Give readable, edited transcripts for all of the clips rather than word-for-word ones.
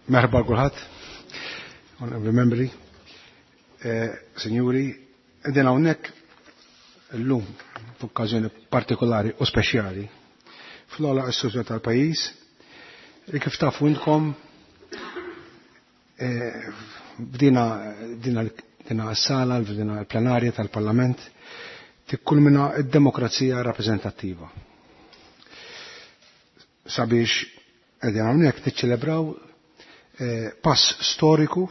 Merħba kulħadd, onorevoli membri, eh, sinjuri, qegħdin hawnhekk illum f'okkażjoni partikolari u speċjali fl-ogħla istituzzjoni tal-pajjiż li kif tafu intkom eh, bdina dina dina s-sala, dina l-plenarja tal-Parlament tikkulmina id-demokrazija rappreżentattiva. Sabiex qegħdin hawnhekk niċċelebraw eh, pass storiku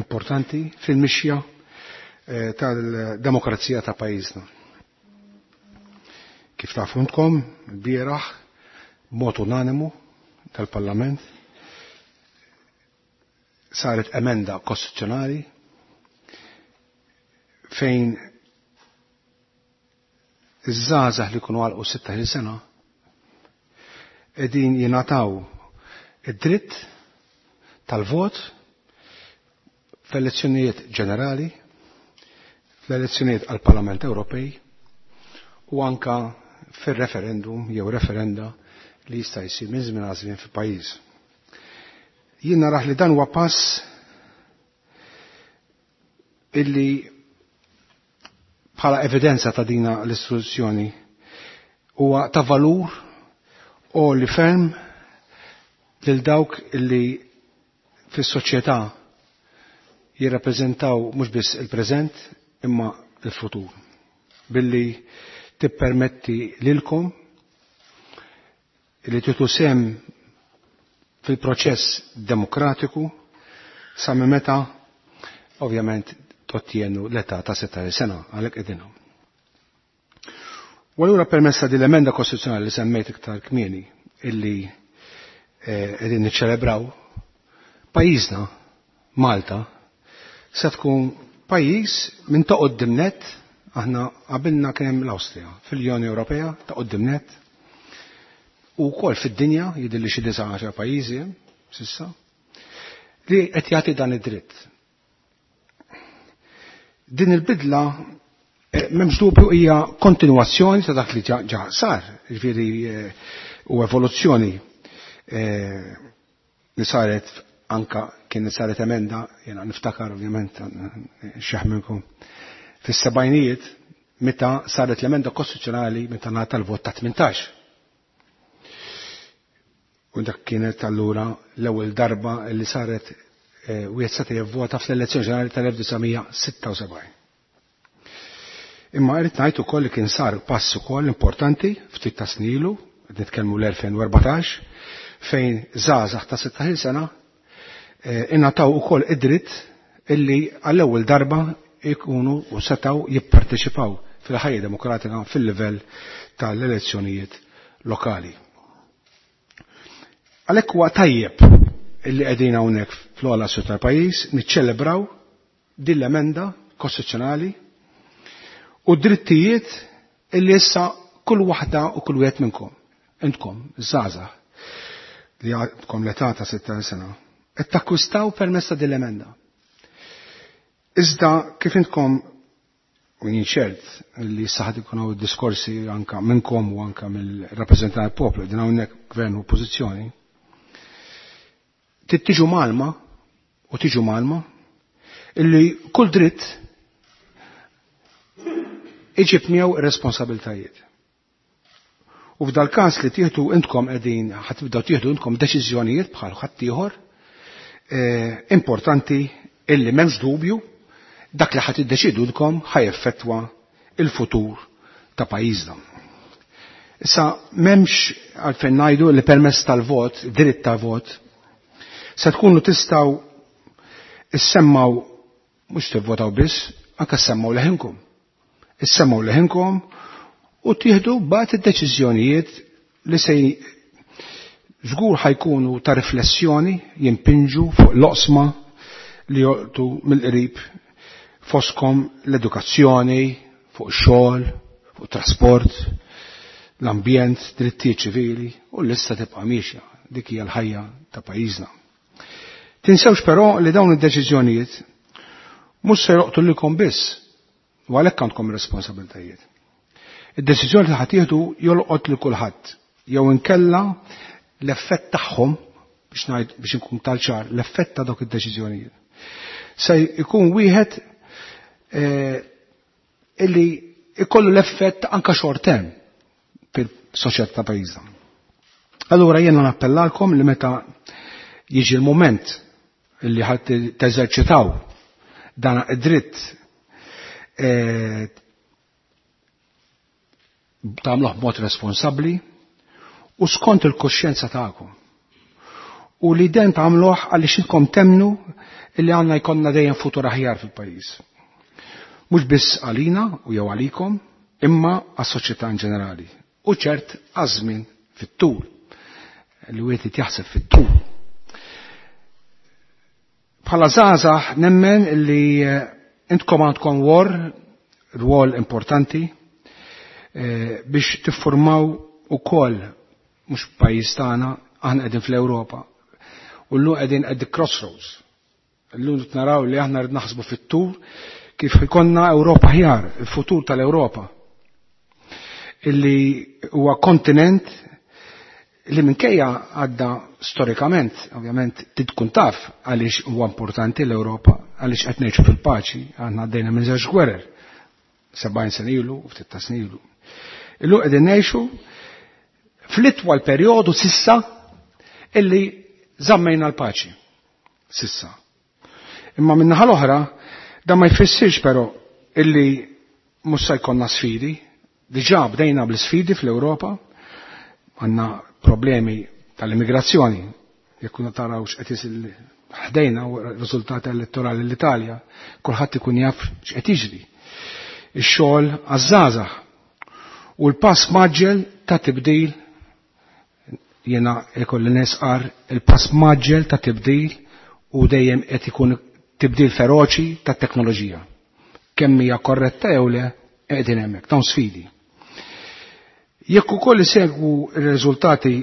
importanti fil-mixja eh, tal-demokrazija ta' pajjiżna. Kif tafu intkom, bieraħ mod unanimu tal-Parlament saret emenda kostituzzjonali fejn iż-żgħażagħ li jkunu għalqu 16 sena qegħdin jingħataw id-dritt tal-vot fl-elezzjonijiet ġenerali, fl-elezzjonijiet għall-Parlament Ewropej u anka fir-referendum jew referenda li jista' jsir minn żmien għal żmien fil-pajjiż. Jien naraħ li dan huwa pass illi bħala evidenza ta' dina l-istituzzjoni huwa ta' valur u li ferm lil dawk illi fis-soċjetà jirrappreżentaw mhux biss il-preżent imma l-futur. Billi tippermetti lilkom li titu sem fil-proċess demokratiku sa minn meta ovvjament tottienu l-età ta' 16 sena għalhekk qegħdin hawn. U allura permessa din l-emenda kostituzzjonali li semmejt iktar kmieni illi eh, qegħdin niċċelebraw pajjiżna Malta se tkun pajjiż minn ta' qoddim net aħna qabilna kien hemm l-Awstrija fil-Unjoni Ewropea ta' qoddim net u wkoll fid-dinja jidhirli xi 19 pajjiżi hemm sissa li qed jagħti dan id-dritt. Din il-bidla eh, m'hemmx dubju hija kontinwazzjoni ta' dak li ġa sar, jiġifieri eh, u evoluzzjoni eh, li saret anka kien saret emenda, jena niftakar ovvjament xeħ minnkom, fis-sebgħinijiet meta saret l-emenda kostituzzjonali meta ngħata l-vot ta' 18. U dak kienet allura l-ewwel darba li saret eh, wieħed seta' jivvota fl-elezzjoni ġenerali tal-1976. Imma irrid ngħid ukoll li kien sar pass ukoll importanti ftit ta' snilu, qed nitkellmu l-2014, fejn żgħażagħ ta' 16 sena eh, ingħataw ukoll id-dritt illi għall-ewwel darba ikunu u setgħu jipparteċipaw fil-ħajja demokratika fil-livell tal-elezzjonijiet lokali. Għalhekk huwa tajjeb illi qegħdin hawnhekk fl-ogħla sur tal-pajjiż niċċelebraw din l-emenda kostituzzjonali u drittijiet illi issa kull waħda u kull wieħed minnkom, intkom, żgħażagħ li għandkom l-età ta' 16 sena, qed takkwistaw permezz ta' din l-emenda. Iżda kif intkom u jien ċert li issa ħad ikun hawn diskorsi anka minnkom u anka mill-rappreżentant tal-poplu din hawnhekk gvern u oppożizzjoni, trid tiġu malma u tiġu malma illi kull dritt iġib miegħu responsabiltajiet. U f'dal każ li tieħdu intkom qegħdin ħatibdew tieħdu intkom deċiżjonijiet bħal ħaddieħor eh, importanti illi m'hemmx dubju dak li ħadd iddeċidu lkom ħajeffettwa il-futur ta' pajjiżna. Issa m'hemmx għalfejn ngħidu li permezz tal-vot, dritt ta' vot, se tkunu tistgħu issemmaw mhux tivvotaw biss, anke semmaw leħinkom. Issemmaw leħinkom u tieħdu bad id-deċiżjonijiet li se żgur ħajkunu ta' riflessjoni jimpinġu fuq l-oqsma li joqtu mill-qrib foskom l-edukazzjoni, fuq xogħol, fuq trasport, l-ambjent, drittijiet ċivili u l-lista tibqa' miexja dik hija l-ħajja ta' pajjiżna. Tinsewx però li dawn id-deċiżjonijiet mhux se joqtu lilkom biss u għalhekk għandkom responsabiltajiet. Id-deċiżjoni li ħadd jieħdu jolqot lil kulħadd jew inkella l-effett tagħhom biex ngħid biex inkun tal-ċar, l-effett ta' dawk id-deċiżjonijiet. Se jkun wieħed illi ikollu l-effett anka short term fil-soċjetà ta' pajjiżna. Allura jiena nappellalkom li meta jiġi l-moment illi ħadd teżerċitaw dan id-dritt tagħmluh b'mod responsabbli u skont il-koxjenza tagħkom. U li den tagħmluh għaliex intkom temnu illi għandna jkollna dejjem futur aħjar fil-pajjiż. Mhux biss għalina u jew għalikom, imma għas-soċjetà in ġenerali. U ċert għaż-żmien fit-tul. Li wieħed jaħseb fit-tul. Bħala żgħażagħ nemmen li intkom għandkom rwol importanti biex tiffurmaw ukoll mhux pajjiż tagħna, aħna qegħdin fl-Ewropa. U llum qegħdin at the crossroads. Illum naraw li aħna rrid naħsbu fit-tul kif ikollna Ewropa aħjar, il-futur tal-Ewropa. Illi huwa kontinent li minkejja għadda storikament, ovvjament tkun taf għaliex huwa importanti l-Ewropa, għaliex qed ngħixu fil-paċi, aħna għaddejna minn żewġ gwerer, 70 sena ilu u ftit ta' snin ilu. Illum qegħdin ngħixu fl-itwal perjodu sissa illi żammejna l-paċi. Sissa. Imma min-naħa l-oħra, dan ma jfissirx però illi mhux se jkollna sfidi. Diġà bdejna bl-sfidi fl-Ewropa, għandna problemi tal-immigrazzjoni, jekk taraw x'qed isir ħdejna u riżultati elettorali l-Italja, kulħadd ikun jaf x'qed jiġri. Ix-xogħol għaż-żgħażagħ u l-pass maġġel ta' tibdil, jiena ikolli nesqar il-pass maġġel ta' tibdil u dejjem qed ikun tibdil feroċi ta' teknoloġija. Kemm hija korretta jew le qegħdin hemmhekk, dawn sfidi. Jekk ukoll isegwu r-riżultati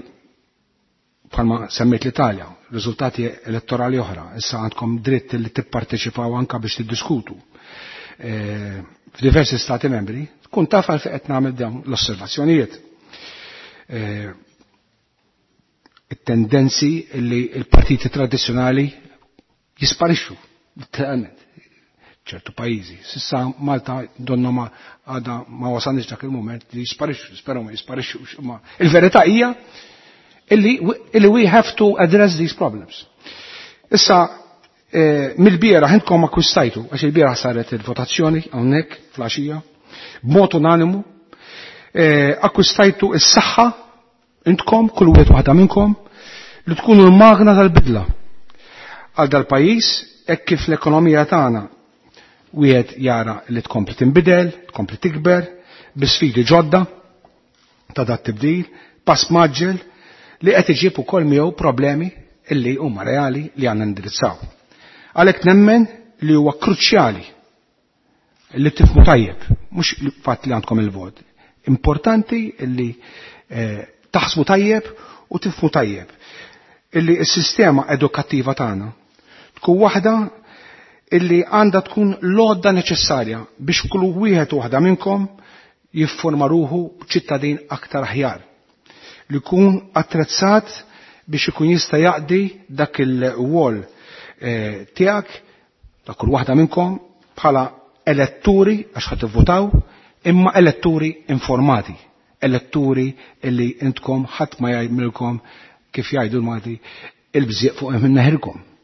bħalma semmejt l-Italja, riżultati elettorali oħra, issa għandkom dritt li tipparteċipaw anka biex tiddiskutu f'diversi stati membri, tkun taf għalfejn qed nagħmel dawn l-osservazzjonijiet. It-tendenzi li l-partiti tradizzjonali jisparixxu, literalment, ċertu pajjiżi. Sissa Malta donna ma għada ma wasalniex dak il-moment li jisparixxu, spero ma jisparixxux, imma il-verità hija illi we have to address these problems. Issa, mill-bieraħ intkom akkwistajtu, għax il-bieraħ saret il-votazzjoni hawnhekk fl-għaxija, b'mod unanimu, akkwistajtu s-saħħa intkom, kull wieħed waħda minnkom, li tkunu l-magna tal-bidla għal dal-pajjiż hekk kif l-ekonomija tagħna wieħed jara li tkompli tinbidel, tkompli tikber, bi sfidi ġodda ta' dat tibdil, pass maġġel li qed iġib ukoll miegħu problemi illi huma reali li għandna nindirizzaw. Għalhekk nemmen li huwa kruċjali li tifhmu tajjeb, mhux fatt li għandkom il-vot. Importanti li taħsbu tajjeb u tifhmu tajjeb illi s-sistema edukattiva tagħna tkun waħda illi għandha tkun l-għodda neċessarja biex kull wieħed u waħda minnkom jiffurma ruħu ċittadin aktar aħjar, li jkun attrezzat biex ikun jista' jaqdi dak il-wol tiegħek ta' kull waħda minnkom bħala eletturi għax ħadd tivvutaw, imma eletturi informati, eletturi illi intkom ħadd ma jgħidilkom kif jgħidu l-Malti il-bżieq fuq minn neħirkom.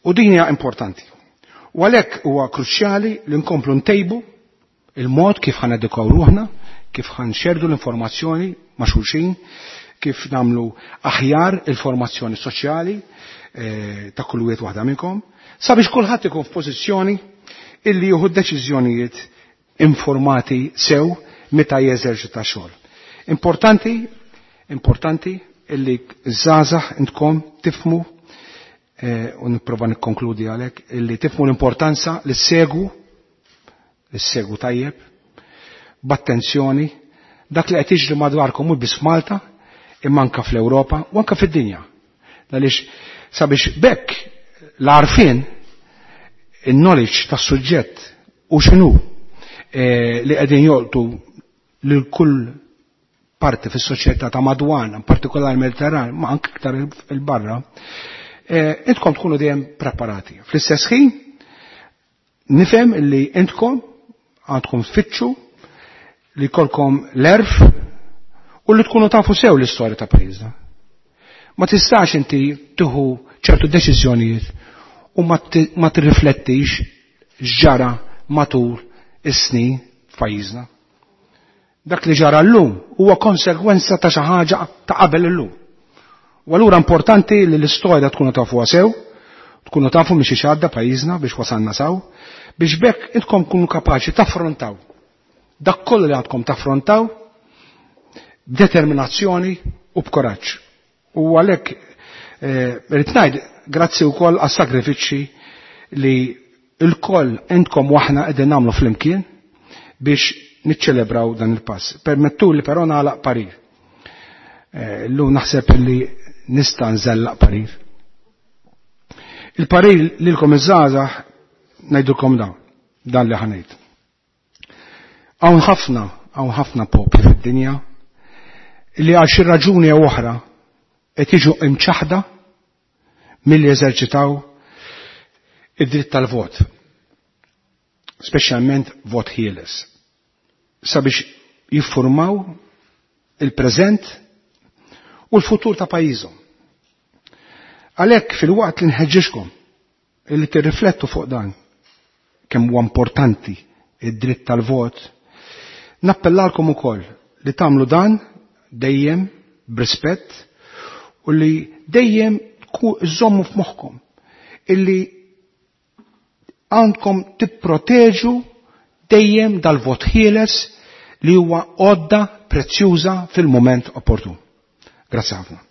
U din hija importanti. U għalhekk huwa kruċjali li nkomplu ntejbu il-mod kif ħa nedukaw ruħna, kif ħa nxerdu l-informazzjoni ma' xulxin, kif nagħmlu aħjar il-formazzjoni soċjali ta' kull wieħed waħda minnkom, sabiex kulħadd ikun f'pożizzjoni illi jieħu deċiżjonijiet informati sew meta jeżerċita xogħol. Importanti, importanti illi żgħażagħ intkom tifhmu, u nipprova nikkonkludi għalhekk, illi tifhmu l-importanza li ssegwu, li ssegwu tajjeb, b'attenzjoni, dak li qed jiġri madwarkom mhux biss f'Malta, imma anke fl-Ewropa u anke fid-dinja. Għaliex sabiex bekk l-għarfien, il-knowledge tas-suġġett u x'inhu li qegħdin jolqtu lil kull parti fis-soċjetà ta' madwarna, partikolari Mediterran, ma anke iktar il-barra, intkom tkunu dejjem preparati. Fl-istess ħin, nifhem li intkom għandkom tfittxu li jkollkom l-erf u li tkunu tafu sew l-istorja ta' pajjiżna. Ma tistax inti tieħu ċertu deċiżjonijiet u ma tirriflettix x'ġara matul is-snin f'pajjiżna. Dak li ġara llum huwa konsegwenza ta' xi ħaġa ta' qabel illum. U allura importanti li l-istorja tkunu tafuha sew, tkunu tafu minn xi għadda pajjiżna biex wasalna saw, biex bekk intkom kunu kapaċi taffrontaw dak kollu li għandkom taffrontaw b'determinazzjoni u b'koraġġ. U għalhekk rrid ngħid grazzi wkoll għas-sagrifiċċji li l-koll intkom waħna qegħdin nagħmlu flimkien biex niċċelebraw dan il-pass. Permettu li però nagħlaq parir. Illum naħseb li nista' nżellaq parir. Il-parir lilkom iż-żgħażagħ ngħidulkom dan li ħanejt. Hawn ħafna popli fid-dinja li għal xi raġuni jew oħra qed jiġu imċaħda milli jeżerċitaw id-dritt tal-vot, speċjalment vot ħieles, sabiex jiffurmaw il-preżent u l-futur ta' pajjiżhom. Għalhekk fil-waqt li nħeġġixkom illi tirriflettu fuq dan kemm huwa importanti id-dritt tal-vot, nappellalkom ukoll li tagħmlu dan dejjem b'rispett u li dejjem żommu f'moħħkom illi għandkom tipproteġu dejjem dal-vot ħieles li huwa għodda prezzjuża fil-moment opportun. Grazzi ħafna.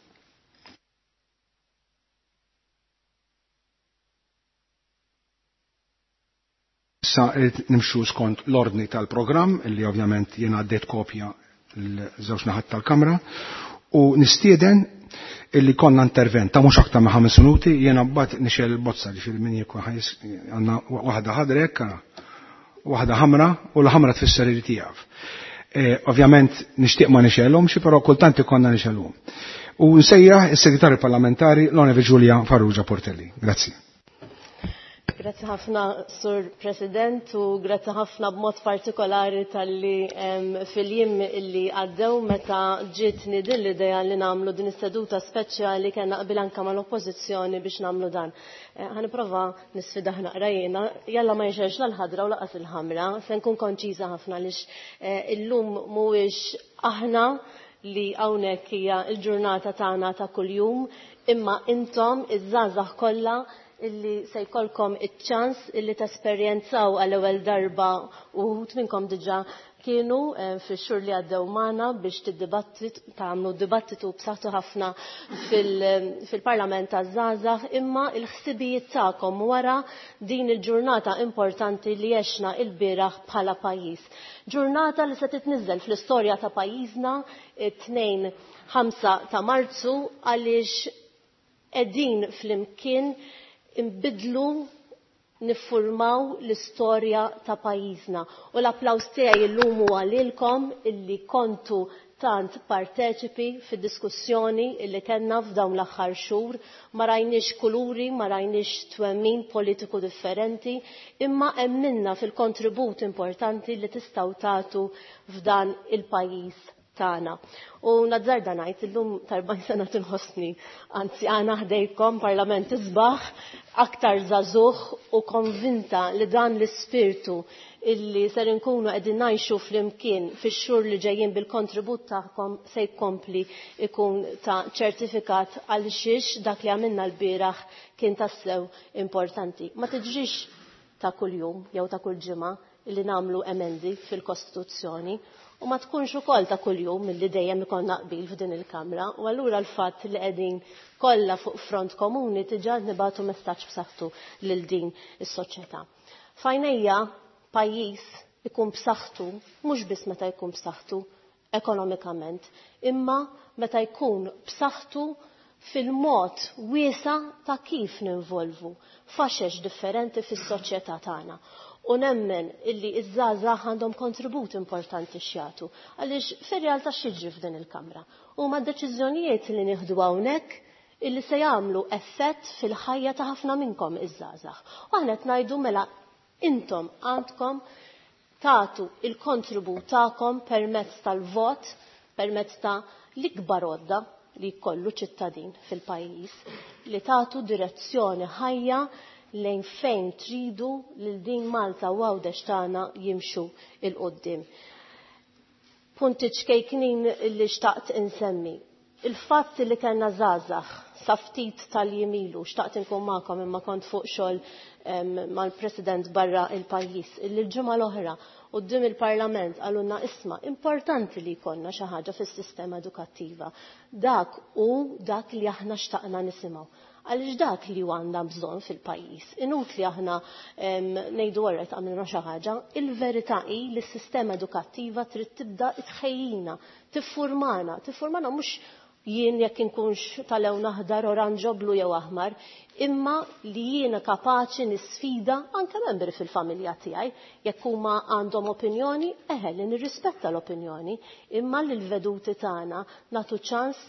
Issa nimxu skont l-ordni tal-programm illi ovvjament jiena għaddejt kopja l-żewġ naħat tal-Kamra u nistieden illi konna intervent ta' mhux aktar ma' 5 minuti, jiena mbagħad nixel il-bozza ġifieri min jekk għandna waħda ħadra hekk, waħda ħamra u l-ħamra tfisser irid jaf. Ovvjament nixtieq ma nixelhomx, però kultant ikollna nixelhom. U nsejjaħ is-Segretarju Parlamentari l-Onorevoli Giulia Farrugia Portelli. Grazzi. Grazzi ħafna, Sur President, u grazzi ħafna b'mod partikolari tal-li fil-jiem illi għaddew meta ġietni din l-idea li nagħmlu din is-seduta speċjali kellna qbil anke mal-Oppożizzjoni biex nagħmlu dan. Ħaniprova nisfidah naqra jiena, jalla ma jxerx l-ħadra u laqas il-ħamra, se nkun konċiża ħafna għaliex illum mhuwiex aħna li hawnhekk hija l-ġurnata tagħna ta' kuljum, imma intom iż-żgħażagħ kollha illi se jkollkom iċ-ċans illi tesperjenzaw għall-ewwel darba uħud minnkom diġà kienu fix-xhur li għaddew magħna biex tagħmlu dibattitu b'saħħtu ħafna fil-Parlament taż-żgħażagħ, imma l-ħsibijiet tagħkom wara din il-ġurnata importanti li għexna l-bieraħ bħala pajjiż. Ġurnata li se titniżel fl-istorja ta' pajjiżna it-2-5 ta' Marzu għaliex qegħdin flimkien imbidlu niffurmaw l-istorja ta' pajjiżna. U l-applaws tiegħi llum huwa lilkom illi kontu tant parteċipi fid-diskussjoni illi kellna f'dawn l-aħħar xhur, ma rajniex kuluri, ma rajniex twemmin politiku differenti, imma emminna fil-kontribut importanti li tistgħu tagħtu f'dan il-pajjiż tagħna. U nazzarda ngħid illum ta' 40 sena tinħossni, anzi għana ħdejkom parlament isbaħ, aktar żagħżugħ u konvinta li dan l-ispirtu illi ser inkunu qegħdin ngħixu flimkien fix-xhur li ġejjin bil-kontribut tagħkom se jkompli ikun ta' ċertifikat għal xiex dak li għamilna l-bieraħ kien tassew importanti. Ma tiġrix ta' kuljum jew ta' kull ġimgħa illi nagħmlu emendi fil-Kostituzzjoni u ma tkunx ukoll ta' kuljum milli dejjem ikollna qbil f'din il-Kamra, u allura l-fatt li qegħdin kollha fuq front komuni diġà nibagħtu messaġġ b'saħħtu lil din is-soċjetà. Fajnejja pajjiż ikun b'saħħtu mhux biss meta jkun b'saħħtu ekonomikament, imma meta jkun b'saħħtu fil-mod wiesa ta' kif ninvolvu faxex differenti fis-soċjetà tagħna. U nemmen illi iż-żgħażagħ għandhom kontribut importanti x'jagħtu. Għaliex fir-realtà x'jiġri f'din il-Kamra? Huma deċiżjonijiet li nieħdu hawnhekk illi se jagħmlu effett fil-ħajja ta' ħafna minnkom iż-żgħażagħ. U aħna qed ngħidu mela intom għandkom tagħtu il-kontribut tagħkom permezz tal-vot, permezz ta' l-ikbar għodda li jkollu ċittadin fil-pajjiż, li tagħtu direzzjoni ħajja lejn fejn tridu lil din Malta u Għawdex tagħna jimxu 'l quddiem. Punti ċkejknin li xtaqt insemmi. Il-fatt li kellna żgħażagħ sa ftit tal-jiem ilu, xtaqt inkun magħkom imma kont fuq xogħol mal-President barra il-pajjiż, illi l-ġimgħa l-oħra quddiem il-Parlament qalulna isma' importanti li jkollna xi ħaġa fis-sistema edukattiva. Dak hu dak li aħna xtaqna nisimgħu. Għaliex dak li għandna bżonn fil-pajjiż. Inutli aħna ngħidu orret għamilna xi ħaġa, il-verità hi li s-sistema edukattiva trid tibda tħejjina, tiffurmana, tiffurmana mhux jien jekk inkunx tal-lewn aħdar, oranġo, blu jew aħmar, imma li jiena kapaċi nisfida anke membri fil-familja tiegħi jekk huma għandhom opinjoni, eħe li nirrispetta l-opinjoni, imma li l-veduti tagħna nagħtu ċans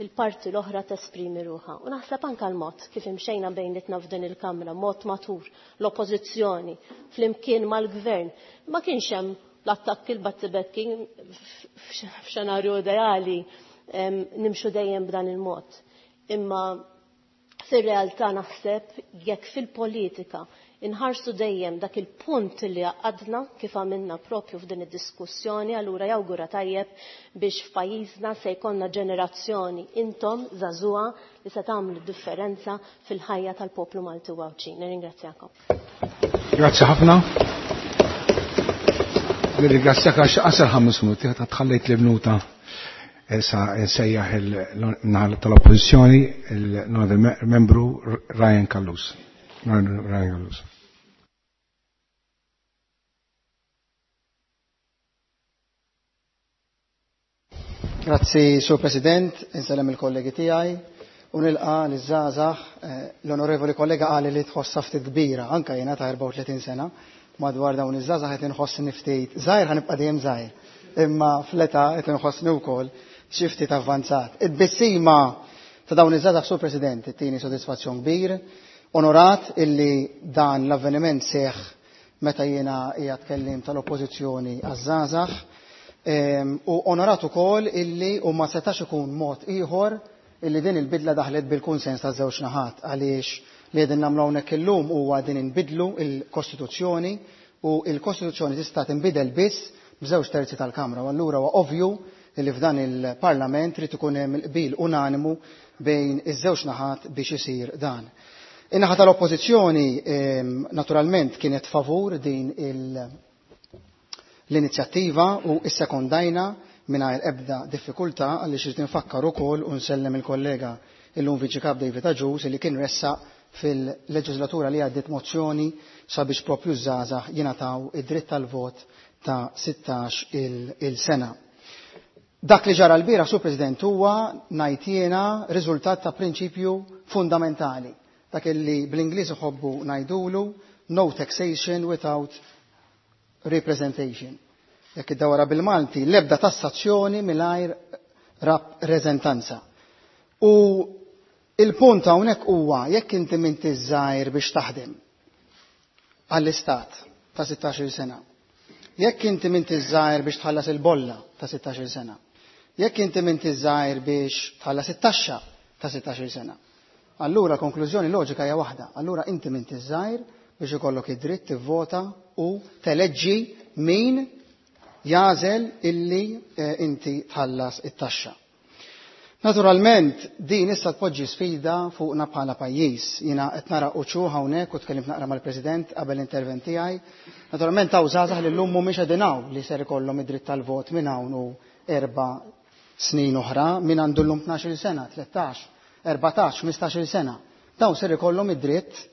il-parti l-oħra tesprimi ruħha. U naħseb anke l-mod kif imxejna bejnietna f'din il-Kamra, mod matur, l-oppożizzjoni, flimkien mal-gvern, ma kienx hemm l-attakki l-battibekki f'xenarju ideali nimxu dejjem b'dan il-mod. Imma fir-realtà naħseb jekk fil-politika inħarsu dejjem dak il-punt li għadna kif għamilna propju f'din id-diskussjoni, allura jawgura tajjeb biex f'pajjiżna se jkollna ġenerazzjoni intom żagħżugħa li se tagħmlu differenza fil-ħajja tal-poplu Malti u Għawdxi. Nirringrazzjakom. Grazzi ħafna. Nirringrazzjak għax qasar 5 minuti, ta' tħallejt li minuta sa nsejjaħ il-naħa tal-Oppożizzjoni il-membru Ryan Callus. Ryan Callus. Grazzi, Sur President, insellem il-kollegi tiegħi u nilqa liż-żgħażagħ. L-onorevoli kollega qali li tħossha ftit kbira, anke jiena ta' 34 sena, madwar dawn iż-żgħażagħ qed inħossni ftit żgħir, ħanibqa' dejjem żgħir, imma fl-età qed inħossni wkoll xi ftit avvanzat. Id-bissima ta' dawn iż-żgħażagħ, Sur President, ittini sodisfazzjon kbir, onorat illi dan l-avveniment seħħ meta jiena qiegħed kellim tal-Oppożizzjoni għaż-żgħażagħ. U onorat ukoll illi u ma setax ikun mod ieħor illi din il-bidla daħlet bil-kunsens ta' żewġ naħat, għaliex li qegħdin nagħmlu hawnhekk illum huwa din inbidlu il-Kostituzzjoni, u il-Kostituzzjoni tista' tinbidel biss b'żewġ terzi tal-Kamra, u allura huwa ovvju illi f'dan il-Parlament trid ikun hemm il-qbil unanimu bejn iż-żewġ naħat biex isir dan. In-naħa tal-Oppożizzjoni naturalment kienet favur din l-inizjattiva u issekondajna mingħajr ebda diffikultà, għaliex irid infakkar ukoll u nsellem il-kollega illum Viċi Kap David Agius li kien ressaq fil-leġislatura li għaddiet mozzjoni sabiex propju żgħażagħ jingħataw id-dritt tal-vot ta' 16 il-sena. Dak li ġara l-bieraħ, Sur President, huwa ngħid jiena riżultat ta' prinċipju fundamentali, dak li bl-Ingliż iħobbu ngħidulu no taxation without representation. Jekk iddawra bil-Malti, l-ebda tassazzjoni mingħajr rappreżentanza. U il-punt hawnhekk huwa jekk inti m'inti żgħir biex taħdem għall-istat ta' 16-il sena, jekk inti m'inti żgħir biex tħallas il-bolla ta' 16-il sena, jekk inti m'inti żgħir biex tħallas it-taxxa ta' 16-il sena, allura konklużjoni loġika hija waħda, allura inti m'inti żgħir biex ikollok id-dritt tivvota u teleġġi min jażel illi inti tħallas it-taxxa. Naturalment, din issa tpoġġi sfida fuqna bħala pajjiż. Jiena qed nara uċuħ hawnhekk u tkellimt naqra mal-President qabel l-intervent tiegħi. Naturalment hawn żgħażagħ li llum mhumiex qegħdin hawn li ser ikollhom id-dritt tal-vot minn hawn u 4 snin oħra, min għandu llum 12-il sena, 13, 14, 15-il sena. Dawn ser ikollhom id-dritt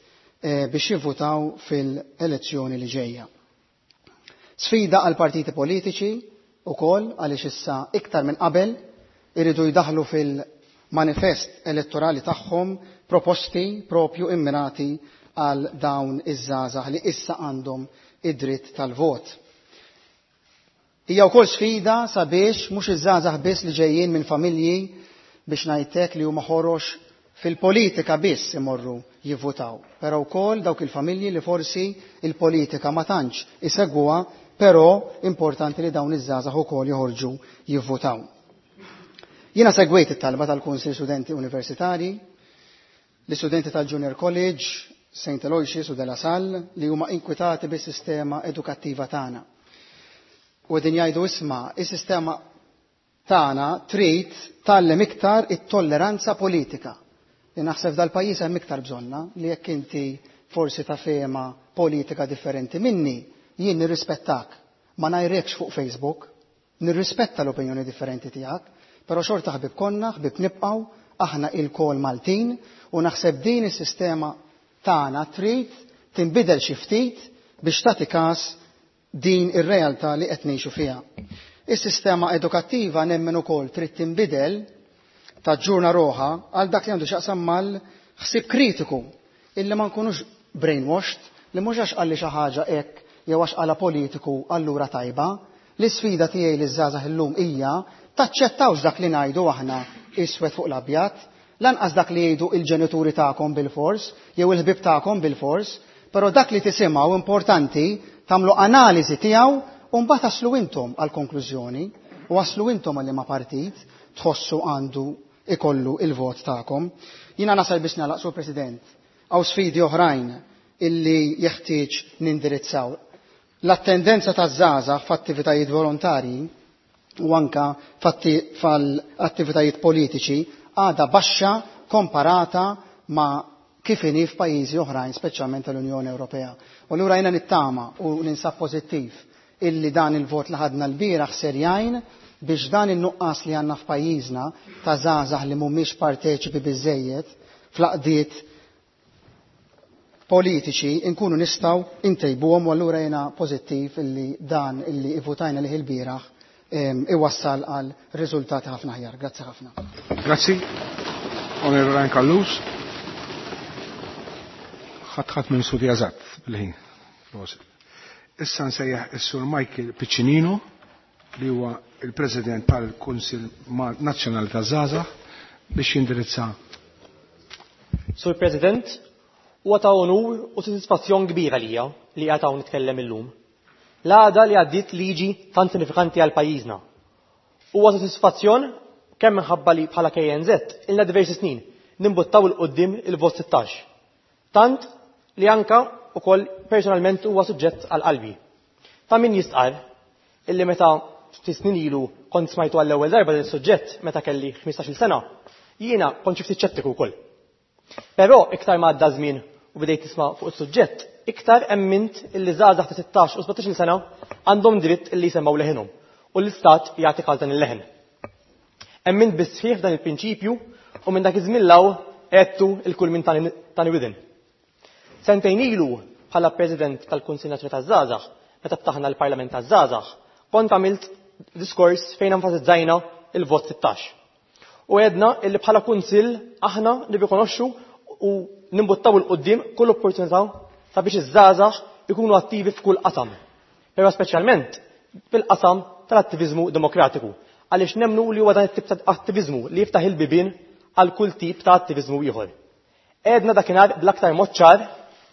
biex jivvutaw fil-elezzjoni li ġejja. Sfida għal partiti politiċi ukoll, għaliex issa iktar minn qabel iridu jdaħlu fil-manifest elettorali tagħhom proposti propju immirati għal dawn iż-żgħażagħ li issa għandhom id-dritt tal-vot. Hija wkoll sfida sabiex mhux iż-żgħażagħ biss li ġejjin minn familji biex ngħidlek li huma ħorox fil-politika biss imorru jivvutaw, però wkoll dawk il-familji li forsi il-politika ma tantx isegwuha, però importanti li dawn iż-żgħażagħ ukoll joħorġu jivvutaw. Jiena segwejt it-talba tal-Kunsill Studenti Universitarji, l-istudenti tal-Junior College, St. Aloysius u De La Salle li huma inkwitati bis-sistema edukattiva tagħna. U qegħdin jgħidu isma' is-sistema tagħna trid tgħallem iktar it-tolleranza politika. Li naħseb dal-pajjiż hemm iktar bżonna li jekk inti forsi ta' fehma politika differenti minni, jien nirrispettak. Ma ngħajrekx fuq Facebook, nirrispetta l-opinjoni differenti tiegħek, però xorta ħbib konna, ħbib nibqgħu, aħna ilkoll Maltin u naħseb din is-sistema tagħna trid tinbidel xi ftit biex tagħti każ din ir-realtà li qed ngħixu fiha. Is-sistema edukattiva nemmen ukoll trid tinbidel taġġurna roħa għal dak li għandu x'jaqsam mal-ħsieb kritiku illi ma nkunux brainwashed li mhux għax qalli xi ħaġa hekk jew għax qala politiku allura tajba. L-isfida tiegħi liż-żgħażagħ illum hija taċċettawx dak li ngħidu aħna iswed fuq l-abjad, lanqas dak li jgħidu il-ġenituri tagħkom bil-fors jew il-ħbieb tagħkom bil-fors, però dak li tisimgħu importanti tagħmlu analiżi tiegħu u mbagħad taslu intom għal konklużjoni u waslu intom għal liema partit tħossu għandu ikollu il-vot tagħkom. Jiena nasal biex nagħlaq, Sur President, hawn sfidi oħrajn illi jeħtieġ nindirizzaw. L-attendenza taż-żgħażagħ f'attivitajiet volontarji u anka f'attivitajiet politiċi għadha baxxa komparata ma' kif inhi f'pajjiżi oħrajn, speċjalment tal-Unjoni Ewropea. U allura jiena nittama u ninsab pożittiv illi dan il-vot li ħadna l-bieraħ ser jgħin biex dan in-nuqqas li għandna f'pajjiżna ta' żgħażagħ li mhumiex parteċipi biżejjed fl-għaqdiet politiċi nkunu nistgħu intejbuhom u allura jiena pożittiv illi dan illi ivvutajna lih il-bieraħ iwassal għal riżultati ħafna aħjar. Grazzi ħafna. Grazzi. Onorevole Ryan Callus. Ħadd ħadd minn studi eżatt bil-ħin. Issa nsejjaħ is-Sur Michael Piccinino li huwa il-President tal-Kunsill Nazzjonali taż-Żgħażagħ biex jindirizza. Sur President, huwa ta' onur u sodisfazzjon kbira lija li qiegħed hawn nitkellem illum. L-għada li għaddiet liġi tant sinifikanti għal pajjiżna. Huwa sodisfazzjon kemm minħabba li bħala KNZ ilna diversi snin nimbuttaw 'il quddiem il-vot 16. Tant li anka ukoll personalment huwa suġġett għal qalbi. Ta' min jistqar illi meta ftit snin ilu kont smajtu għall-ewwel darba din is-suġġett meta kelli 15-il sena, jiena kont xi ftit ċettiku wkoll. Però iktar ma għadda żmien u bdejt tisma' fuq is-suġġett, iktar emmint illi żgħażagħ ta' 16 u 17-il sena għandhom dritt illi jsemmaw leħinhom u l-istat jagħti każ dan il-leħen. Emmint bis-sħiħ dan il-prinċipju u minn dak iż-żmien law għedtu il-kull minn tani widen. Sentejn ilu bħala President tal-Kunsill Nazzjonali taż-Żgħażagħ, meta ftaħna l-Parlament taż-Żgħażagħ, kont għamilt diskors fejn enfasizzajna il-vot 16. U għedna illi bħala kunsill aħna nirrikonoxxu u nimbuttaw 'il quddiem kull opportunità sabiex iż-żgħażagħ ikunu attivi f'kull qasam. Però speċjalment fil-qasam tal-attiviżmu demokratiku, għaliex nemmnu li huwa dan it-tip ta' attiviżmu li jiftaħ il-bibien għal kull tip ta' attiviżmu ieħor. Għedna dakinhar bl-aktar mod ċar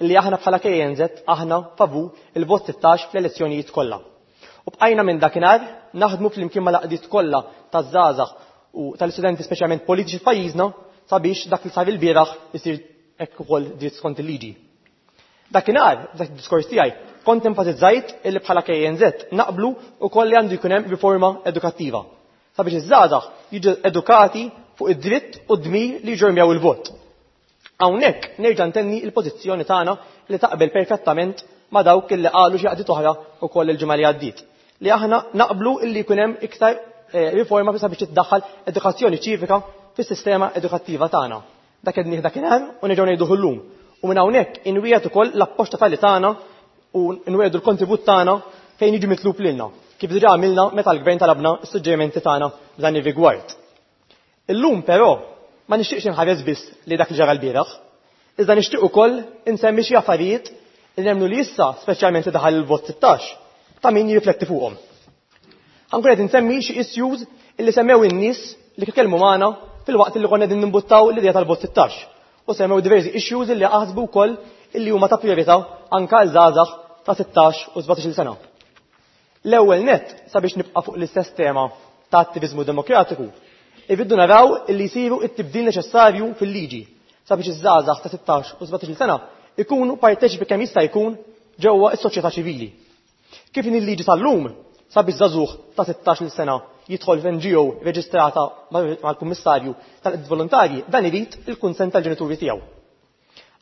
li aħna bħala KNZ aħna favur il-vot 16 fl-elezzjonijiet kollha. U bqajna minn dakinhar naħdmu flimkien mal-għaqdiet kollha taż-żgħażagħ u tal-istudenti speċjalment politiċi f'pajjiżna sabiex dak li sar il-bieraħ isir hekk ukoll dritt skont il-liġi. Dakinhar, dak id-diskors tiegħi, kont enfasizzajt illi bħala KNZ naqblu wkoll li għandu jkun hemm riforma edukattiva sabiex iż-żgħażagħ jiġu edukati fuq id-dritt u d-dmir li jġormjaw il-vot. Hawnhekk nerġa' ntenni l-pożizzjoni tagħna li taqbel perfettament ma' dawk illi qalu xi għaqdiet oħra wkoll il-ġimgħa li għaddiet, li aħna naqblu illi jkun hemm iktar riforma sabiex tiddaħħal edukazzjoni ċivika fis-sistema edukattiva tagħna. Dak qed dakinhar u nerġgħu ngħiduh illum. U minn hawnhekk inwiegħed ukoll l-appoġġ totali tagħna u nwiegħdu l-kontribut tagħna fejn jiġi mitlub lilna, kif diġà għamilna meta l-gvern talabna s-suġġerimenti tagħna f'dan ir-rigward. Illum però ma nixtieqx inħares biss li dak li ġara l-bieraħ, iżda nixtieq ukoll insemmi xi affarijiet Li nemmnu li issa, speċjalment li daħal il-vot 16, ta' min jirrifletti fuqhom. Ħa nkun qed insemmi xi issues illi semmew in-nies li tkellmu magħna fil-waqt li konna qegħdin nimbuttaw l-idea tal-vot 16. U semmew diversi issues illi aħsbu wkoll illi huma ta' priorità anke għal żgħażagħ ta' 16 u 17 sena. L-ewwel nett, sabiex nibqa' fuq l-istess tema ta' attiviżmu demokratiku, irridu naraw illi jsiru t-tibdil neċessarju fil-liġi sabiex iż-żgħażagħ ta' 16 u 17 sena ikunu parteċipi kemm jista' jkun ġewwa s-soċjetà ċivili. Kif inhi l-liġi tal-lum, sabiex żagħżugħ ta' 16 sena jidħol f'NGO reġistrata mal-Kummissarju tal-Qdiet Volontarji, dan irid il-kunsens tal-ġenituri tiegħu.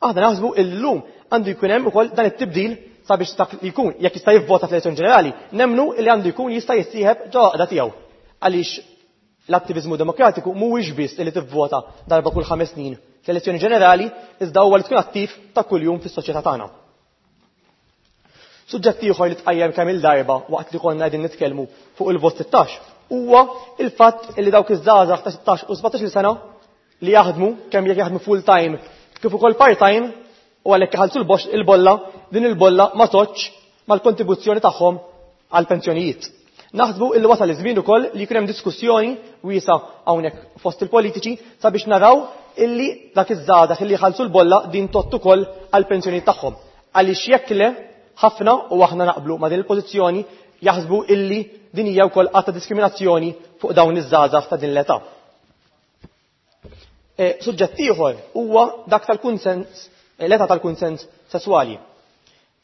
Aħna naħsbu illum għandu jkun hemm ukoll dan it-tibdil sabiex dak li jkun jekk jista' jivvota fl-elezzjoni ġenerali, nemmnu li għandu jkun jista' jissieħeb ġo għaqda tiegħu. Għaliex l-attiviżmu demokratiku mhuwiex biss li tivvota darba kull 5 snin fl-elezzjoni ġenerali, iżda huwa li tkun attiv ta' kuljum fis-soċjetà tagħna. Suġġett ieħor li tqajjem kemm il-darba waqt li konna qegħdin nitkellmu fuq il-vot 16 huwa il-fatt li dawk iż-żgħażagħ ta' 16 u 17 sena li jaħdmu kemm jekk jaħdmu full time kif ukoll part time u għalhekk iħallsu il-bolla, din il-bolla ma toċ mal-kontribuzzjoni tagħhom għal pensjonijiet. Naħsbu illi wasal iż-żmien ukoll li jkun hemm diskussjoni wiesa hawnhekk fost il-politiċi sabiex naraw illi dak iż-żgħażagħ illi jħallsu l-bolla din tott ukoll għal pensjonijiet tagħhom. Għaliex jekk le, ħafna u aħna naqblu ma' din il-pożizzjoni jaħsbu illi din hija wkoll att ta' diskriminazzjoni fuq dawn iż-żgħażagħ ta' din l-età. Suġġett ieħor huwa dak tal-kunsens, l-età tal-kunsens sesswali.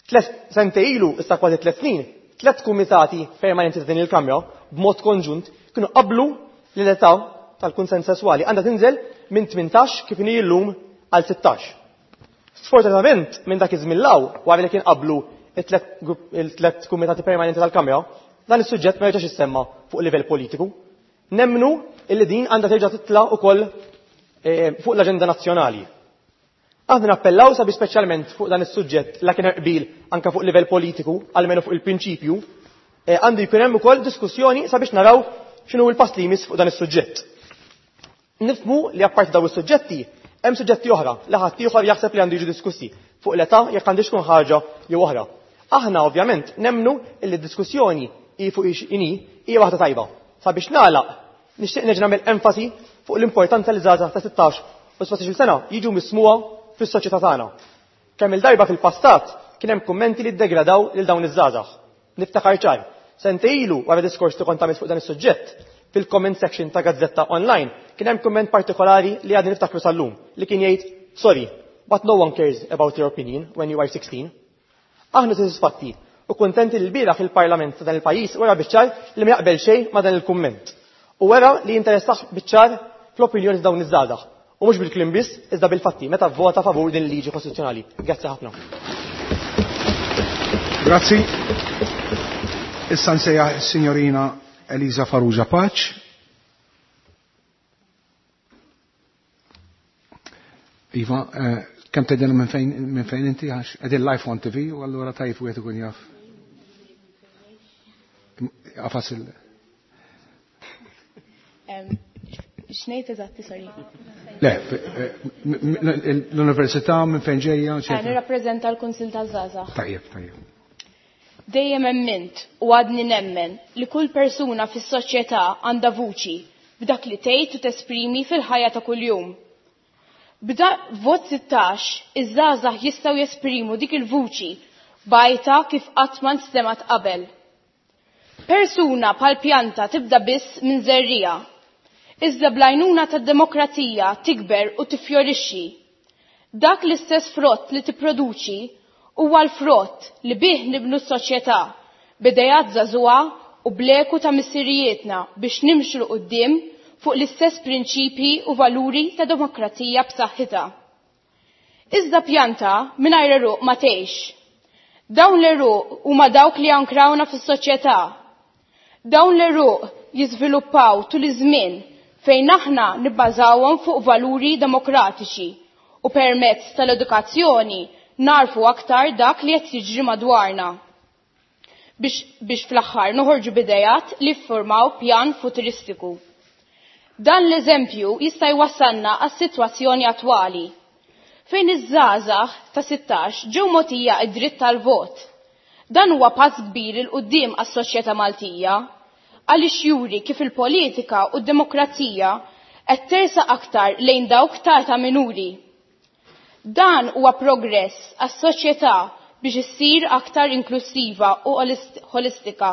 3 sentejn ilu, issa kważi 3 snin, 3 kumitati permanenti ta' din il-Kamra b'mod konġunt kienu qablu li l-età tal-kunsens sesswali għandha tinżel minn 18 kif inhi llum għal 16. Sfortunatament, minn dak iż-żmien law, wara li kien qablu il-tlet kumitati permanenti tal-Kamra, dan is-suġġett ma jerġax issemma fuq livell politiku. Nemmnu illi din għandha terġa' titla' ukoll fuq l-aġenda nazzjonali. Aħna nappellaw sabiex speċjalment fuq dan is-suġġett la kien hemm qbil anke fuq livell politiku, almenu fuq il-prinċipju, għandu jkun hemm ukoll diskussjoni sabiex naraw x'inhu l-pass li jmiss fuq dan is-suġġett. Nifhmu li apparti dawn is-suġġetti hemm suġġetti oħra li ħadd ieħor jaħseb li għandu jiġu diskussi fuq l-età jekk għandix tkun ħaġa jew oħra. Aħna ovvjament nemmnu li d-diskussjoni hi fuq ix inhi hija waħda tajba. Sabiex nagħlaq, nixtieq nerġa' nagħmel enfasi fuq l-importanza li żgħażagħ ta' 16 u 17 sena jiġu mismuha fis-soċjetà tagħna. Kemm il-darba fil-passat kien hemm kummenti li ddegradaw lil dawn iż-żgħażagħ. Niftakar ċar, sentejn ilu wara diskors li kont għamilt fuq dan is-suġġett, fil-comment section ta' gazzetta online kien hemm kumment partikolari li għadni niftakru sal-lum li kien jgħid sorry, but no one cares about your opinion when you are 16. Aħna sodisfatti u kuntenti li l-bieraħ fil-Parlament ta' dan il-pajjiż wera biċ-ċar li ma jaqbel xejn ma' dan il-kumment. U wera li jinteressah biċ-ċar fl-opinjoni ta' dawn iż-żgħażagħ. U mhux bil-kliem biss, iżda bil-fatti meta vvota favur din il-liġi kostituzzjonali. Grazzi ħafna. Grazzi. Issa nsejjaħ is-Sinjorina Elisa Farrugia Pace. Iva, kemm tgħidilna minn fejn inti għax qegħdin live on TV u allura tajjeb wieħed ikun jaf. Għafas il- X'ngħid eżatti, sorry. Le, l-università minn fejn ġejja, eċetera. Nirrappreżenta l-Kunsill taż-Żgħażagħ. Tajjeb, tajjeb. Dejjem emmint u għadni nemmen li kull persuna fis-soċjetà għandha vuċi b'dak li tgħid u tesprimi fil-ħajja ta' kuljum. B'da vot 16, iż-żgħażagħ jistgħu jesprimu dik il-vuċi bajta kif qatt ma nstemat qabel. Persuna bħal pjanta tibda biss minn żerriegħa. Iżda bl-għajnuna tad-demokrazija tikber u tifjorixxi. Dak l-istess frott li tipproduċi huwa l-frott li bih nibnu s-soċjetà, b'idejat żagħżugħa u bleku ta' missirijietna biex nimxu 'l quddiem fuq l-istess prinċipji u valuri ta' demokrazija b'saħħitha. Iżda pjanta mingħajr għeruq ma tgħix. Dawn l-għeruq huma dawk li jankrawna fis-soċjetà. Dawn l-għeruq jiżviluppaw tul iż-żmien fejn aħna nibbażawhom fuq valuri demokratiċi u permezz tal-edukazzjoni narfu aktar dak li qed jiġri madwarna. Biex fl-aħħar noħorġu bidejat li ffurmaw pjan futuristiku. Dan l-eżempju jista' jwassalna għas-sitwazzjoni attwali. fejn iż-żgħażagħ ta' 16 ġew mogħtija d-dritt tal-vot. Dan huwa pass kbir 'il quddiem għas-soċjetà Maltija għaliex juri kif il-politika u d-demokrazija qed tersaq aktar lejn dawk ta' età minuri. Dan huwa progress għas-soċjetà biex issir aktar inklusiva u ħolistika.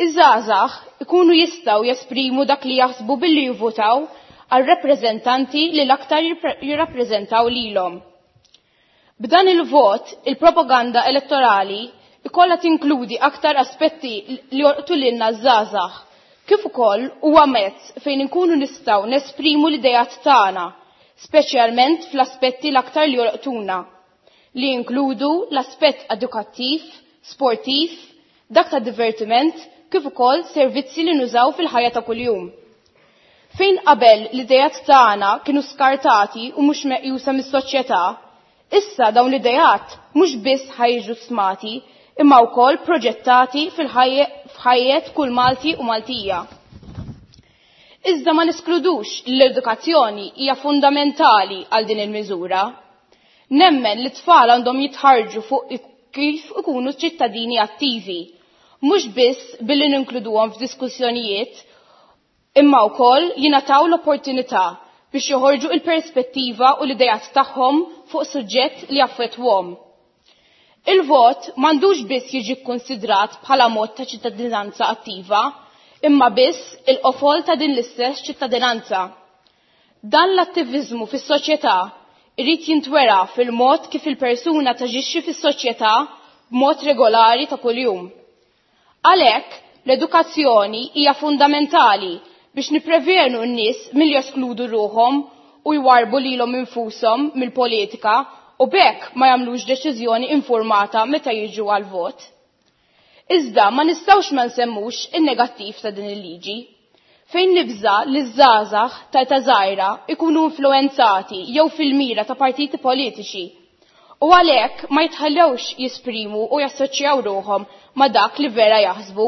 Iż-żgħażagħ ikunu jistgħu jesprimu dak li jaħsbu billi jivvutaw għal rappreżentanti li l-aktar jirrappreżentaw lilhom. B'dan il-vot, il-propaganda elettorali ikollha tinkludi aktar aspetti li jolqtu lilna ż-żgħażagħ, kif ukoll huwa mezz fejn inkunu nistgħu nesprimu l-idejat tagħna, speċjalment fl-aspetti l-aktar li jolqtuna, li jinkludu l-aspett edukattiv, sportiv, dak ta' divertiment, kif ukoll servizzi li nużaw fil-ħajja ta' kuljum. Fejn qabel l-idejat tagħna kienu skartati u mhux meqjusa mis-soċjetà, issa dawn l-idejat mhux biss ħajġu smati, imma wkoll proġettati fil-ħajjet kull Malti u Maltija. Iżda ma neskludux li l-edukazzjoni hija fundamentali għal din il-miżura. Nemmen li t-tfal għandhom jitħarġu fuq kif ikunu ċittadini attivi, mhux biss billi ninkluduhom f'diskussjonijiet, imma wkoll jingħataw l-opportunità biex joħorġu il-perspettiva u l-idejat tagħhom fuq suġġett li jaffettwhom. Il-vot m'għandux biss jiġi kkunsidrat bħala mod ta' ċittadinanza attiva, imma biss il-qofol ta' din l-istess ċittadinanza. Dan l-attiviżmu fis-soċjetà irid jintwera fil-mod kif il-persuna taġixxi fis-soċjetà b'mod regolari ta' kuljum. Għalhekk, l-edukazzjoni hija fundamentali biex nipprevenu n-nies milli jeskludu ruħhom u jwarbu lilhom infushom mill-politika u b'hekk ma jagħmlux deċiżjoni informata meta jiġu għal vot. Iżda ma nistgħux ma nsemmux in-negattiv ta' din il-liġi. Fejn nibża li ż-żgħażagħ ta' età żgħira ikunu influenzati jew fil-mira ta' partiti politiċi u għalhekk ma jitħallewx jisprimu u jassoċjaw ruħhom ma' dak li vera jaħsbu.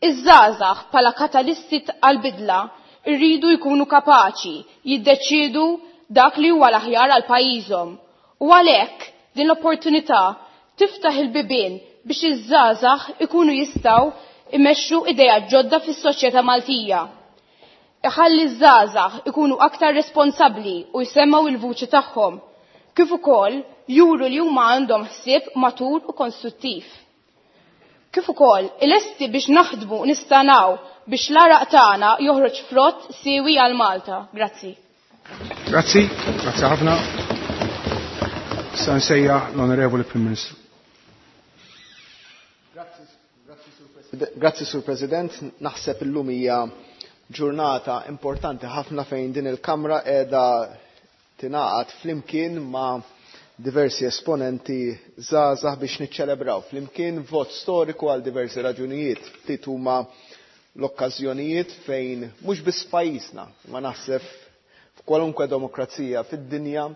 Iż-żgħażagħ bħala katalisti għall-bidla rridu jkunu kapaċi jiddeċiedu dak li huwa l-aħjar għal pajjiżhom u għalhekk din l-opportunità tiftaħ il-bibien biex iż-żgħażagħ ikunu jistgħu imexxu idejat ġodda fis-soċjetà Maltija. Iħalli ż-żgħażagħ ikunu aktar responsabbli u jsemmgħu il-vuċi tagħhom, kif ukoll juru li huma għandhom ħsieb matur u konstruttiv. Kif ukoll ilesti biex naħdmu u nistanaw biex l-għaraq tagħna joħroġ frott siewi għal Malta. Grazzi. Grazzi, grazzi ħafna. Sa nsejjaħ l-Onorevoli Prim Ministru. Grazzi, Sur President. Naħseb illum hija ġurnata importanti ħafna fejn din il-Kamra qiegħda tingħaqad flimkien ma' diversi esponenti żgħażagħ biex niċċelebraw flimkien vot storiku għal diversi raġunijiet. Ftit huma l-okkażjonijiet fejn mhux biss pajjiżna, ma naħseb f'kwalunkwe demokrazija fid-dinja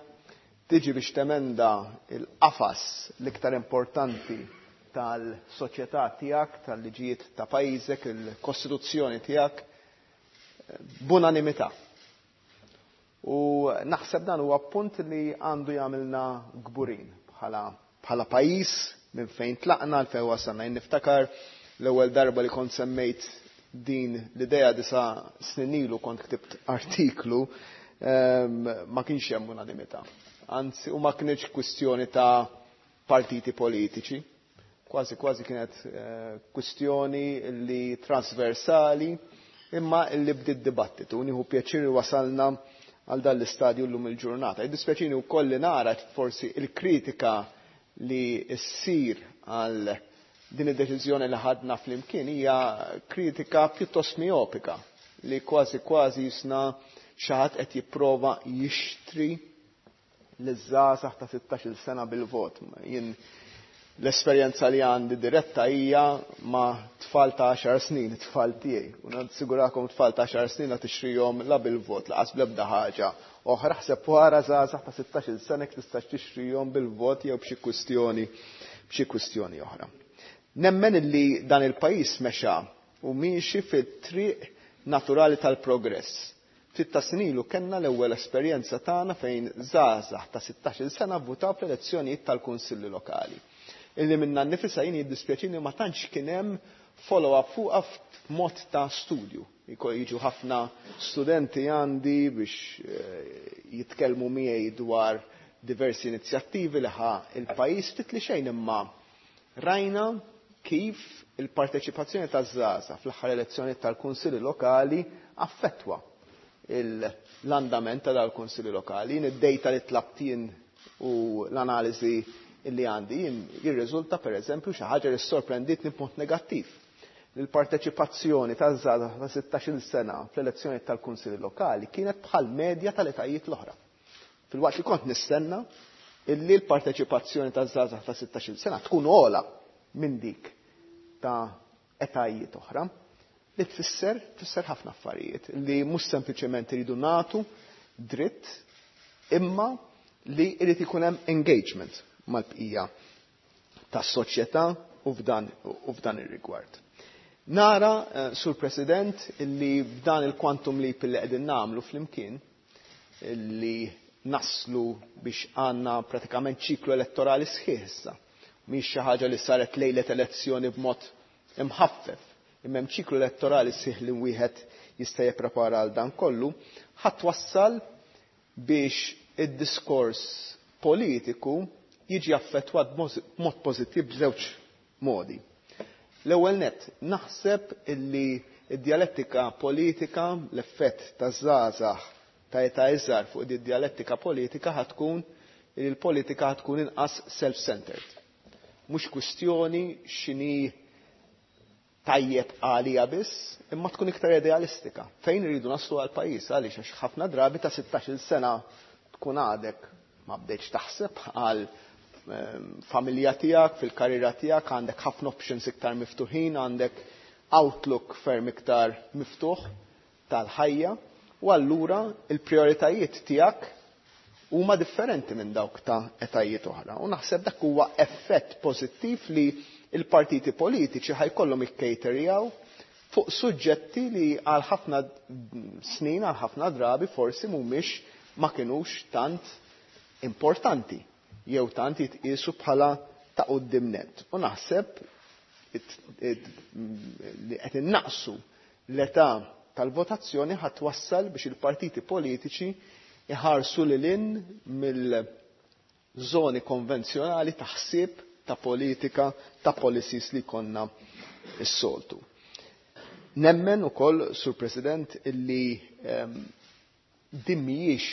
tiġi biex temenda il-qafas l-iktar importanti tal-soċjetà tiegħek, tal-liġijiet ta' pajjiżek, il-kostituzzjoni tiegħek, b'unanimità. U naħseb dan huwa punt li għandu jagħmilna kburin bħala pajjiż minn fejn tlaqna l fejn wasalna. Jien niftakar l-ewwel darba li kont semmejt din l-idea 9 snin ilu kont ktibt artiklu, ma kienx hemm unanimità. Anzi, u ma kienx kwistjoni ta' partiti politiċi, kważi kważi kienet kwistjoni li trasversali, imma li bdiet dibattitu. Nieħu pjaċir li wasalna għal dan l-istadju llum il-ġurnata. Jiddispjaċini wkoll li nara forsi il-kritika li ssir għal din id-deċiżjoni li ħadna flimkien hija kritika pjuttost miopika li kważi kważi jisna xi ħadd qed jipprova jixtri liż-żgħażagħ ta' 16-il sena bil-vot. Jien l-esperjenza li għandi diretta hija ma' tfal ta' 10 snin, tfal tiegħi. U nassigurakom tfal ta' 10 snin la tixtrihom la bil-vot, laqas bl-ebda ħaġa. Oħra ħseb wara żgħażagħ ta' 16-il sena jekk tistax tixtrihom bil-vot jew b'xi kwistjoni oħra. Nemmen illi dan il-pajjiż mexa u miexi fit-triq naturali tal-progress. Ftit ta' snin ilu kellna l-ewwel esperjenza tagħna fejn żgħażagħ ta' 16-il sena vvutaw fl-elezzjonijiet tal-kunsilli lokali. Illi minnha nnifisha jien jiddispjaċini ma tantx kien hemm follow-up fuqha f'mod ta' studju. Jiġu ħafna studenti għandi biex jitkellmu miegħi dwar diversi inizjattivi li ħa il-pajjiż, ftit li xejn imma rajna kif il-parteċipazzjoni taż-żgħażagħ fl-aħħar elezzjonijiet tal-kunsilli lokali affettwa l-andament ta' dal-kunsilli lokali. Jien id-data li tlabt jien u l-analiżi li għandi jien jirriżulta pereżempju xi ħaġa li sorprenditni b'mod negattiv. Il-parteċipazzjoni taż-żgħażagħ ta' 16-il sena fl-elezzjonijiet tal-kunsilli lokali kienet bħal medja tal-etajiet l-oħra. Filwaqt li kont nistenna illi l-parteċipazzjoni taż-żgħażagħ ta' 16-il sena tkun ogħla minn dik ta' etajiet oħra, li tfisser ħafna affarijiet li mhux sempliċement iridu nagħtu dritt imma li jrid ikun hemm engagement mal-bqija tas-soċjetà u f'dan ir-rigward. Nara, Sur President, li b'dan il-quantum leap li qegħdin nagħmlu flimkien, li naslu biex għandna pratikament ċiklu elettorali sħiħ issa. Mhix xi ħaġa li saret lejlet elezzjoni b'mod imħaffef, imma hemm ċiklu elettorali sħiħ li wieħed jista' jipprepara għal dan kollu, ħadd wassal biex id-diskors politiku jiġi affettwat b'mod pożittiv b'żewġ modi. L-ewwel nett, naħseb illi id-dialettika politika, l-effett taż-żgħażagħ ta' età iżgħar fuq id-dialettika politika ħatkun li l-politika ħatkun inqas self-centered. Mhux kwistjoni x'inhi tajjeb għalija biss, imma tkun iktar idealistika. Fejn iridu naslu għal pajjiż, għaliex għax ħafna drabi ta' 16-il sena tkun għadek ma bdejtx taħseb għal familja tiegħek, fil-karriera tiegħek, għandek ħafna options iktar miftuħin, għandek outlook ferm iktar miftuħ tal-ħajja, u allura il-prioritajiet tiegħek huma differenti minn dawk ta' etajiet oħra. U naħseb dak huwa effett pożittiv li il-partiti politiċi ħajkollhom ikkejterjaw fuq suġġetti li għal ħafna snin, għal ħafna drabi forsi mhumiex ma kinux tant importanti jew tant jitqiesu bħala ta' quddiem nett. U naħseb li qed innaqsu l-età tal-votazzjoni ħadd wassal biex il-partiti politiċi iħarsu lil hinn mill-żoni konvenzjonali ta' ħsieb ta' politika, ta' policies li konna s-soltu. Nemmen ukoll, Sur President, illi din mhijiex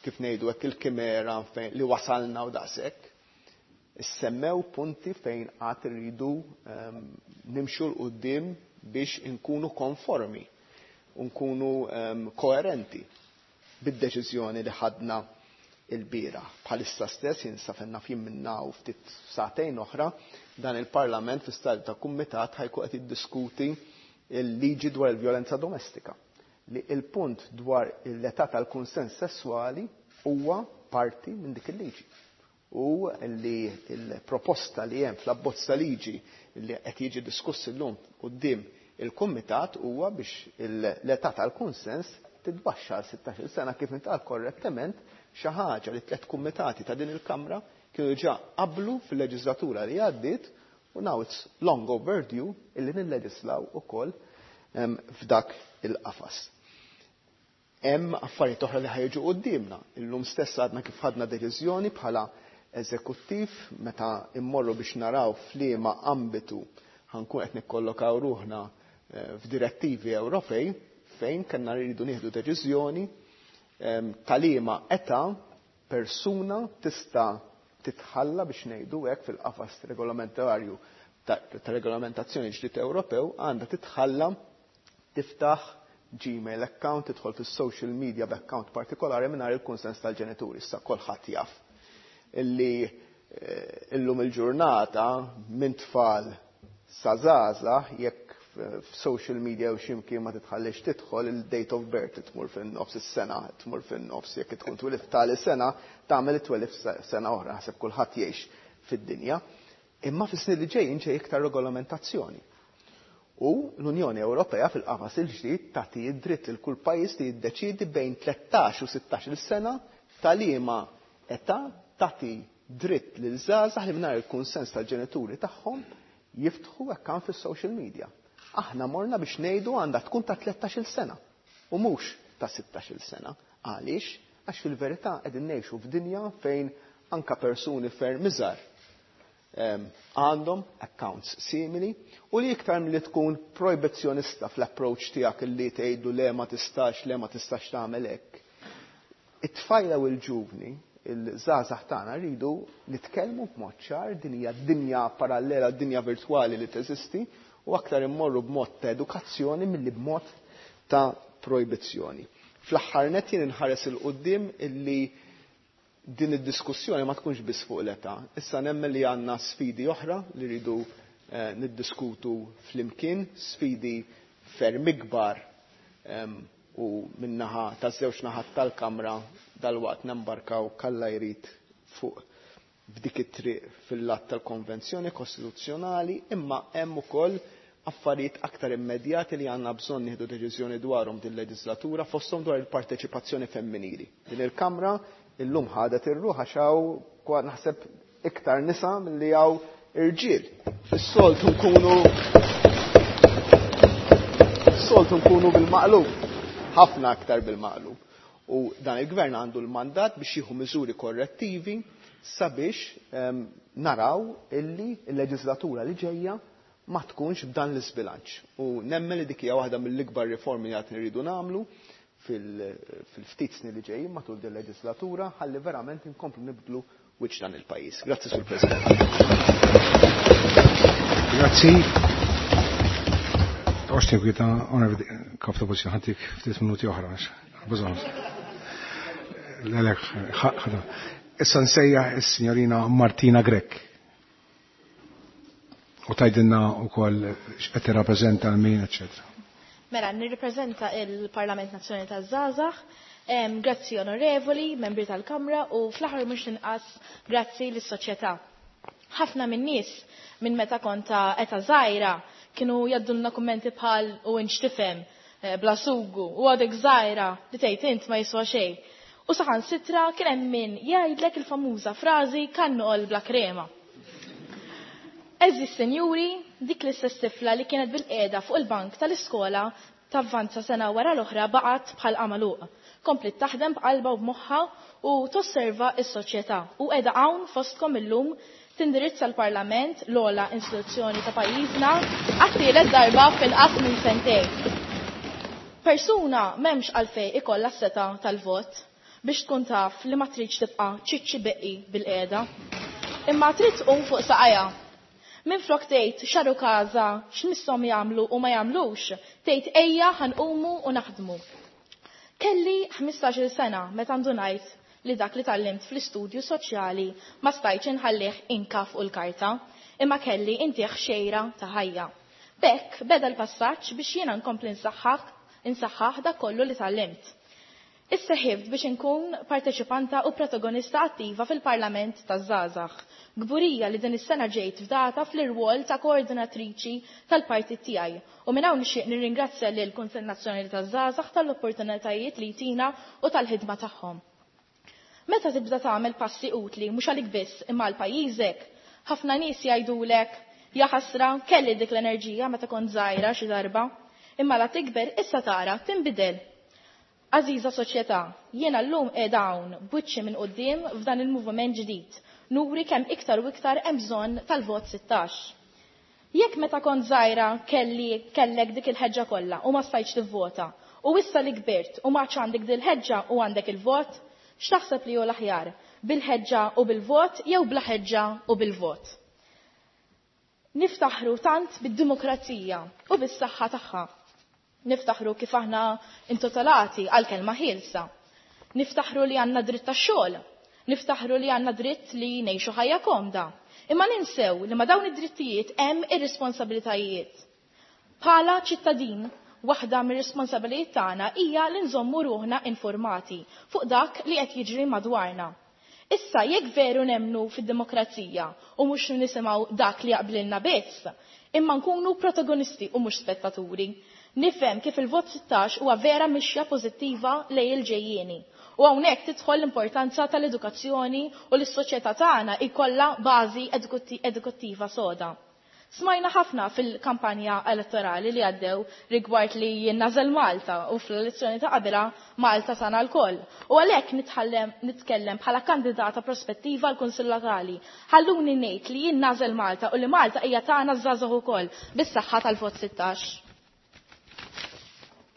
kif ngħidu hekk il-kimera fejn li wasalna u daqshekk. Issemmew punti fejn qatt irridu nimxu 'l quddiem biex inkunu konformi u nkunu koerenti bid-deċiżjoni li ħadna il-bieraħ. Bħalissa stess jinsa fenna fjim minna u ftit sagħtejn oħra dan il-Parlament fi stadju ta' kumitat ħajkun qed jiddiskuti il-liġi dwar il-vjolenza domestika. Li il-punt dwar l-età tal-kunsens sessuali huwa parti minn dik il-liġi. U li il-proposta li hemm fl-abbozz ta' liġi li qed jiġi diskuss illum quddiem il-kumitat huwa biex l-età tal-kunsens titbaxxa għal 16-il sena kif intqal korrettament xi ħaġa li tliet kumitati ta' din il-Kamra kienu diġà qablu fil-leġislatura li għaddiet u now it's long overdue illi nilleġislaw ukoll f'dak il-qafas. Hemm affarijiet oħra li ħajġu quddiemna. Illum stess għadna kif ħadna deċiżjoni bħala eżekuttiv meta immorru biex naraw f'liema ambitu ħankun qed nikkollokaw ruħna f'direttivi Ewropej fejn kellna rridu nieħdu deċiżjoni ta' liema età persuna tista' titħalla biex ngħidu hekk fil-qafas regolamentarju ta' regolamentazzjoni ġdid Ewropew għandha titħalla tiftaħ Gmail account, tidħol fis-social media b'account partikolari mingħajr il-kunsens tal-ġenituri. Issa kulħadd jaf illi illum il-ġurnata minn tfal sa żgħażagħ jekk f'social media u x'imkien ma titħallix tidħol il-date of birth tmur fin-nofs is-sena, tmur fin-nofs jekk tkun twilidt tali sena tagħmel it-twelif sena oħra, ħaseb kulħadd jgħix fid-dinja. Imma fis-snin li ġejjin ġej iktar regolamentazzjoni. U l-Unjoni Ewropea fil-qafas il-ġdid tagħti d-dritt lil kull pajjiż li jiddeċiedi bejn 13 u 16-il sena ta' liema età tagħti dritt lil żgħażagħ li mingħajr il-kunsens tal-ġenituri tagħhom jiftħu account fis-social media. Aħna morna biex ngħidu għandha tkun ta' 13-il sena u mhux ta' 16-il sena. Għaliex? Għax fil-verità qegħdin ngħixu f'dinja fejn anka persuni ferm iżgħar għandhom accounts simili u li iktar milli tkun projbizzjonista fl-approach tiegħek li tgħidu le ma tistax, le ma tistax tagħmel hekk. It-tfajla u l-ġuvni, il-żgħażagħ tagħna rridu nitkellmu b'mod ċar, din hija dinja parallela, dinja virtwali li teżisti u aktar immorru b'mod ta' edukazzjoni milli b'mod ta' projbizzjoni. Fl-aħħar nett jien inħares 'il quddiem illi din id-diskussjoni ma tkunx biss fuq l-età. Issa nemmen li għandna sfidi oħra li rridu niddiskutu flimkien, sfidi ferm ikbar u min-naħa taż-żewġ naħat tal-Kamra dalwaqt nembarkaw kalla jrid fuq f'dik it-triq fil-lat tal-Konvenzjoni Kostituzzjonali, imma hemm ukoll affarijiet aktar immedjati li għandna bżonn nieħdu deċiżjoni dwarhom din leġislatura, fosthom dwar il-parteċipazzjoni femminili. Din il-Kamra illum ħadet ir-ruħ għax hawn naħseb iktar nisa milli hawn irġiel. Is-soltu nkunu soltu nkunu bil-maqlub, ħafna aktar bil-maqlub. U dan il-gvern għandu l-mandat biex jieħu miżuri korrettivi sabiex naraw illi l-leġislatura li ġejja ma tkunx b'dan l-isbilanċ. U nemmen li dik hija waħda mill-ikbar riformi li qed nridu nagħmlu fil-ftit snin li ġejjin matul din leġislatura ħalli verament inkomplu nibdlu wiċċ dan il-pajjiż. Grazzi, Sur President. Grazzi. Toqgħodx tinkwieta, Kap ta' Oppożizzjoni, ħa ntik ftit minuti oħra. Bżonn. Lelek, ħada. Issa nsejjaħ is-Sinjorina Martina Grech. U tgħidilna wkoll x'qed tirrappreżenta l min, eċċetera. Mela, nirrappreżenta il-Parlament Nazzjonali taż-Żgħażagħ. Grazzi onorevoli, membri tal-Kamra u fl-aħħar mhux inqas grazzi lis-soċjetà. Ħafna min-nies minn meta kont ta' età żgħira kienu jgħaddulna kummenti bħal u int x'tifhem, bla sugu, u għadek żgħira li tgħid int ma jiswa xejn. U saħansitra kien hemm min jgħidlek il-famuża frażi kannoqol bla krema. Għeżież senjuri, dik l-istess tifla li kienet bil-qiegħda fuq il-bank tal-iskola tavvanza sena wara l-oħra baqgħet bħal għamaluq. Komplit taħdem b'qalba u b'moħħa u tosserva s-soċjetà u qiegħda hawn fostkom illum tindirizza l-Parlament, l-ogħla istituzzjoni ta' pajjiżna, għat-tielet darba f'inqas minn sentejn. Persuna m'hemmx għalfejn ikollha s-setgħa tal-vot biex tkun taf li ma tridx tibqa' ċiċċi beqqi bil-qiegħda. Imma trid tqum fuq saqajha. Minflok tgħid xaru każa x'misshom jagħmlu u ma jagħmlux, tgħid ejja ħa nqumu u naħdmu. Kelli 15-il sena meta ndunajt li dak li tgħallimt fl-istudju soċjali ma stajtx inħallih inka fuq il-karta, imma kelli intih xejra ta' ħajja. B'hekk beda l-passaġġ biex jiena nkompli nsaħħaħ dak kollu li tgħallimt. Isseħibt biex inkun parteċipanta u protagonista attiva fil-Parlament taż-Żgħażagħ. Kburija li din is-sena ġejt fdata fl-irwol ta' koordinatriċi tal-partit tiegħi. U minn hawn nixtieq nirringrazzja lil Kunsill Nazzjonali taż-Żgħażagħ tal-opportunitajiet li jtina u tal-ħidma tagħhom. Meta tibda tagħmel passi utli mhux għalik biss imma għal pajjiżek, ħafna nies jgħidulek ja ħasra kelli dik l-enerġija meta kont żgħira xi darba, imma la tikber issa tara tinbidel. Għażiża soċjetà, jiena llum qiegħda hawn b'wiċċi minn quddiem f'dan il-moviment ġdid, nuri kemm iktar u iktar hemm bżonn tal-vot 16. Jekk meta kont żgħira kelli kellek dik il-ħeġġa kollha u ma stajtx tivvota, u issa li kbirt u ma għandek dil-ħeġġa u għandek il-vot, x'taħseb li hu l-aħjar? Bil-ħeġġa u bil-vot jew bla ħeġġa u bil-vot? Niftaħru tant bid-demokrazija u bis-saħħa tagħha. Niftaħru kif aħna intitolati għal kelma ħielsa. Niftaħru li għandna dritt tax-xogħol. Niftaħru li għandna dritt li ngħixu ħajja komda. Imma ninsew li ma dawn id-drittijiet hemm ir-responsabilitajiet. Bħala ċittadin, waħda mir-responsabilitajiet tagħna hija li nżommu ruħna informati fuq dak li qed jiġri madwarna. Issa jekk veru nemmnu fid-demokrazija u mhux nisimgħu dak li jaqblilna biss, imma nkunu protagonisti u mhux spettaturi. Nifhem kif il-vot 16 huwa vera mixja pożittiva lejn il-ġejjieni. U hawnhekk tidħol l-importanza tal-edukazzjoni u l-soċjetà tagħna jkollha bażi edukattiva soda. Smajna ħafna fil-kampanja elettorali li għaddew rigward li jinnażel Malta u fl-elezzjoni ta' qabilha Malta tagħna lkoll. U għalhekk nitkellem bħala kandidata prospettiva għal Kunsill Lokali. Ħalluni ngħid li jien nagħżel Malta u li Malta hija tagħna żgħażagħ ukoll bis-saħħa tal-vot 16.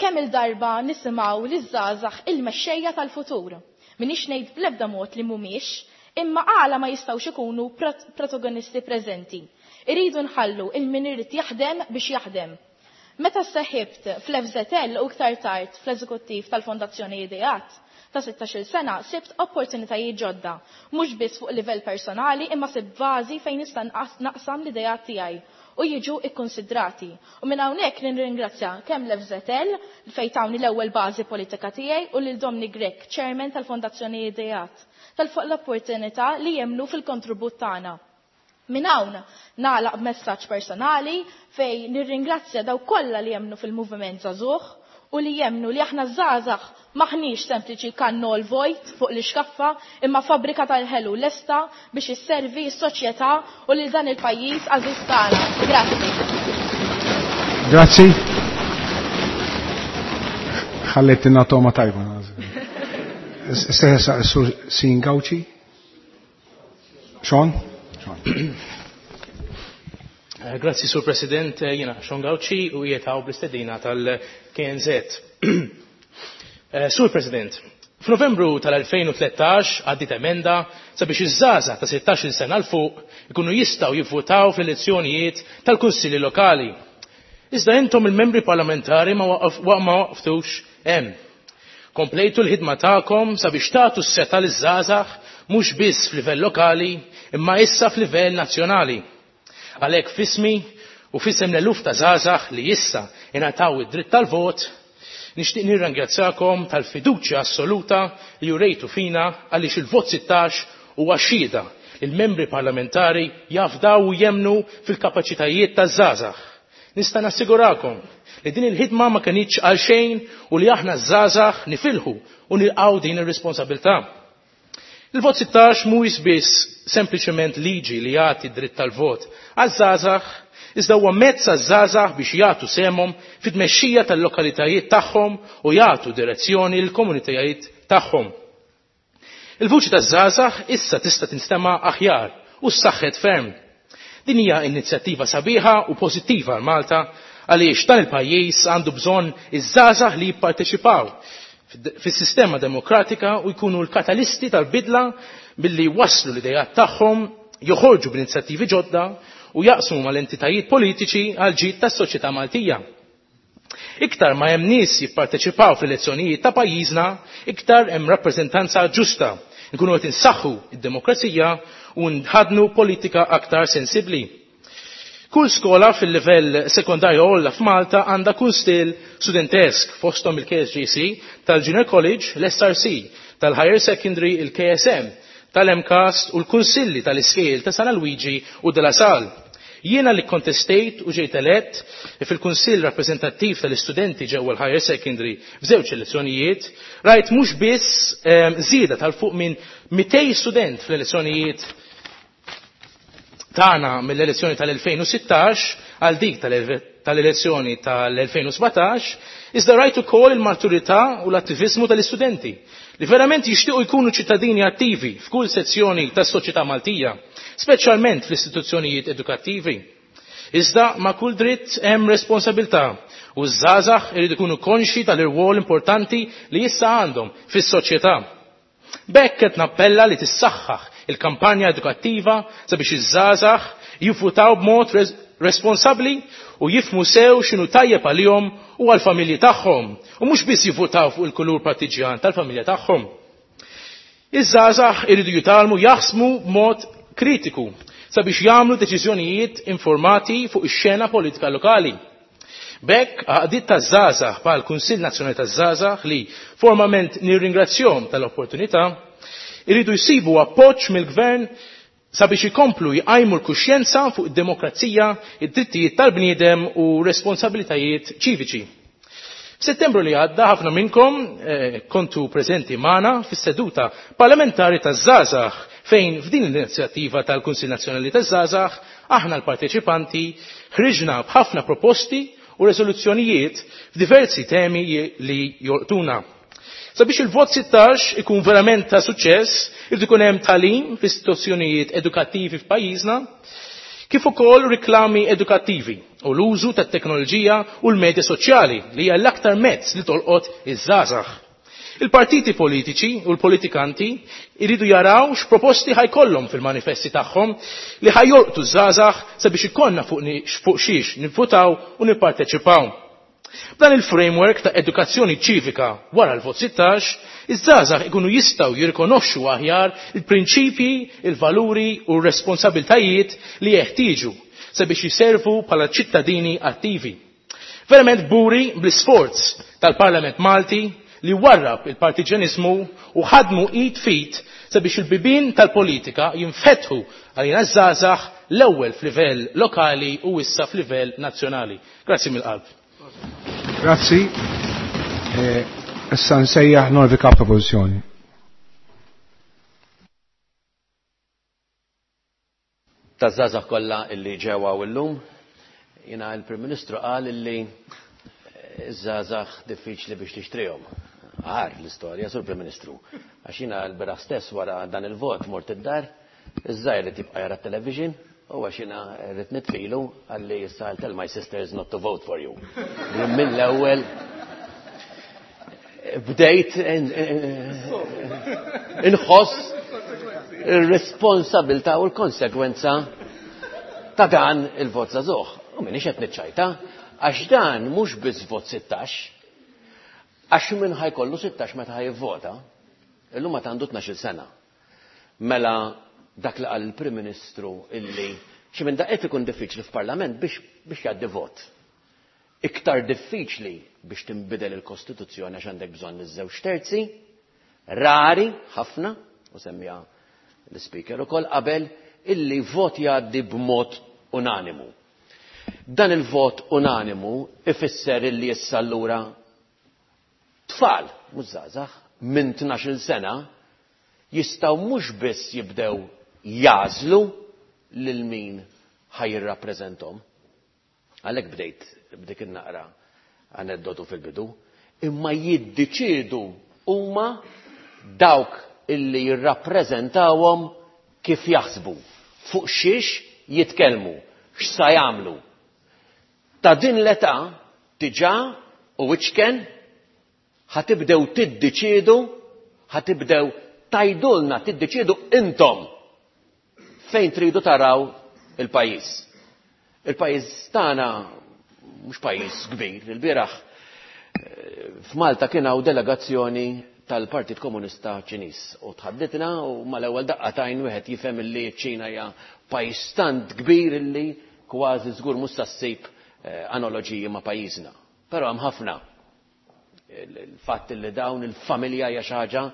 Kemm il-darba nisimgħu li żgħażagħ il-mexxejja tal-futur. Minix ngħid bl-ebda mod li mhumiex, imma għala ma jistgħux ikunu protagonisti preżenti. Iridu nħallu il-min irid jaħdem biex jaħdem. Meta seħibt fl-FZL u iktar tard fl-eżekuttiv tal-Fondazzjoni Ideat ta' 16 sena sibt opportunitajiet ġodda, mhux biss fuq livell personali imma sibt bażi fejn nista' naqsam l-ideat tiegħi u jiġu ikkonsidrati. U minn hawnhekk nirringrazzja kemm l-FZL fejn tawni l-ewwel bażi politika tiegħi u lil Domni Grech, chairman tal-Fondazzjoni Ideat, tal-fuq l-opportunità li jemnu fil-kontribut tagħna. Minn hawn nagħlaq b'messaġġ personali fejn nirringrazzja daw kollha li jemnu fil-moviment żagħżugħ u li jemnu li aħna żgħażagħ maħniex sempliċi kannol vojt fuq l-iskaffa imma fabbrika tal-ħelu lesta biex isservi s-soċjetà u lil dan il-pajjiż għażiż tagħna. Grazzi. Grazzi. Ħallettina toma tajba. Seħsa sur Sin Gauci. Sean? Grazzi, Sur President, jiena Sean Gauci u jietaw bl-istedina tal-KNZ. Sur President, f'Novembru tal-2013 għaddit emenda sabiex iż-żgħażagħ ta' 16 sena 'l fuq ikunu jistgħu jivvutaw fl-elezzjonijiet tal-kunsilli lokali. Iżda intom il-membri parlamentari ma waqaftux hemm. Komplejtu l-ħidma tagħkom sabiex tagħtu s-setgħa liż-żgħażagħ mhux biss f'livell lokali imma issa f'livell nazzjonali. Għalhekk f'ismi u f'isem l-eluf ta' żgħażagħ li issa ingħataw id-dritt tal-vot, nixtieq nirringrazzakom tal-fiduċja assoluta li jurejtu fina għaliex il-vot 16 huwa xhieda li l-membri parlamentari jafdaw u jemnu fil-kapaċitajiet taż-żgħażagħ. Nista' nassigurakom li din il-ħidma ma kinitx għal xejn u li aħna żgħażagħ nifilħu u nilqgħu din ir-responsabilità. Il-vot 16 mhuwiex biss sempliċement liġi li jagħti dritt tal-vot għaż-żgħażagħ, iżda huwa mezz għaż-żgħażagħ biex jagħtu sehemhom fit-tmexxija tal-lokalitajiet tagħhom u jagħtu direzzjoni lill-komunitajiet tagħhom. Il-vuċi taż-żgħażagħ issa tista' tinstema' aħjar u ssaħħet ferm. Din hija inizjattiva sabiħa u pożittiva għal Malta għaliex dan il-pajjiż għandu bżonn iż-żgħażagħ li jipparteċipaw fis-sistema demokratika u jkunu l-katalisti tal-bidla billi waslu l-idejat tagħhom, joħorġu b'inizjattivi ġodda u jaqsmu mal-entitajiet politiċi għal ġid tas-soċjetà Maltija. Iktar ma hemm nies jipparteċipaw fl-elezzjonijiet ta' pajjiżna, iktar hemm rappreżentanza ġusta. Nkunu qed insaħħu id-demokrazija u nħadnu politika aktar sensibbli. Kull skola fil-livell sekondarju għolla f'Malta għandha kunsill studentesk fosthom il-KSJC tal-Junior College, l-SRC, tal-Higher Secondary, il-KSM, tal-MCAST u l-kunsilli tal-iskejjel ta' San Luigi u de la Salle. Jiena li kontestejt u ġejt elett fil-Kunsill Rappreżentattiv tal-Istudenti ġewwa l-Higher Secondary f'żewġ elezzjonijiet, rajt mhux biss żieda tal-fuq minn 200 student fl-elezzjonijiet tagħna mill-elezzjoni tal-2016 għal dik tal-elezzjoni tal-2017, iżda rajt ukoll il-maturità u l-attiviżmu tal-istudenti li verament jixtiequ jkunu ċittadini attivi f'kull sezzjoni tas-soċjetà Maltija, speċjalment fl-istituzzjonijiet edukattivi. Iżda ma' kull dritt hemm responsabilità u ż-żgħażagħ irid ikunu konxi tal-irwol importanti li issa għandhom fis-soċjetà. B'hekk qed nappella li tissaħħaħ il-kampanja edukattiva sabiex iż-żgħażagħ jivvutaw b'mod responsabbli u jifhmu sew x'inhu tajjeb għalihom u għall-familji tagħhom u mhux biss jivvutaw fuq il-kulur partiġjan tal-familja tagħhom. Iż-żgħażagħ iridu jitgħallmu jaħsmu b'mod kritiku sabiex jagħmlu deċiżjonijiet informati fuq ix-xena politika lokali. B'hekk għaqdiet taż-żgħażagħ bħal Kunsill Nazzjonali taż-Żgħażagħ li formalment nirringrazzjahom tal-opportunità iridu jsibu appoġġ mill-gvern sabiex ikomplu jqajmu l-kuxjenza fuq id-demokrazija, id-drittijiet tal-bniedem u responsabilitajiet ċiviċi. F'Settembru li għadda ħafna minnkom kontu preżenti magħna fis-seduta parlamentari taż-żgħażagħ fejn f'din l-inizjattiva tal-Kunsill Nazzjonali taż-Żgħażagħ aħna l-parteċipanti ħriġna b'ħafna proposti u rezoluzzjonijiet f'diversi temi li jolqtuna. Sabiex il-vot 16 ikun verament ta' suċċess, irid ikun hemm tagħlim f'istituzzjonijiet edukattivi f'pajjiżna, kif ukoll riklami edukattivi u l-użu tat-teknoloġija u l-medja soċjali li hija l-aktar mezz li tolqot iż-żgħażagħ. Il-partiti politiċi u l-politikanti jridu jaraw x'proposti ħajkollhom fil-manifesti tagħhom li ħajolqtu ż-żgħażagħ sabiex ikollna fuq xiex nivvutaw u nipparteċipaw. B'dan il-framework ta' edukazzjoni ċivika wara l-vot 16, iż-żgħażagħ ikunu jistgħu jirrikonoxxu aħjar il-prinċipji, il-valuri u r-responsabiltajiet li jeħtieġu sabiex jiservu bħala ċittadini attivi. Verament kburi bl-isforz tal-Parlament Malti li warrab il-partiġanizmu u ħadmu id fit sabiex il-bibien tal-politika jinfetħu għalina ż-żgħażagħ l-ewwel f'livell lokali u issa f'livell nazzjonali. Grazzi mill-qalb. Grazzi. Issa nsejjaħ Norvi Kap Oppożizzjoni. Taż-żgħażagħ kollha illi ġew hawn illum, jiena l-Prim Ministru qal illi iż-żgħażagħ diffiċli biex tixtrihom. Għar l-istorja, Sur Prim Ministru. Għax jiena l-bieraħ stess wara dan il-vot mort id-dar, iż-żgħir li tibqa' jara t-television, u għax jiena rrid nitfilu għalli issa I'll tell my sisters not to vote for you. Mill-ewwel bdejt inħoss ir-responsabilta u l-konsekwenza ta' dan il-vot żagħżugħ. U minix qed niċċajta, għax dan mhux biss vot 16, għax min ħajkollu 16 meta ħajvvota, illum ma għandu 12 sena. Mela dak li qal il-Prim Ministru illi xi minn daqqiet ikun diffiċli f'Parlament biex jgħaddi vot. Iktar diffiċli biex tinbidel il-Kostituzzjoni għax għandek bżonn iż-żewġ terzi, rari ħafna, u semmija l-Speaker ukoll qabel, illi vot jgħaddi b'mod unanimu. Dan il-vot unanimu ifisser illi issa allura tfal, mhux żgħażagħ, minn 12-il sena jistgħu mhux biss jibdew jażlu lil min ħajjirrappreżenthom. Għalhekk bdejt b'dik in-naqra aneddotu fil-bidu, imma jiddeċiedu huma dawk illi jirrappreżentawhom kif jaħsbu, fuq xiex jitkellmu, x'sa jagħmlu. Ta' din l-età diġà u iċken ħatibdew tiddeċiedu, ħatibdew tajdulna tiddeċiedu intom fejn tridu taraw il-pajjiż. Il-pajjiż tagħna mhux pajjiż kbir, il-bieraħ f'Malta kien hawn delegazzjoni tal-Partit Komunista Ċiniż u tħadditna u mal-ewwel daqqa tajn wieħed jifhem illi ċ-Ċina hija pajjiż tant kbir illi kważi żgur mhux se ssib analoġiji ma' pajjiżna. Però hemm ħafna. Il-fatt illi dawn il-familja hija xi ħaġa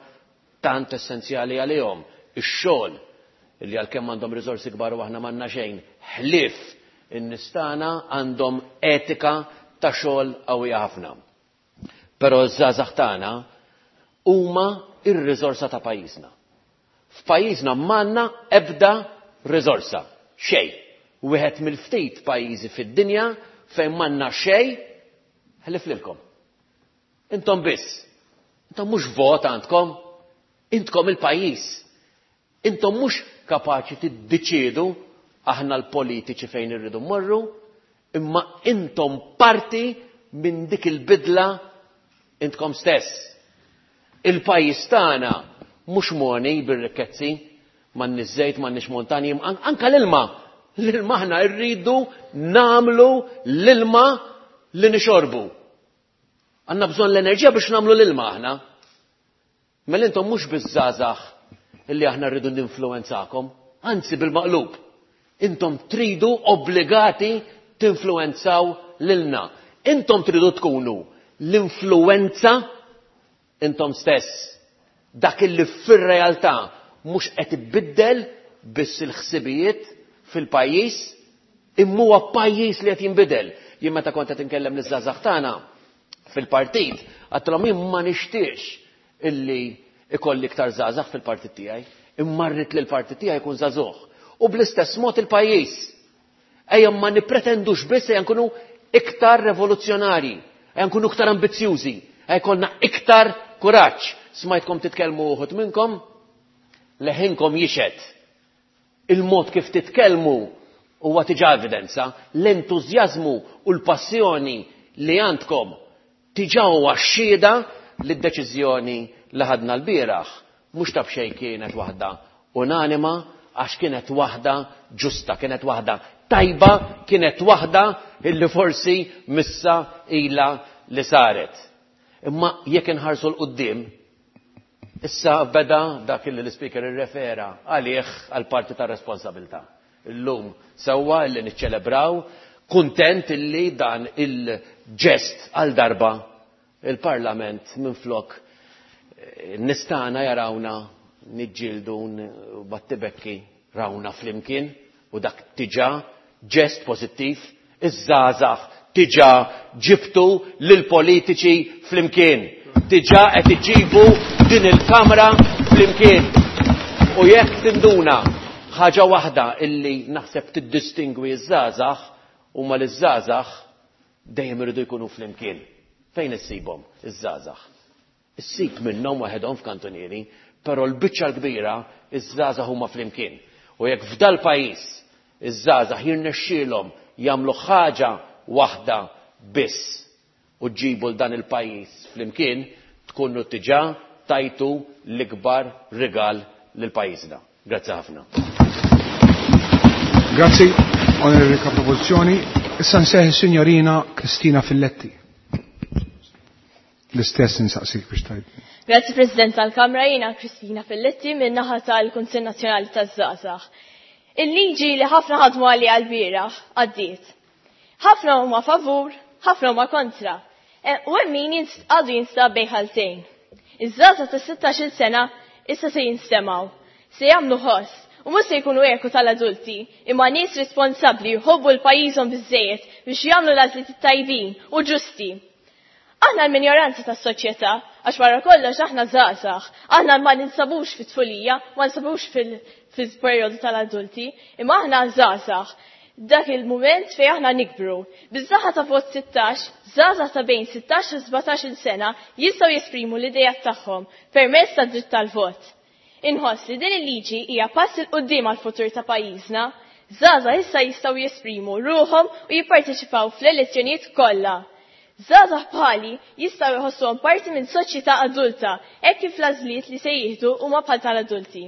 tant essenzjali għalihom, ix-xogħol illi għalkemm għandhom riżorsi kbar u aħna m'għandna xejn, ħlief in-nies tagħna għandhom etika ta' xogħol qawwija ħafna. Però ż-żgħażagħ tagħna huma r-riżorsa ta' pajjiżna. F'pajjiżna m'għandna ebda riżorsa, xejn. Wieħed mill-ftit pajjiżi fid-dinja fejn m'għandna xejn ħlief lilkom. Intom biss. Intom mhux vot għandkom, intkom il-pajjiż. Intom mhux kapaċi tiddeċiedu aħna l-politiċi fejn irridu mmorru, imma intom parti minn dik il-bidla intkom stess. Il-pajjiż tagħna mhux moni bir-rikkezzi, m'għandniex żejt, m'għandniex montanji, anka l-ilma. L-ilma aħna rridu nagħmlu l-ilma li nixorbu. Għandna bżonn l-enerġija biex nagħmlu l-ilma aħna. Mela intom mhux biż-żgħażagħ illi aħna rridu ninfluwenzakom, anzi bil-maqlub. Intom tridu obbligati tinfluwenzaw lilna. Intom tridu tkunu l-influwenza intom stess. Dak illi fir-realtà mhux qed ibiddel biss il-ħsibijiet fil-pajjiż, imma huwa pajjiż li qed jinbidel. Jien meta kont qed inkellem liż-żgħażagħ tagħna fil-partit, għedtilhom jien ma nixtieqx illi ikolli iktar żgħażagħ fil-partit tiegħi, imma rrid li l-partit tiegħi jkun żagħżugħ. U bl-istess mod il-pajjiż. Ejja ma nippretendux biss, ejja nkunu iktar revoluzzjonarji, ejja nkunu iktar ambizzjużi, ejja jkollna iktar kuraġġ. Smajtkom titkellmu uħud minnkom, leħinkom jixhed. Il-mod kif titkellmu huwa diġà evidenza, l-entużjażmu u l-passjoni li għandkom diġà huwa xhieda li d-deċiżjoni li ħadna lbieraħ mhux ta' b'xejn kienet waħda unanima, għax kienet waħda ġusta, kienet waħda tajba, kienet waħda illi forsi missa ilha li saret. Imma jekk inħarsu 'l quddiem, issa beda dak illi l-Ispeaker irrefera għalih għall-parti tar-responsabilità. Illum sewwa illi niċċelebraw, kuntent illi dan il-ġest għal darba il-Parlament minflok nistana jarawna niġġieldu battibekki rawna flimkien u dak diġà ġest pożittiv. Iż-żgħażagħ diġà ġibtu lill-politiċi flimkien. Diġà qed iġibu din il-Kamra flimkien. U jekk tinduna ħaġa waħda illi naħseb tiddistingwi ż-żgħażagħ huma li ż-żgħażagħ dejjem iridu jkunu flimkien. Fejn issibhom iż-żgħażagħ? Issib minnhom waħedhom f'kantunieri, però l-biċċa l-kbira iż-żgħażagħ huma flimkien. U jekk f'dal-pajjiż iż-żgħażagħ jirnexxielhom jagħmlu ħaġa waħda biss u ġġibu 'l dan il-pajjiż flimkien, tkunu diġà tajtu l-ikbar rigal lil pajjiżna. Grazzi ħafna. Grazzi, Onorevoli Kap Oppożizzjoni. Issa nseħ is-Sinjorina Kristina Filletti. L-istess insaqsik biex tgħid. Grazzi President tal-Kamra, jiena Kristina Filletti minn naħa tal-Kunsill Nazzjonali taż-Żgħażagħ. Il-liġi li ħafna ħadmu għaliha l-bieraħ għaddiet. Ħafna huma favur, ħafna huma kontra. U hemm min għadu jinstab bejn ħaltejn. Iż-żgħażagħ ta' 16-il sena issa se jinstemgħu, se jagħmlu ħoss u mhux se jkunu eku tal-adulti, imma nies responsabbli jħobbu l-pajjiżhom biżżejjed biex jagħmlu l-għażliet tajbin u ġusti. Aħna l-minoranza tas-soċjetà, għax wara kollox aħna żgħażagħ, aħna ma ninsabux fit-tfulija, ma ninsabux fil-perjodu tal-adulti, imma aħna żgħażagħ. Dak il-mument fejn aħna nikbru. Biż-żaħħa ta' vot 16, żgħażagħ ta' bejn 16 u 17 sena jistgħu jesprimu l-idejat tagħhom permezz tad-dritt tal-vot. Inħoss li din il-liġi hija pass il quddiem għall-futur ta' pajjiżna. Żgħażagħ issa jistgħu jesprimu ruħhom u jipparteċipaw fl-elezzjonijiet kollha. Żgħażagħ bħali jistgħu jħossuhom parti minn soċjetà adulta hekk kif l-għażliet li se jieħdu huma bħal tal-adulti.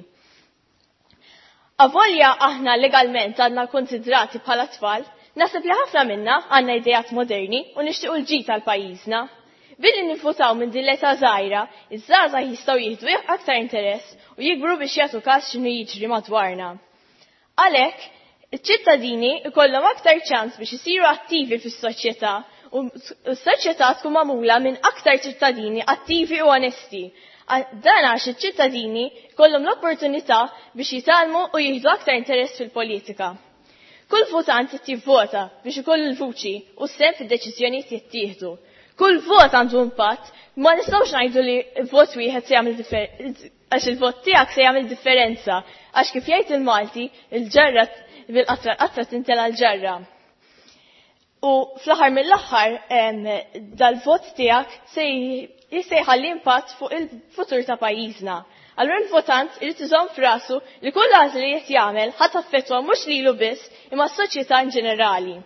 Avolja aħna legalment għandna konsidrati bħala tfal, naħseb li ħafna minna għandna idejat moderni u nixtiequ l-ġid għal pajjiżna. Billi nivvutaw minn din l-età żgħira, iż-żgħażagħ jistgħu jieħdu aktar interess u jikbru biex jagħtu każ x'inhu jiġri madwarna. Għalhekk, iċ-ċittadini jkollhom aktar ċans biex isiru attivi fis-soċjetà u s-soċjetà tkun magħmula minn aktar ċittadini attivi u onesti. Dan għax iċ-ċittadini jkollhom l-opportunità biex jitgħallmu u jieħdu aktar interess fil-politika. Kull votant qed jivvota biex ikollu l-vuċi u s-sehem fid-deċiżjonijiet jittieħdu. Kull vot għandu impatt, ma nistgħux ngħidu li vot wieħed se jagħmel għax il-vot tiegħek se jagħmel differenza, għax kif jgħid il-Malti, il-ġarra bil-qatra l-qatra tintela l-ġarra. U fl-aħħar mill-aħħar dal-vot tiegħek se jħalli impatt fuq il-futur ta' pajjiżna. Allura l-votant irid iżomm f'rasu li kull għażla li qed jagħmel ħadd affettwa mhux lilu biss imma s-soċjetà in ġenerali.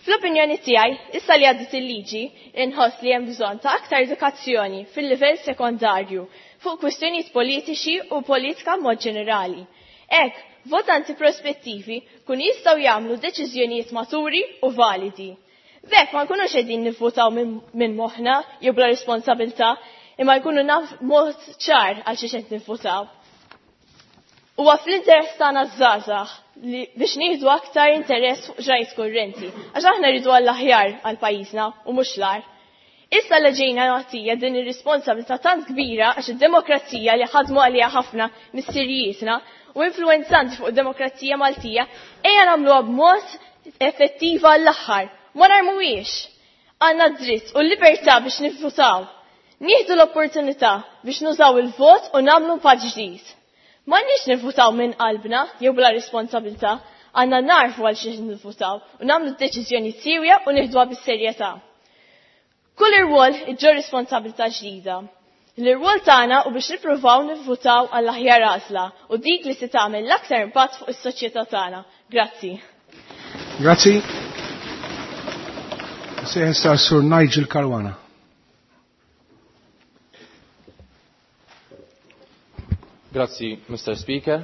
Fl-opinjoni tiegħi, issa li għaddiet il-liġi, inħoss li hemm bżonn ta' aktar edukazzjoni fil-livell sekondarju fuq kwistjonijiet politiċi u politika mod ġenerali. Hekk, votanti prospettivi kun jistgħu jagħmlu deċiżjonijiet maturi u validi. B'hekk ma nkunux qegħdin nivvutaw minn moħħna jew bla responsabilità, imma jkunu naf mod ċar għal xiex qed nivvutaw. Huwa fl-interess tagħna żgħażagħ li biex nieħdu aktar interess fuq ġrajt kurrenti, għax aħna rridu għall-aħjar għal pajjiżna u mhux l-agħar. Issa li ġejna nagħtija din ir-responsabilità tant kbira għax id-demokrazija li ħadmu għaliha ħafna missirijietna u influenzanti fuq id-demokrazija Maltija, ejja nagħmluha b'mod effettiva l-aħħar. Ma narmuhiex. Għandna dritt u l-libertà biex nivvutaw. Nieħdu l-opportunità biex nużaw il-vot u nagħmlu impatt ġdid. M'għandniex nivvutaw minn qalbna jew bla responsabilità, għandna narfu għal xiex nivvutaw u nagħmlu deċiżjoni siewja u nieħduha bis-serjetà. Kull irwol iġġor responsabilità ġdida. L-irwol tagħna u biex nippruvaw nivvutaw għall aħjar għażla u dik li se tagħmel l-aktar impatt fuq is-soċjetà tagħna. Grazzi. Grazzi. Sejħ Sur Nigel Caruana. Grazzi, Mr. Speaker.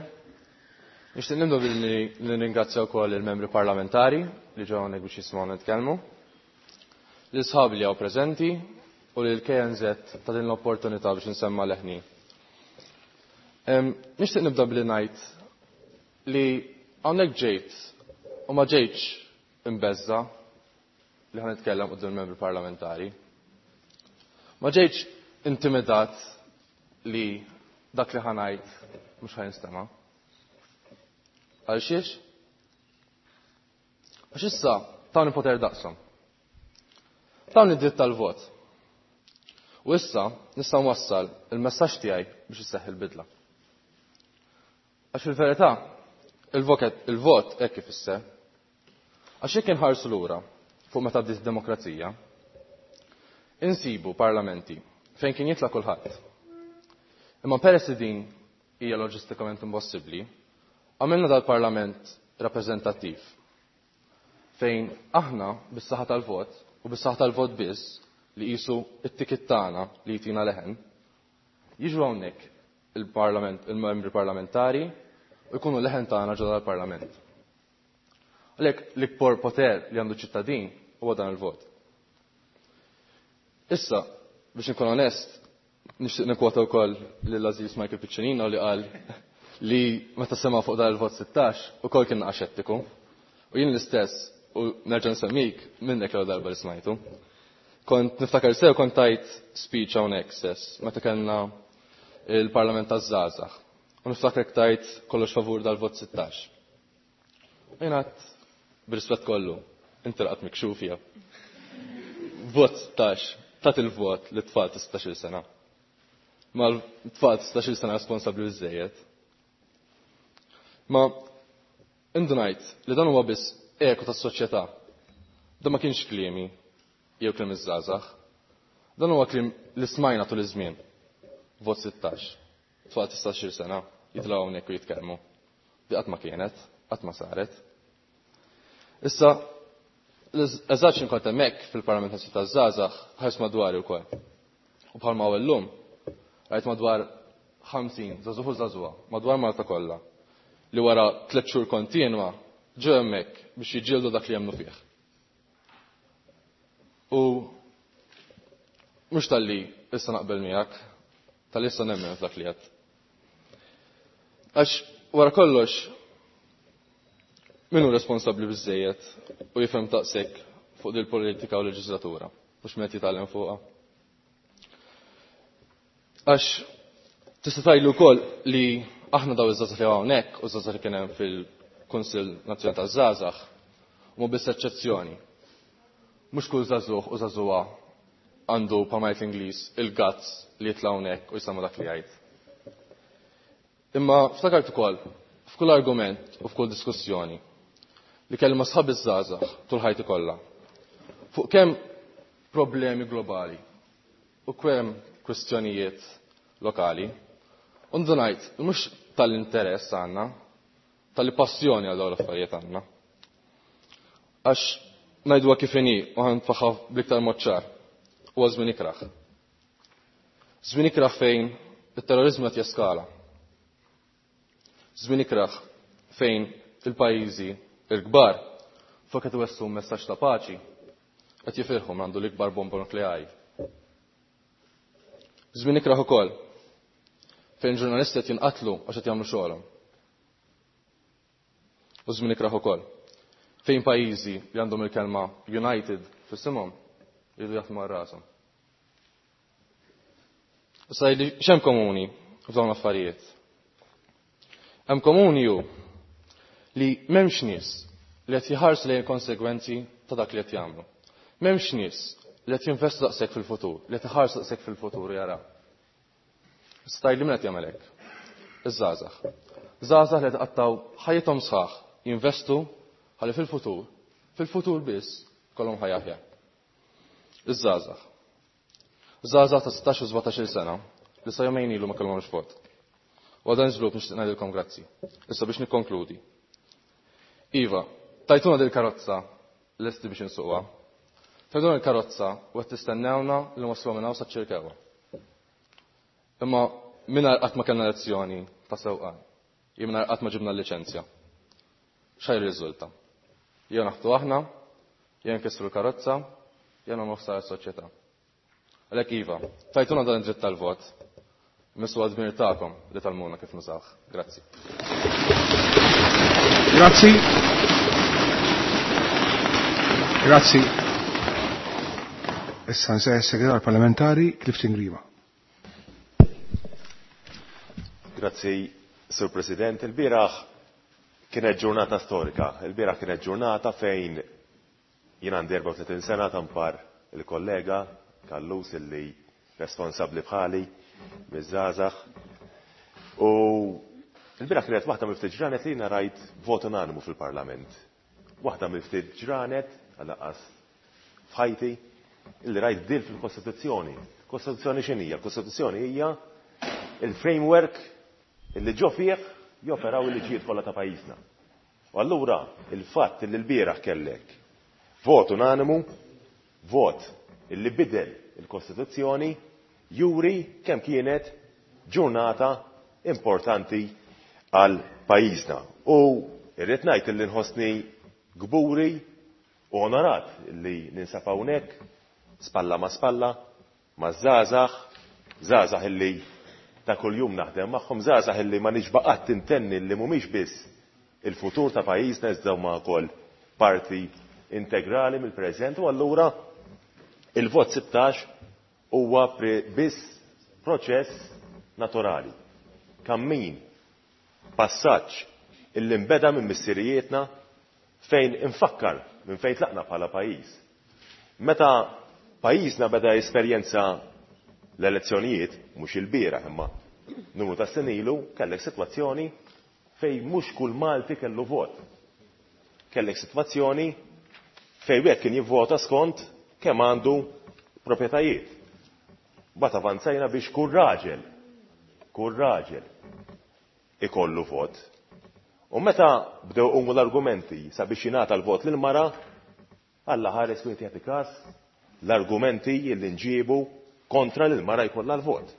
Nixtieq nibdu billi nirringrazzja wkoll il-membri parlamentari li ġew hawnhekk biex jisimgħu nitkellmu, lil sħabi li hawn preżenti u lil KNZ ta' din l-opportunità biex nsemma leħni. Nixtieq nibda billi ngħid li hawnhekk ġejt u ma ġejtx imbeżza li ħa nitkellem quddiem il-membri parlamentari. Ma ġejtx intimidat li dak li ħa ngħid mhux ħa jinstema'. Għal xiex? Għax issa tawni poter daqshom. Tawni dritt tal-vot. U issa nista' nwassal il-messaġġ tiegħi biex isseħħ il-bidla. Għax fil-verità, il-vot hekk ifisser. Għax jekk inħarsu lura fuq meta bdiet id-demokrazija, insibu parlamenti fejn kien jitla' kulħadd. Imma peress li din hija loġistikament impossibbli, għamilna dal-parlament rappreżentattiv fejn aħna bis-saħħa tal-vot u bis-saħħa tal-vot biss li qisu it-ticket tagħna li jtina leħen, jiġu hawnhekk il-parlament, il-membri parlamentari u jkunu leħen tagħna ġodda l-parlament. Għalhekk l-ikbar poter li għandu ċittadin huwa dan il-vot. Issa, biex nkun onest, nixtieq nikkwota wkoll lil Aziz Michael Piccinino li qal li meta sema fuq dan il-vot 16 ukoll kien xettiku. U jien l-istess, u nerġa' nsemmik minnek l darba li smajtu. Kont niftakar sew kont tajt speech hawnhekk stess meta kellna il-Parlament taż-żgħażagħ. U niftakrek tajt kollox favur dal-vot 16. U jien għedt b'rispett kollu, inti laqat mikxuf hija. Vot 16, tat il-vot li tfal ta' 16-il sena. Ma l-tfal ta' 16-il sena responsabbli biżejjed. Ma indunajt li dan huwa biss eku tas-soċjetà. Dan ma kienx kliemi jew kliem iż-żgħażagħ. Dan huwa kliem li smajna tul iż-żmien. Vot 16. Tfal ta' 16-il sena jitilgħu hawnhekk u jitkellmu. Di qatt ma kienet, qatt ma saret. Issa, eżatt x'in kont hemmhekk fil-Parlament Nazzjonali taż-Żgħażagħ ħares madwari wkoll. U bħalma hawn illum, rajt madwar 50 żagħżugħ u żagħżugħa madwar Malta kollha li wara 3 xhur kontinwa ġew hemmhekk biex jiġġieldu dak li jemmnu fih. U mhux talli issa naqbel miegħek, talli issa nemmen f'dak li għedt. Għax wara kollox min hu responsabbli biżejjed u jifhem taqsek fuq dil politika u leġislatura, mhux min qed jitgħallem fuqha. Għax tista' tgħidlu wkoll li aħna daw iż-żgħażagħ li hawnhekk u żgħażagħ li kien hemm fil-Kunsill Nazzjonali taż-Żgħażagħ huma biss eċċezzjoni. Mhux kull żagħżugħ u żagħżugħa għandu bħalma jgħid l-Ingliż il-guts li jitla' hawnhekk u jsemma dak li jgħid. Imma ftakart ukoll f'kull argument u f'kull diskussjoni li kelli ma' sħab iż-żgħażagħ tul ħajti kollha fuq kemm problemi globali u kemm kwistjonijiet lokali, u ndunajt li mhux tal-interess għandna, tal-passjoni għal dawn l-affarijiet għandna. Għax ngħiduha kif inhi u ħanfaħħa bl-iktar mod ċar, huwa żmien ikrah. Żmien ikrah fejn it-terrorizmu qed jeskala. Żmien ikrah fejn il-pajjiżi l-kbar flok qed iwesslu messaġġ ta' paċi qed jifirħu għandu l-ikbar bomba nukleari. Żmien ikrah ukoll fejn ġurnalisti qed jinqatlu għax qed jagħmlu xogħolhom. U żmien ikrah ukoll fejn pajjiżi li għandhom il-kelma United f'isimhom jridu jaħdmu għal rashom. Issa li x'hemm komuni f'dawn l-affarijiet? Hemm komuni hu li m'hemmx nies li qed jħarsu lejn il-konsegwenzi ta' dak li qed jagħmlu. M'hemmx nies li qed jinvestu daqshekk fil-futur, li qed iħarsu daqshekk fil-futur jaraw. Issa tgħidli min qed jagħmel hekk? Iż-żgħażagħ. Żgħażagħ li qed iqattgħu ħajjithom sħaħ jinvestu ħalli fil-futur, fil-futur biss, ikollhom ħajja aħjar. Iż-żgħażagħ. Żgħażagħ ta' 16 u 17-il sena li sa jumejn ilu ma kellhomx vot. U għal dan iż-żvilupp nixtieq ngħidilkom grazzi. Issa biex nikkonkludi. Iva, tajtuna dil-karozza lesti biex insuqha. Tajtuna l-karozza u qed tistennewna li nwassluha minn hawn saċ-Ċirkewwa. Imma mingħajr qatt ma kellna lezzjoni ta' sewqan, jew mingħajr qatt ma ġibna l-liċenzja. X'ħa jirriżulta? Jew naħtu aħna, jew nkissru l-karozza, jew nagħmlu ħsara s-soċjetà. Għalhekk iva, tajtuna dan id-dritt tal-vot, missu għad-dmir tagħkom li tgħallmuna kif nużawh. Grazzi. Grazzi. Grazzi. Issa nsejjaħ is-Segretarju Parlamentari Clifton Grima. Grazzi, Sur President. Il-bieraħ kienet ġurnata storika. Il-bieraħ kienet ġurnata fejn jien għandi 34 sena tampar il-kollega Kallus illi responsabbli bħali miż-żgħażagħ. U l-bieraħ kienet waħda mill-ftit ġranet li jiena rajt vot unanimu fil-Parlament. Waħda mill-ftit ġranet, għal-anqas f'ħajti, illi rajt bdil fil-Kostituzzjoni. Kostituzzjoni x'inhija? Il-Kostituzzjoni hija il-framework illi ġo fih joperaw il-liġijiet kollha ta' pajjiżna. U allura il-fatt illi l-bieraħ kellek vot unanimu, vot illi bidel il-Kostituzzjoni, juri kemm kienet ġurnata importanti għal pajjiżna. U irrid ngħid illi nħossni kburi u onorat li ninsab hawnhekk spalla ma' spalla maż-żgħażagħ, żgħażagħ illi ta' kuljum naħdem magħhom, żgħażagħ illi ma nixba' qatt intenni li mhumiex biss il-futur ta' pajjiżna iżda huma wkoll parti integrali mill-preżent u allura il-vot 16 huwa biss proċess naturali. Kammin, passaġġ illi nbeda minn missirijietna fejn infakkar minn fejn tlaqna bħala pajjiż. Meta pajjiżna beda jesperjenza l-elezzjonijiet, mhux ilbieraħ imma numru ta' snin ilu, kellek sitwazzjoni fejn mhux kull Malti kellu vot. Kellek sitwazzjoni fejn wieħed kien jivvota skont kemm għandu proprjetajiet. Mbagħad avanzajna biex kull raġel, kull raġel ikollu vot. U meta bdew iqumu l-argumenti sabiex jingħata l-vot lill-mara, Alla ħares wieħed jagħti każ l-argumenti li nġiebu kontra li l-mara jkollha l-vot.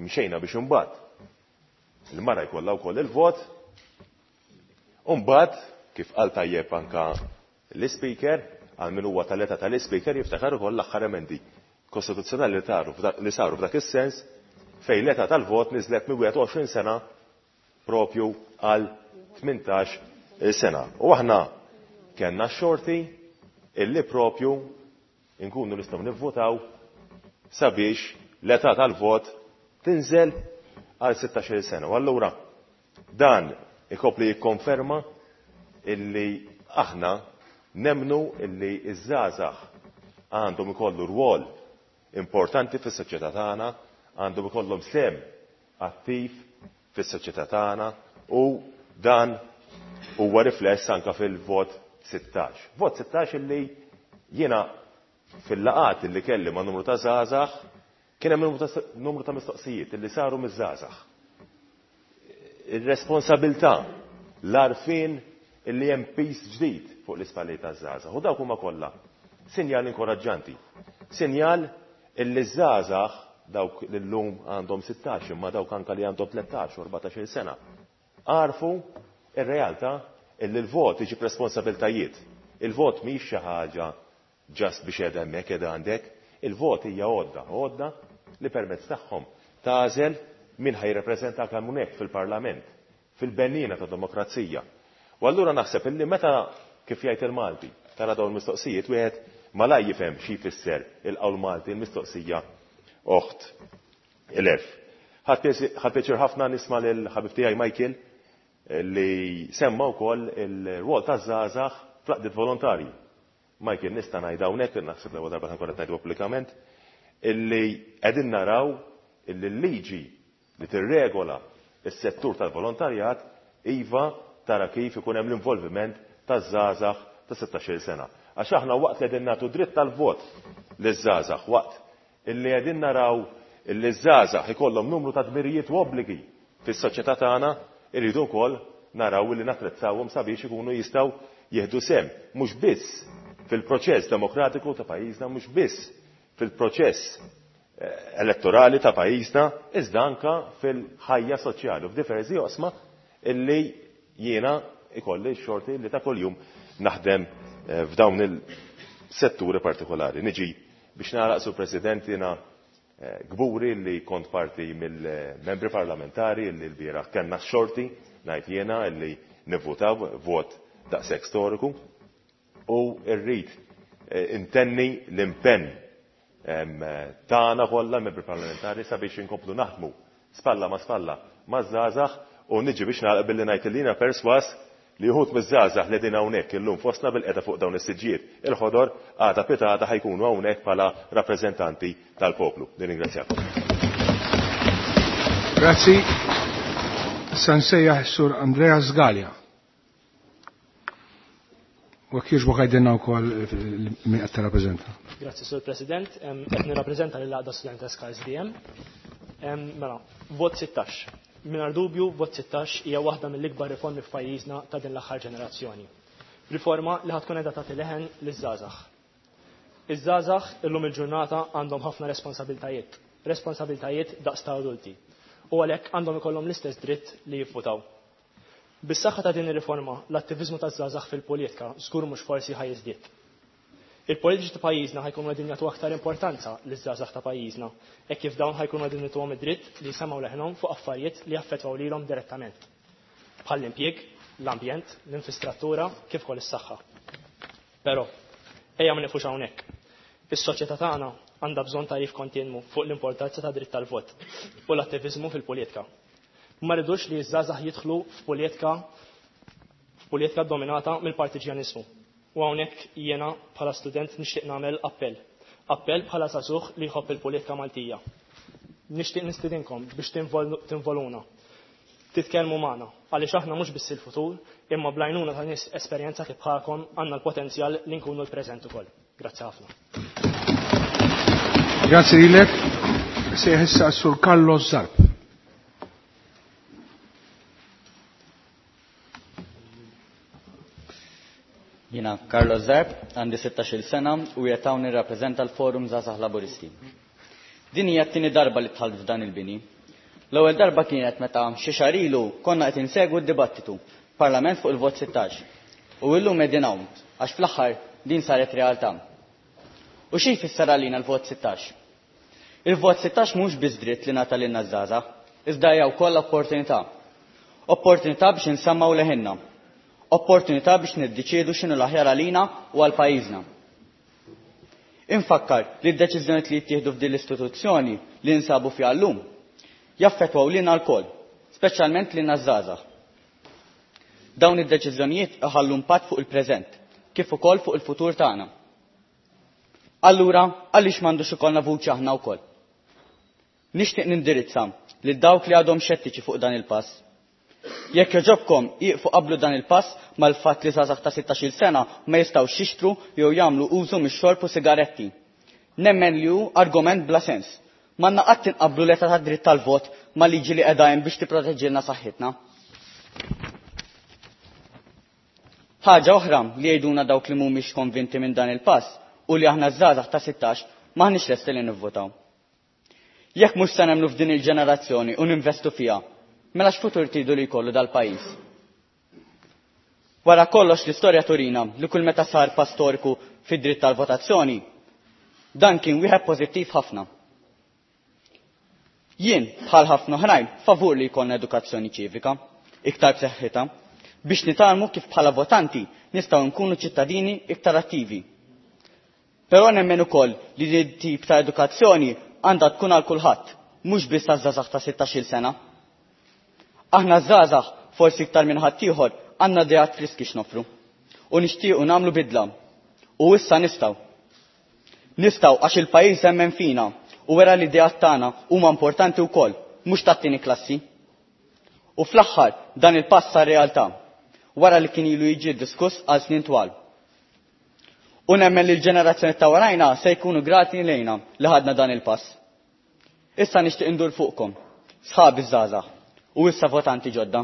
Imxejna biex imbagħad il-mara jkollha wkoll il-vot. U mbagħad, kif qal tajjeb anka l-Ispeaker, għal min huwa tal-età tal-Ispeaker jiftakar ukoll l-aħħar emendi kostituzzjonali li saru f'dak is-sens fejn l-età tal-vot niżlet minn 21 sena propju għal 18 sena. U aħna kellna x-xorti illi propju nkunu nistgħu nivvotaw sabiex l-età tal-vot tinżel għal 16 sena. U allura dan ikopli jikkonferma illi aħna nemmnu illi ż-żgħażagħ għandhom ikollu rwol importanti fis-soċjetà tagħna, għandhom ikollhom sehem attiv fis-soċjetà tagħna u dan huwa rifless anke fil-vot 16. Vot 16 illi jiena fil-laqgħat illi kelli ma' numru ta' żgħażagħ kien hemm numru ta' mistoqsijiet illi saru miż-żgħażagħ. Ir-responsabilità, l-għarfien illi hemm piż ġdid fuq l-ispallijiet taż-żgħażagħ u dawk huma kollha sinjal inkoraġġanti. Sinjal illi ż-żgħażagħ dawk li llum għandhom 16 imma dawk anke li għandhom 13 u 14-il sena għarfu r-realtà illi l-vot iġib responsabiltajiet. Il-vot mhix xi ħaġa just biex qiegħda hemmhekk qiegħda għandek. Il-vot hija għodda, għodda li permezz tagħhom tagħżel min ħa jirrepreżentak hawnhekk fil-Parlament, fil-benniena ta' demokrazija. U allura naħseb illi meta, kif jgħid il-Malti, tara dawn il-mistoqsijiet wieħed malajr jifhem xi jfisser il-qawl Malti l-mistoqsija oħt l-għerf. Ħadt pjaċir ħafna nisma' lil ħabib tiegħi Michael li semma wkoll il-rwol taż-żgħażagħ fl-għaqdiet volontarji. Michael nista' ngħid hawnhekk, naħseb l-ewwel darba nkun qed ngħidu pubblikament, illi qegħdin naraw illi l-liġi li tirregola s-settur tal-volontarjat iva tara kif ikun hemm l-involviment taż-żgħażagħ ta' 16-il sena. Għax aħna waqt li qegħdin nagħtu dritt tal-vot liż-żgħażagħ, waqt illi qegħdin naraw illi ż-żgħażagħ ikollhom numru ta' dmirijiet u obbligi fis-soċjetà tagħna, irridu wkoll naraw illi nattrezzawhom sabiex ikunu jistgħu jieħdu sehem mhux biss fil-proċess demokratiku ta' pajjiżna, mhux biss fil-proċess elettorali ta' pajjiżna, iżda anke fil-ħajja soċjali u f'diversi oqsma illi jiena ikolli x-xorti li ta' kuljum naħdem f'dawn il-setturi partikolari. Niġi biex nagħlaq, Sur President, jiena kburi li kont parti mill-membri parlamentari li l-bieraħ kellna x-xorti, ngħid jiena, li nivvutaw vot daqshekk storiku u rrid intenni l-impenn tagħna kollha membri parlamentari sabiex inkomplu naħdmu spalla ma' spalla maż-żgħażagħ u niġi biex nagħlaq billi ngħid li jiena persważ li wħud miż-żgħażagħ li qegħdin hawnhekk illum fostna bilqiegħda fuq dawn is-siġġijiet il-ħodor għada pitgħada ħa jkunu hawnhekk bħala rappreżentanti tal-poplu. Nirringrazzjakom. Grazzi. Issa nsejjaħ is-Sur Andreas Galea. U jekk jogħġbok għidilna wkoll min qed tirrappreżenta. Grazzi Sur President, qed nirrappreżenta lil Għaqda Studenteska SDM. Mela, vot 16. Mingħajr dubju, vot 16 hija waħda mill-ikbar riformi f'pajjiżna ta' din l-aħħar ġenerazzjoni. Riforma li ħatkun qiegħda tagħti leħen liż-żgħażagħ. Iż-żgħażagħ illum il-ġurnata għandhom ħafna responsabiltajiet, responsabiltajiet daqs ta' adulti. U għalhekk għandhom ikollhom l-istess dritt li jivvutaw. Bis-saħħa ta' din ir-riforma, l-attiviżmu taż-żgħażagħ fil-politika żgur mhux forsi ħa jiżdied. Il-politiċi ta' pajjiżna ħajkunu qegħdin jagħtu aktar importanza liż-żgħażagħ ta' pajjiżna, hekk kif dawn ħajkunu qegħdin jagħtuhom id-dritt li jsemgħu leħinhom fuq affarijiet li jaffettwaw lilhom direttament, bħall-impjieg, l-ambjent, l-infistrattura, kif ukoll is-saħħa. Però, ejja ma nieqfux hawnhekk. Is-soċjetà tagħna għandha bżonn tagħrif kontinwu fuq l-importanza ta' dritt tal-vot u l-attiviżmu fil-politika. Ma rridux li ż-żgħażagħ jidħlu f'politika f'politika dominata mill-partiġjaniżmu. U hawnhekk jiena bħala student nixtieq nagħmel appell. Appell bħala żagħżugħ li jħobb il-politika Maltija. Nixtieq nistidinkom biex tinvoluna. Titkellmu magħna għaliex aħna mhux biss il-futur, imma bl-għajnuna ta' nies esperjenzati bħalkom għandna l-potenzjal li nkunu l-preżent ukoll. Grazzi ħafna. Grazzi lilek. Sejħ issa s-Sur Carlos Zarb. Jiena Carlos Zarb, għandi 16-il sena u qiegħed hawn nirrappreżenta l-Forum Żgħażagħ Laburisti. Din hija t-tieni darba li dħalt f'dan il-bini. L-ewwel darba kienet meta xi xahar ilu konna qed insegwu d-dibattitu Parlament fuq il-vot 16. U illum qegħdin hawn għax fl-aħħar din saret realtà. U xi jfisser għalina l-vot 16? Il-vot 16 mhux biss dritt li ngħata lilna ż-żgħażagħ, iżda hija wkoll opportunità. Opportunità biex insemmaw leħinna. Opportunità biex niddeċiedu x'inhu l-aħjar għalina u għal pajjiżna. Infakkar li d-deċiżjonijiet li jittieħdu f'din l-istituzzjoni li nsabu fiha llum jaffettwaw lilna lkoll, speċjalment lilna ż-żgħażagħ. Dawn id-deċiżjonijiet iħallu impatt fuq il-preżent, kif ukoll fuq il-futur tagħna. Allura, għaliex m'għandux ikollna vuċi aħna wkoll? Nixtieq nindirizza lil dawk li għadhom xettiċi fuq dan il-pass. Jekk jogħġobkom ieqfu qablu dan il-pass mal-fatt li żgħażagħ ta' 16-il sena ma jistgħux jixtru jew jagħmlu użu mix-xorb u sigaretti. Nemmen li hu argument bla sens. M'għandna qatt inqabblu l-età tad-dritt tal-vot ma' liġi li qiegħda hemm biex tipproteġġilna saħħitna. Ħaġa oħra li jgħiduna dawk li mhumiex konvinti minn dan il-pass u li aħna żgħażagħ ta' 16 m'aħniex lesti li nivvotaw. Jekk mhux se nemmnu f'din il-ġenerazzjoni u ninvestu fiha, mela x'futur tridu li jkollu dal-pajjiż? Wara kollox l-istorja turina li kull meta sar pass storiku fid-dritt tal-votazzjoni, dan kien wieħed pożittiv ħafna. Jien, bħal ħafna oħrajn, favur li jkollna edukazzjoni ċivika, iktar b'saħħitha, biex nitgħallmu kif bħala votanti nistgħu nkunu ċittadini iktar attivi. Però nemmen ukoll li din tip ta' edukazzjoni għandha tkun għal kulħadd, mhux biss għaż-żgħażagħ ta' 16-il sena. Aħna żgħażagħ forsi iktar minn ħaddieħor għandna ideat friski x'noffru u nixtiequ nagħmlu bidla. U issa nistgħu. Nistgħu għax il-pajjiż emmen fina u wera li ideat tagħna huma importanti wkoll, mhux tat-tieni klassi. U fl-aħħar dan il-pass sar realtà wara li kien ilu jiġi diskuss għal snin twal. U nemmen li l-ġenerazzjoni ta' warajna se jkunu grati lejna li ħadna dan il-pass. Issa nixtieq indur fuqkom, sħabi żgħażagħ, u issa votanti ġodda.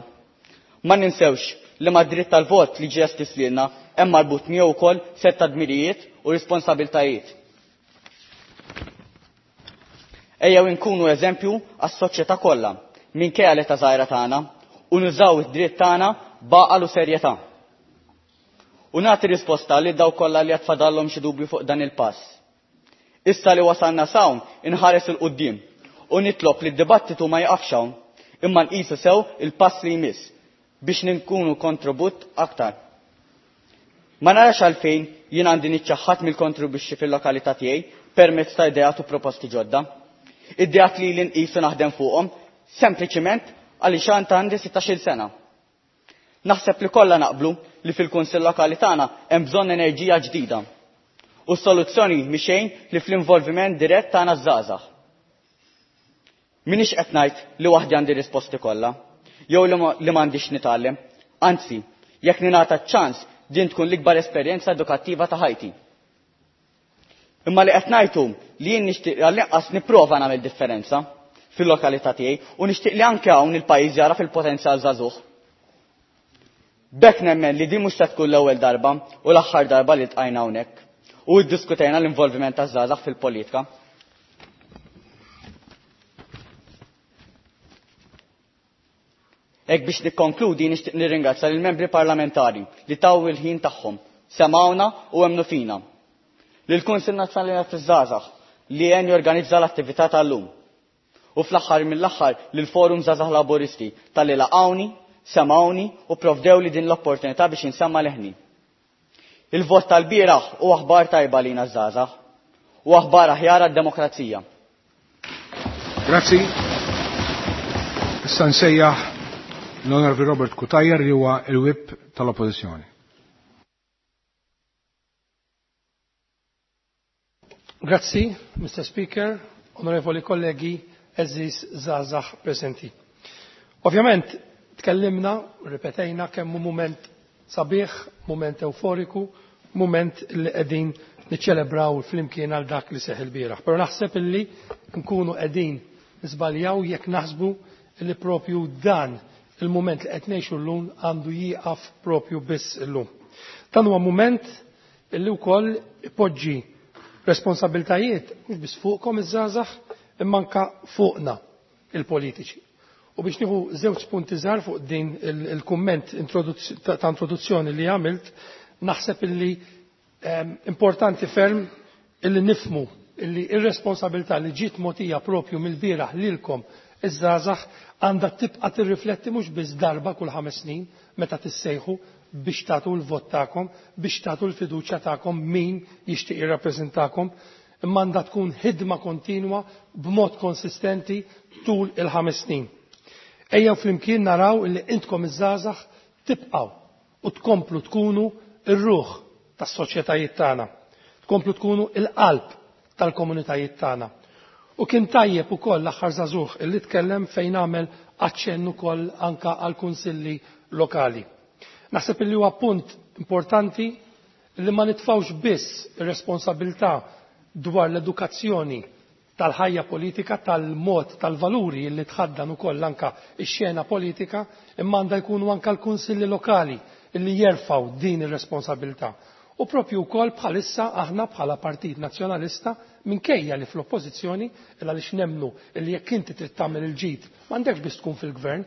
Ma ninsewx li ma dritt tal-vot li ġie estiż lilna hemm marbut miegħu wkoll sett ta' dmirijiet u responsabiltajiet. Ejjew inkunu eżempju għas-soċjetà kollha minkejja l-età żgħira tagħna u nużaw id-dritt tagħna b'għaqal u serjetà. U nagħti risposta lil dawk kollha li għad fadallhom xi dubju fuq dan il-pass. Issa li wasalna s'hawn inħares 'il quddiem u nitlob li d-dibattitu ma jiqafx hawn imma nqisu sew il-pass li jmiss biex ninkunu kontribut aktar. Ma narax għalfejn jien għandi niċċaħħad mill-kontribwixxi fil-lokalità tiegħi permezz ta' ideat u proposti ġodda. Ideat li li nqisu naħdem fuqhom sempliċiment għaliex għand għandi 16-il sena. Naħseb li kollha naqblu li fil-Kunsill Lokali tagħna hemm bżonn enerġija ġdida. U s-soluzzjoni mhi xejn li fl-involviment dirett tagħna ż-żgħażagħ. M'iniex qed ngħid li waħdi għandi risposti kollha, jew li m'għandix nitgħallem. Anzi, jekk ningħata ċ-ċans din tkun l-ikbar esperjenza edukattiva ta' ħajti. Imma li qed ngħid hu li jien nixtieq għall-inqas nipprova nagħmel differenza fil-lokalità tiegħi u nixtieq li anke hawn il-pajjiż jagħraf il-potenzjal żagħżugħ. B'hekk nemmen li din mhux se tkun l-ewwel darba u l-aħħar darba li ltqajna hawnhekk u iddiskutejna l-involviment taż-żgħażagħ fil-politika. Hekk biex nikkonkludi nixtieq nirringrazzja lill-membri parlamentari li taw il-ħin tagħhom, semgħuna u emmnu fina. Lill-Kunsill Nazzjonali taż-Żgħażagħ li għen jorganizza l-attività tal-lum. U fl-aħħar mill-aħħar lill-Forum Żgħażagħ Laburisti talli laqgħuni, semgħuni u pprovdewli din l-opportunità biex insemma' leħni. Il-vot tal-bieraħ hu aħbar tajba għalina ż-żgħażagħ u aħbar aħjar għad-demokrazija. Grazzi. Issa nsejjaħ l-Onorevoli Robert Cutajar li huwa il-Whip tal-Oppożizzjoni. Grazzi, Mr. Speaker, onorevoli kollegi, għeżież żgħażagħ preżenti. Ovvjament, tkellimna, ripetejna kemm hu mument sabiħ, mument euforiku, mument li qegħdin niċċelebraw flimkien għal dak li seħħ ilbieraħ. Però naħseb illi nkunu qegħdin niżbaljaw jekk naħsbu illi propju dan il-mument li qed ngħixu llum għandu jieqaf propju biss illum. Dan huwa mument illi wkoll ipoġġi responsabiltajiet mhux biss fuqkom iż-żgħażagħ imma anke fuqna il-politiċi. U biex nieħu żewġ punti żgħar fuq din il-kumment ta' introduzzjoni li għamilt, naħseb illi importanti ferm illi nifhmu illi ir-responsabilità li ġiet mogħtija propju mill-bieraħ lilkom iż-żgħażagħ għandha tibqa' tirrifletti mhux biss darba kull ħames snin meta tissejħu biex tagħtu l-vot tagħkom, biex tagħtu l-fiduċja tagħkom min jixtieq jirrappreżentakom, imma għandha tkun ħidma kontinwa b'mod konsistenti tul il-ħames snin. Ejjew flimkien naraw illi intkom iż-żgħażagħ tibqgħu u tkomplu tkunu r-ruħ tas-soċjetajiet tagħna, tkomplu tkunu l-qalb tal-komunitajiet tagħna. U kien tajjeb ukoll l-aħħar żagħżugħ illi tkellem fejn għamel aċċenn ukoll anke għall-kunsilli lokali. Naħseb illi huwa punt importanti li ma nitfgħux biss ir-responsabilità dwar l-edukazzjoni tal-ħajja politika, tal-mod, tal-valuri li tħaddan ukoll anke x-xena politika, imma għandha jkunu anke l-kunsilli lokali li jerfgħu din ir-responsabilità. U propju wkoll bħalissa aħna bħala Partit Nazzjonalista minkejja li fl-oppożizzjoni il għaliex nemmnu li jekk inti trid tagħmel il-ġid m'għandekx biss tkun fil-gvern,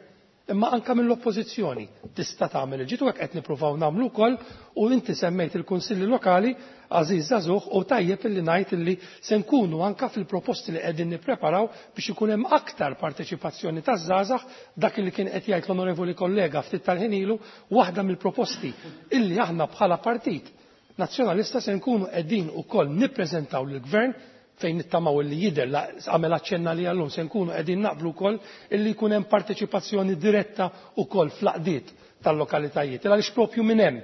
imma anke mill-oppożizzjoni tista' tagħmel il-ġid u hekk qed nippruvaw nagħmlu wkoll u inti semmejt il-kunsilli lokali għażiż żagħżugħ u tajjeb illi ngħid illi se nkunu anke fil-proposti li qegħdin nippreparaw biex ikun hemm aktar parteċipazzjoni taż-żgħażagħ dak li kien qed jgħid l-onorevoli kollega ftit tal-ħin ilu waħda mill-proposti illi aħna bħala Partit Nazzjonalista se nkunu qegħdin ukoll nippreżentaw lill-Gvern fejn nittamaw li jidher għamel aċċenna li għallum se nkunu qegħdin naqblu wkoll illi jkun hemm parteċipazzjoni diretta wkoll fl-għaqdiet tal-lokalitajiet. Għaliex propju minn hemm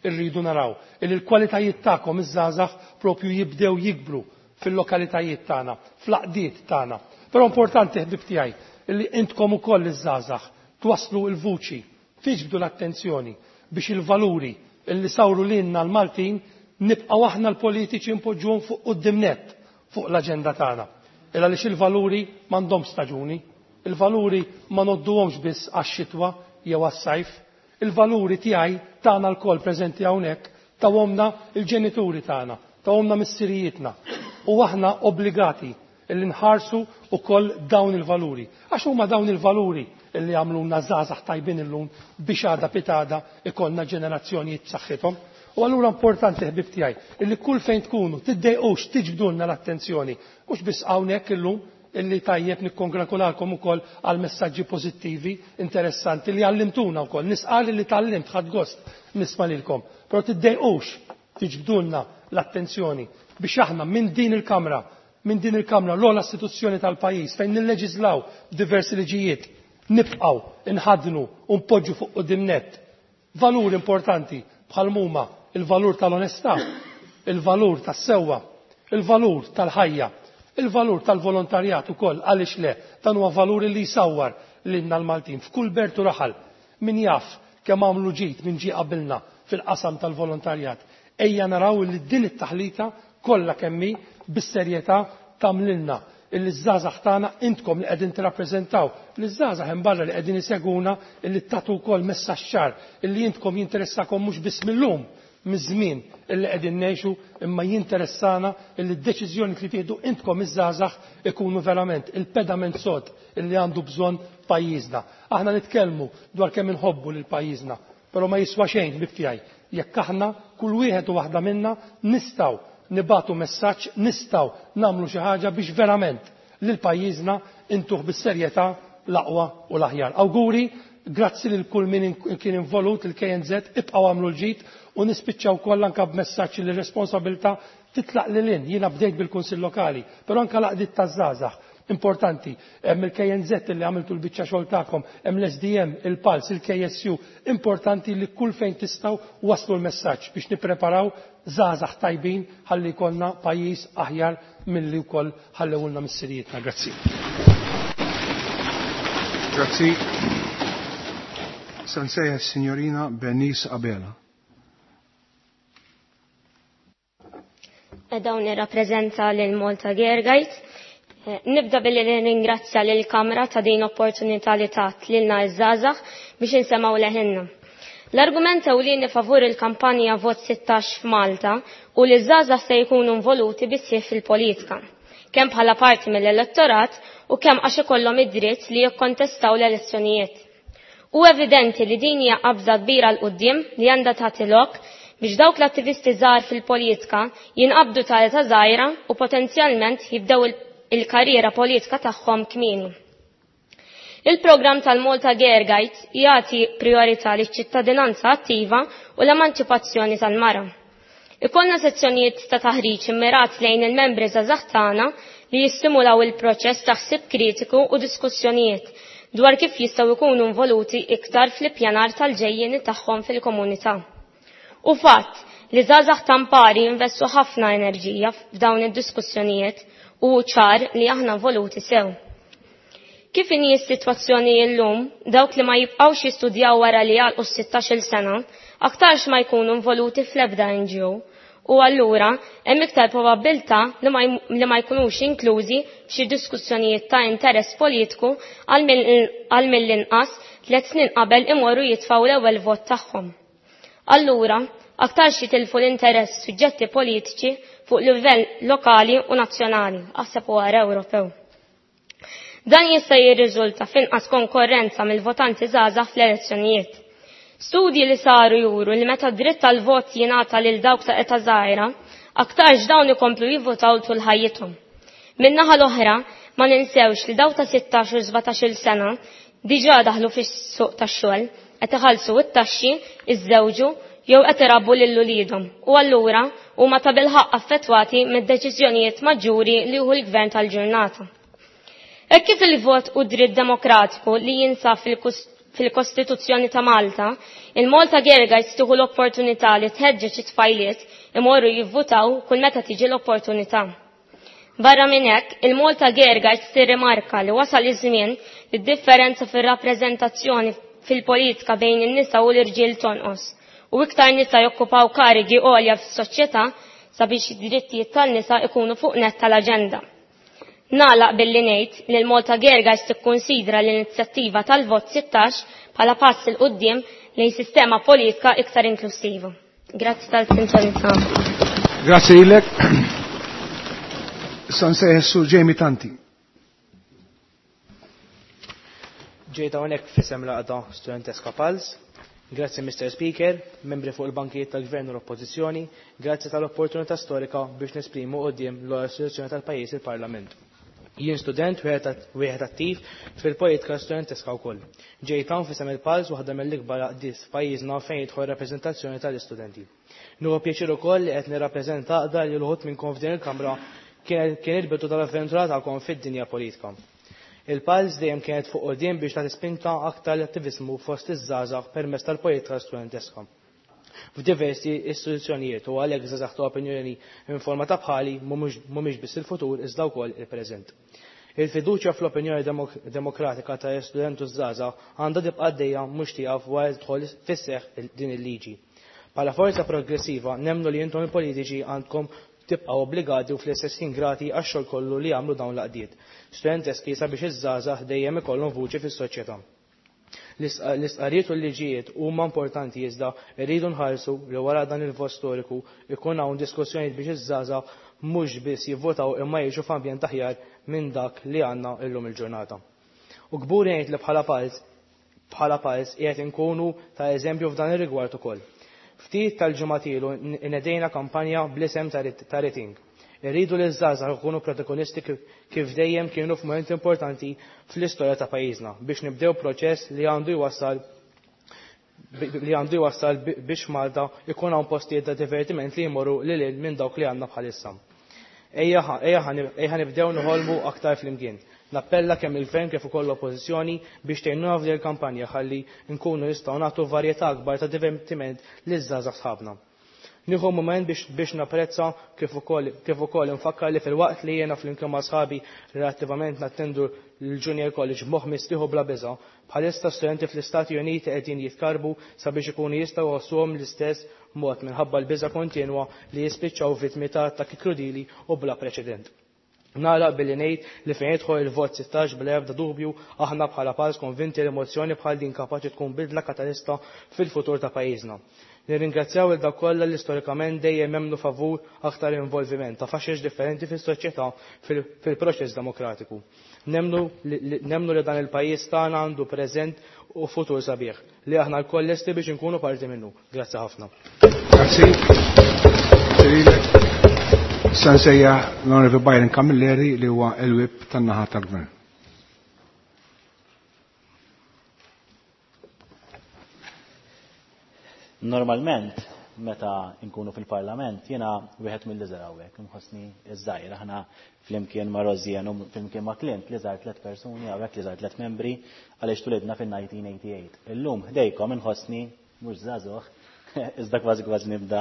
irridu naraw illi l-kwalitajiet tagħkom iż-żgħażagħ propju jibdew jikbru fil-lokalitajiet tagħna, fl-għaqdiet tagħna. Però importanti ħbib tiegħi illi intkom ukoll iż-żgħażagħ twasslu l-vuċi, tiġbdu l-attenzjoni biex il-valuri illi sawru lilna l-Maltin nibqgħu aħna l-politiċi npoġġuhom fuq quddiem nett fuq l-aġenda tagħna. Il għaliex il-valuri m'għandhomx staġuni, il-valuri ma ngħodduhomx biss għax-xitwa jew għas-sajf, il-valuri tiegħi tagħna lkoll preżenti hawnhekk tawhomna l-ġenituri tagħna, tawhomna missirijietna u aħna obbligati illi nħarsu wkoll dawn il-valuri. Għax huma dawn il-valuri illi għamluna żgħażagħ tajbin illum biex għada pitada ikollna ġenerazzjonijiet b'saħħithom. U allura importanti ħbib tiegħi illi kull fejn tkunu tiddejqux tiġbdulna l-attenzjoni mhux biss hawnhekk illum illi tajjeb nikkongratulalkom ukoll għal messaġġi pożittivi interessanti li għallimtuna wkoll. Nisqal li tgħallimt ħadd gost nisma' lilkom. Però tiddejqux tiġbdulna l-attenzjoni biex aħna minn din il-kamra minn din il-kamra l-ogħla istituzzjoni tal-pajjiż fejn nilleġislaw diversi liġijiet nibqgħu nħaddnu u npoġġu fuq quddiem nett valur importanti bħal huma il-valur tal-onestà, il-valur tas-sewwa, il-valur tal-ħajja, il-valur tal-volontarjat ukoll għaliex le dan huwa valur li jsawwar lilna l-Maltin f'kull belt u raħal min jaf kemm għamlu ġid min ġie qabilna fil-qasam tal-volontarjat. Ejja naraw li din it-taħlita kollha kemm hi bis-serjetà tagħmlilna illi ż-żgħażagħ tagħna intkom li qegħdin tirrappreżentaw liż-żgħażagħ hemm barra li qegħdin isegwuna illi tagħtu wkoll messaġġ ċar illi intkom jinteressakom mhux biss mil-lum miż-żmien illi qegħdin ngħixu imma jinteressana illi d-deċiżjoni li tieħdu intkom iż-żgħażagħ ikunu verament il-pedament sod illi għandu bżonn pajjiżna. Aħna nitkellmu dwar kemm inħobbu lil pajjiżna, però ma jiswa xejn ħbieb tiegħi jekk aħna kull wieħed u waħda minna nistgħu nibagħtu messaġġ, nistgħu nagħmlu xi ħaġa biex verament lil pajjiżna intuh bis-serjetà l-aqwa u l-aħjar. Awguri, grazzi lil kull min kien involut, il-KNZ, ibqgħu agħmlu l-ġid u nispiċċaw wkoll anke b'messaġġ li r-responsabilità titlaq lil hinn. Jiena bdejt bil-Kunsill Lokali, però anke l-għaqdiet taż-żgħażagħ importanti. Hemm il-KNZ li għamiltu l-biċċa xogħol tagħkom, hemm l-SDM, il-Pulse, il-KSU, importanti li kull fejn tistgħu waslu l-messaġġ biex nippreparaw żgħażagħ tajbin ħalli jkollna pajjiż aħjar milli wkoll ħallewulna missirijietna. Grazzi. Grazzi. Se nsejjaħ is-Sinjorina Bernice Abela. Dawn nirrappreżenta lil Malta Girl Guides. Nibda billi nirringrazzja lil Kamra ta' din opportunità li tat lilna iż-żgħażagħ biex insemgħu leħinna. L-argument ewlieni favur il-kampanja Vot 16 f'Malta u li ż-żgħażagħ se jkunu involuti bisħieħ fil-politika, kemm bħala parti mill-elettorat u kemm għax ikollhom id-dritt li jikkontestaw l-elezzjonijiet. Hu evidenti li din hija qabża kbira 'l quddiem li għandha tagħti lok biex dawk l-attivisti żgħar fil-politika jinqabdu ta' età żgħira u potenzjalment jibdew il-karriera politika tagħhom kmieni. Il-programm tal-Malta Girl Guides jagħti priorità liċ-ċittadinanza attiva u l-emanċipazzjoni tal-mara. Ikollna sezzjonijiet ta' taħriġ immirat lejn il-membri żgħażagħ tagħna li jistimulaw il-proċess ta' ħsieb kritiku u diskussjonijiet dwar kif jistgħu jkunu involuti iktar fl-ippjanar tal-ġejjieni tagħhom fil-komunità. U fatt li żgħażagħ tampari jinvestu ħafna enerġija f'dawn id-diskussjonijiet u ċar li aħna involuti sew. Kif inhi s-sitwazzjoni llum, dawk li ma jibqgħux jistudjaw wara li jagħlqu s-16-il sena, aktarx ma jkunu involuti fl-ebda NGO u allura hemm iktar probabbiltà li ma jkunux inklużi f'xi diskussjonijiet ta' interess politiku għal mill-inqas 3 snin qabel imorru jitfgħu l-ewwel vot tagħhom. Allura, aktarx jitilfu l-interess suġġetti politiċi fuq livell lokali u nazzjonali, aħseb u ara Ewropew. Dan jista' jirriżulta f'inqas konkorrenza mill-votanti żgħażagħ fl-elezzjonijiet. Studji li saru juru li meta dritt tal-vot jingħata lil dawk ta' età żgħira, aktarx dawn ikomplu jivvotaw tul ħajjithom. Min-naħa l-oħra, ma ninsewx li dawk ta' 16 u 17-il sena diġà daħlu fis-suq tax-xogħol, qed iħallsu t-taxxi, iżżewġu jew qed irabbu lil uliedhom u allura huma tabilħaqq affettwati mid-deċiżjonijiet maġġuri li jieħu l-gvern tal-ġurnata. Hekk kif il-vot hu dritt demokratiku li jinsab fil-Kostituzzjoni ta' Malta, il-Malta Girl Guides tieħu l-opportunità li tħeġġeġ it-tfajliet imorru jivvutaw kull meta tiġi l-opportunità. Barra minn hekk, il-Malta Girl Guides tirrimarka li wasal iż-żmien li d-differenza fir-rappreżentazzjoni fil-politika bejn in-nisa u l-irġiel tonqos u iktar nisa jokkupaw karigi għolja fis-soċjetà sabiex id-drittijiet tan-nisa ikunu fuq nett tal-aġenda. Nagħlaq billi ngħid li l-Malta Girl Guides tikkunsidra l-inizjattiva tal-Vot 16 bħala pass 'il quddiem lejn sistema politika iktar inklussiva. Grazzi tal-attenzjoni tagħkom. Grazzi lilek. Issa nsejħ is-Sur Jamie Tanti. Ġejt hawnhekk f'isem l-għaqda Studenteska Pals. Grazzi Mr. Speaker, membri fuq il-bankijiet tal-Gvern u l-Oppożizzjoni, grazzi tal-opportunità storika biex nesprimu quddiem l-ogħla istituzzjoni tal-pajjiż il-Parlament. Jien student wieħed attiv fil-politika studenteska wkoll. Ġejt hawn f'isem il-Pals waħda mill-ikbar għaqdiet f'pajjiżna fejn jidħol rappreżentazzjoni tal-istudenti. Nieħu pjaċir ukoll li qed nirrappreżenta għaqda li l-uħud minnkom f'din il-Kamra kien il-bidu tal-avventura tagħkom fid-dinja politika. Il-Pals dejjem kienet fuq quddiem biex tagħti spinta aktar l-attiviżmu fost iż-żgħażagħ permezz tal-politika studenteska f'diversi istituzzjonijiet u għalhekk żgħażagħ ta' opinjoni informata bħali mhumiex biss il-futur iżda wkoll il-preżent. Il-fiduċja fl-opinjoni demokratika ta' student u żgħażagħ għandha tibqa' għaddejja mhux tieqaf wara li tidħol fis-seħħ din il-liġi. Bħala forza progressiva nemmnu li intom il-politiċi għandkom tibqgħu obbligati u fl-istess ħin grati għax-xogħol kollu li jagħmlu dawn l-għaqdiet studenteski sabiex iż-żgħażagħ dejjem ikollhom vuċi fis-soċjetà. L-istqarrijiet u l-liġijiet huma importanti iżda rridu nħarsu li wara dan il-vot storiku jkun hawn diskussjonijiet biex iż-żgħażagħ mhux biss jivvotaw imma jgħixu f'ambjent aħjar minn dak li għandna llum il-ġurnata. U kburi ngħid li bħala pals bħala pals qiegħed inkunu ta' eżempju f'dan ir-rigward ukoll. Ftit tal-ġimgħat ilu nedejna kampanja bl-isem ta' Rating. Irridu li ż-żgħażagħ ikunu protagonisti kif dejjem kienu f'mument importanti fl-istorja ta' pajjiżna biex nibdew proċess li għandu jwassal li għandu jwassal biex Malta ikun hawn postijiet ta' divertiment li jmorru lil hinn minn dawk li għandna bħalissa. Ejja nibdew noħolmu aktar flimkien. Nappella kemm il-Gvern kif ukoll l-Oppożizzjoni biex tgħinuna f'din il-kampanja ħalli nkunu nistgħu nagħtu varjetà akbar ta' divertiment liż-żgħażagħ sħabna. Nieħu mument biex biex napprezza kif ukoll kif ukoll infakkar li filwaqt li jiena flimkien ma' sħabi relattivament nattendu l-Junior College b'moħħ mistrieħ u bla biża', bħalissa studenti fl-Istati Uniti qegħdin jitkarrbu sabiex ikunu jistgħu jħossuhom l-istess mod minħabba l-biża' kontinwa li jispiċċaw vittmi ta' attakki krudili u bla preċedent. Nagħlaq billi ngħid li fejn jidħol il-vot 16 bla ebda dubju aħna bħala Pals konvinti li mozzjoni bħal din kapaċi tkun bidla katalista fil-futur ta' pajjiżna. Nirringrazzjaw lil dawk kollha li storikament dejjem emmnu favur aktar involviment ta' faxex differenti fis-soċjetà fil-proċess demokratiku. Nemmnu li dan il-pajjiż tagħna għandu preżent u futur sabiħ li aħna lkoll lesti biex inkunu parti minnu. Grazzi ħafna. Grazzi. Issa nsejjaħ l-Onorevoli Byron Camilleri li huwa l-Whip tan-naħa tal-Gvern. Normalment, meta nkunu fil-Parlament, jiena wieħed mill-iżgħar hawnhekk, inħossni ż-żgħir. Aħna flimkien ma' Rosianne u flimkien ma' Clint, l-iżgħar tliet persuni hawnhekk, l-iżgħar tliet membri, għaliex tulidna fin-1988. Illum ħdejkom inħossni mhux żagħżugħ, iżda kważi kważi nibda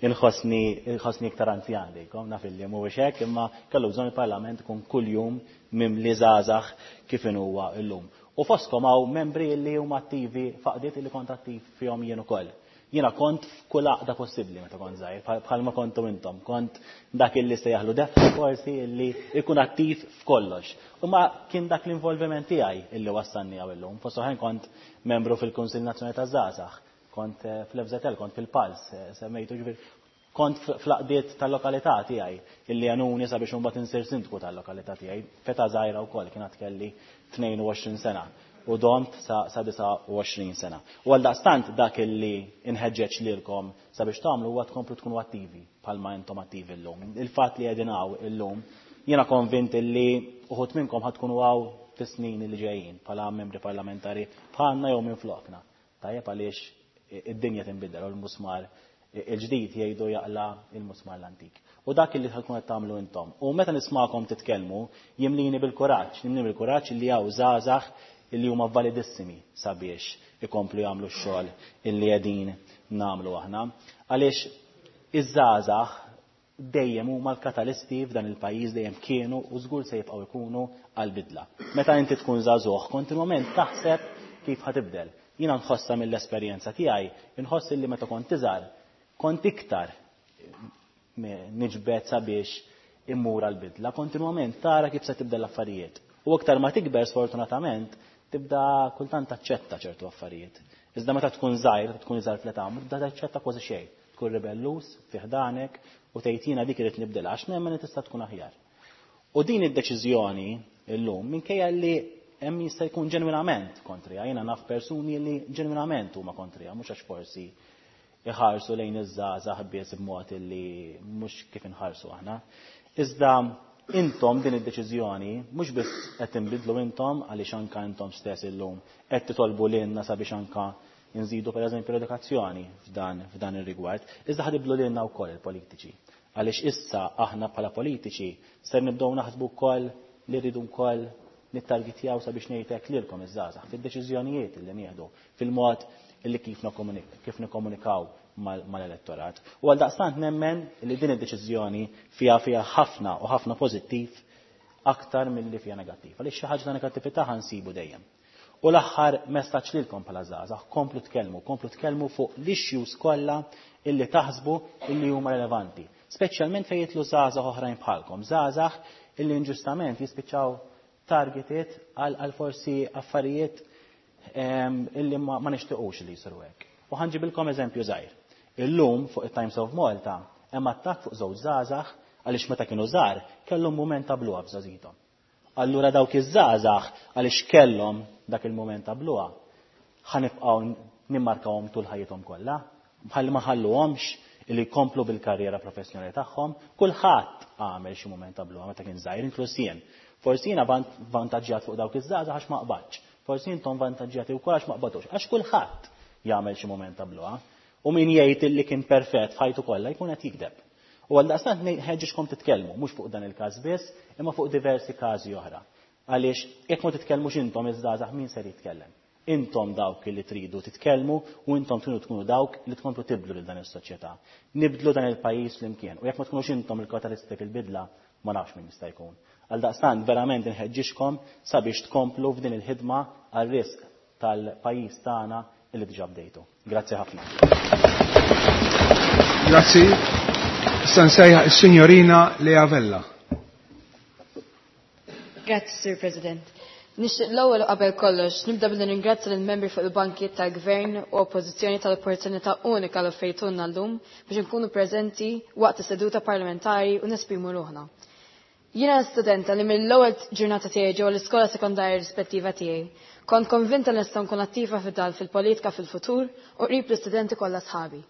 inħossni inħossni iktar anzjan ħdejkom, naf illi mhuwiex hekk, imma kellu bżonn il-Parlament ikun kuljum mimli żgħażagħ kif inhuwa llum. U fostkom hawn membri li huma attivi f'għaqdiet li kont attiv fihom jien ukoll. Jiena kont f'kull għaqda possibbli meta kont żgħir, bħalma kontu intom. Kont dak illi se jaħlu defna forsi illi ikun attiv f'kollox. U ma kien dak l-involviment tiegħi illi wassalni hawn illum. Fost oħrajn kont membru fil-Kunsill Nazzjonali taż-Żgħażagħ, kont fl-FZL, kont fil-Pals, semmejtu ġifieri kont fl-għaqdiet tal-lokalità tiegħi illi għenuni sabiex imbagħad insir sindku tal-lokalità tiegħi. Feta żgħira wkoll kien għad kelli 22 sena u domt sa 29 sena. U għaldaqstant dak illi inħeġġeġ lilkom sabiex tagħmlu huwa tkomplu tkunu attivi bħalma intom attivi llum. Il-fatt li qegħdin hawn illum jiena konvint illi uħud minnkom ħad tkunu hawn fis-snin li ġejjin bħala membri parlamentari bħalna jew minn flokna. Tajjeb għaliex id-dinja tinbidel u l-musmar il-ġdid jgħidu jaqla' il-musmar l-antik. U dak li tkun qed tagħmlu intom. U meta nismakom titkellmu, jimlini bil-kuraġġ, jimlini bil-kuraġġ li hawn żgħażagħ illi huma validissimi sabiex ikomplu jagħmlu x-xogħol illi qegħdin nagħmlu aħna. Għaliex iż-żgħażagħ dejjem huma l-katalisti f'dan il-pajjiż dejjem kienu u żgur se jibqgħu jkunu għall-bidla. Meta inti tkun żagħżugħ kontinwament taħseb kif ħa tibdel. Jiena nħossha mill-esperjenza tiegħi, inħoss illi meta kont iżgħar kont iktar niġbed sabiex immur għall-bidla, kontinwament tara kif se tibdel l-affarijiet. U iktar ma tikber sfortunatament tibda kultant taċċetta ċertu affarijiet. Iżda meta tkun żgħir, meta tkun iżgħar fl-età, ma tibda taċċetta kważi xejn. Tkun ribelluż fi ħdanek u tgħid jiena dik irid nibdilha għax nemmen li tista' tkun aħjar. U din id-deċiżjoni illum minkejja li hemm jista' jkun ġenwinament kontriha, jiena naf persuni li ġenwinament huma kontriha, mhux għax forsi iħarsu lejn iż-żgħażagħ biss b'mod li mhux kif inħarsu aħna. Iżda intom din id-deċiżjoni mhux biss qed tinbidlu intom għaliex anka intom stess illum qed titolbu lilna sabiex anka nżidu pereżempju l-edukazzjoni f'dan f'dan ir-rigward, iżda ħa tibdlu lilna wkoll il-politiċi. Għaliex issa aħna bħala politiċi ser nibdew naħsbu wkoll li rridu wkoll nittargetjaw sabiex ngħid hekk lilkom iż-żgħażagħ fid-deċiżjonijiet li nieħdu, fil-mod li kif kif nikkomunikaw mal-elettorat. U għaldaqstant nemmen li din id-deċiżjoni fiha fiha ħafna u ħafna pożittiv aktar milli fiha negattiv. Għaliex xi ħaġa ta' negattività ħa nsibu dejjem. U l-aħħar messaġġ lilkom bħala żgħażagħ, komplu tkellmu, komplu tkellmu fuq l-issues kollha illi taħsbu illi huma relevanti. Speċjalment fejn jidħlu żgħażagħ oħrajn bħalkom, żgħażagħ illi inġustament jispiċċaw targeted għal forsi affarijiet illi ma nixtiequx li jsiru hekk. U ħa nġibilkom eżempju żgħir. Illum fuq it-Times of Malta hemm attakk fuq żewġ żgħażagħ għaliex meta kienu żgħar kellhom mument ta' bluha f'żgħażithom. Allura dawk iż-żgħażagħ għaliex kellhom dak il-mument ta' bluha ħa nibqgħu nimmarkawhom tul ħajjithom kollha, bħal ma ħalluhomx li jkomplu bil-karriera professjonali tagħhom. Kulħadd għamel xi mument ta' bluha meta kien żgħir, inkluż jien. Forsi jiena vantaġġjat fuq dawk iż-żgħażagħ għax ma qbadtx. Forsi intom vantaġġjati wkoll għax ma qbadtux. Għax kulħadd jagħmel xi mument ta' bluha. U min jgħid li kien perfett f'ħajtu kollha jkun qed jigdeb. U għaldaqstant nħeġġiġkom titkellmu, mhux fuq dan il-każ biss, imma fuq diversi każi oħra. Għaliex jekk ma titkellmux intom iż-żgħażagħ min ser jitkellem? Intom dawk li tridu titkellmu u intom tridu tkunu dawk li tkomplu tibdlu lil dan is-soċjetà. Nibdlu dan il-pajjiż flimkien. U jekk ma tkunux intom il-katalisti fil-bidla, ma nafx min jista' jkun. Għaldaqstant verament inħeġġiġkom sabiex tkomplu f'din il-ħidma għar-risq tal-pajjiż tagħna illi diġà bdejtu. Grazzi ħafna. Grazzi. Issa nsejjaħ is-Sinjorina Lea Vella. Grazzi, Sur President. Nixtieq l-ewwel u qabel kollox nibda billi ningrazzja lill-membri fuq il-bankijiet tal-Gvern u Oppożizzjoni tal-opportunità unika li offrejtulna llum biex inkunu preżenti waqt is-seduta parlamentari u nesprimu ruħna. Jiena studenta li mill-ewwel ġurnata tiegħi ġewwa l-iskola sekondarja rispettiva tiegħi, kont konvinta li nista' nkun attiva fid-dal fil-politika fil-futur u qrib l-istudenti kollha sħabi.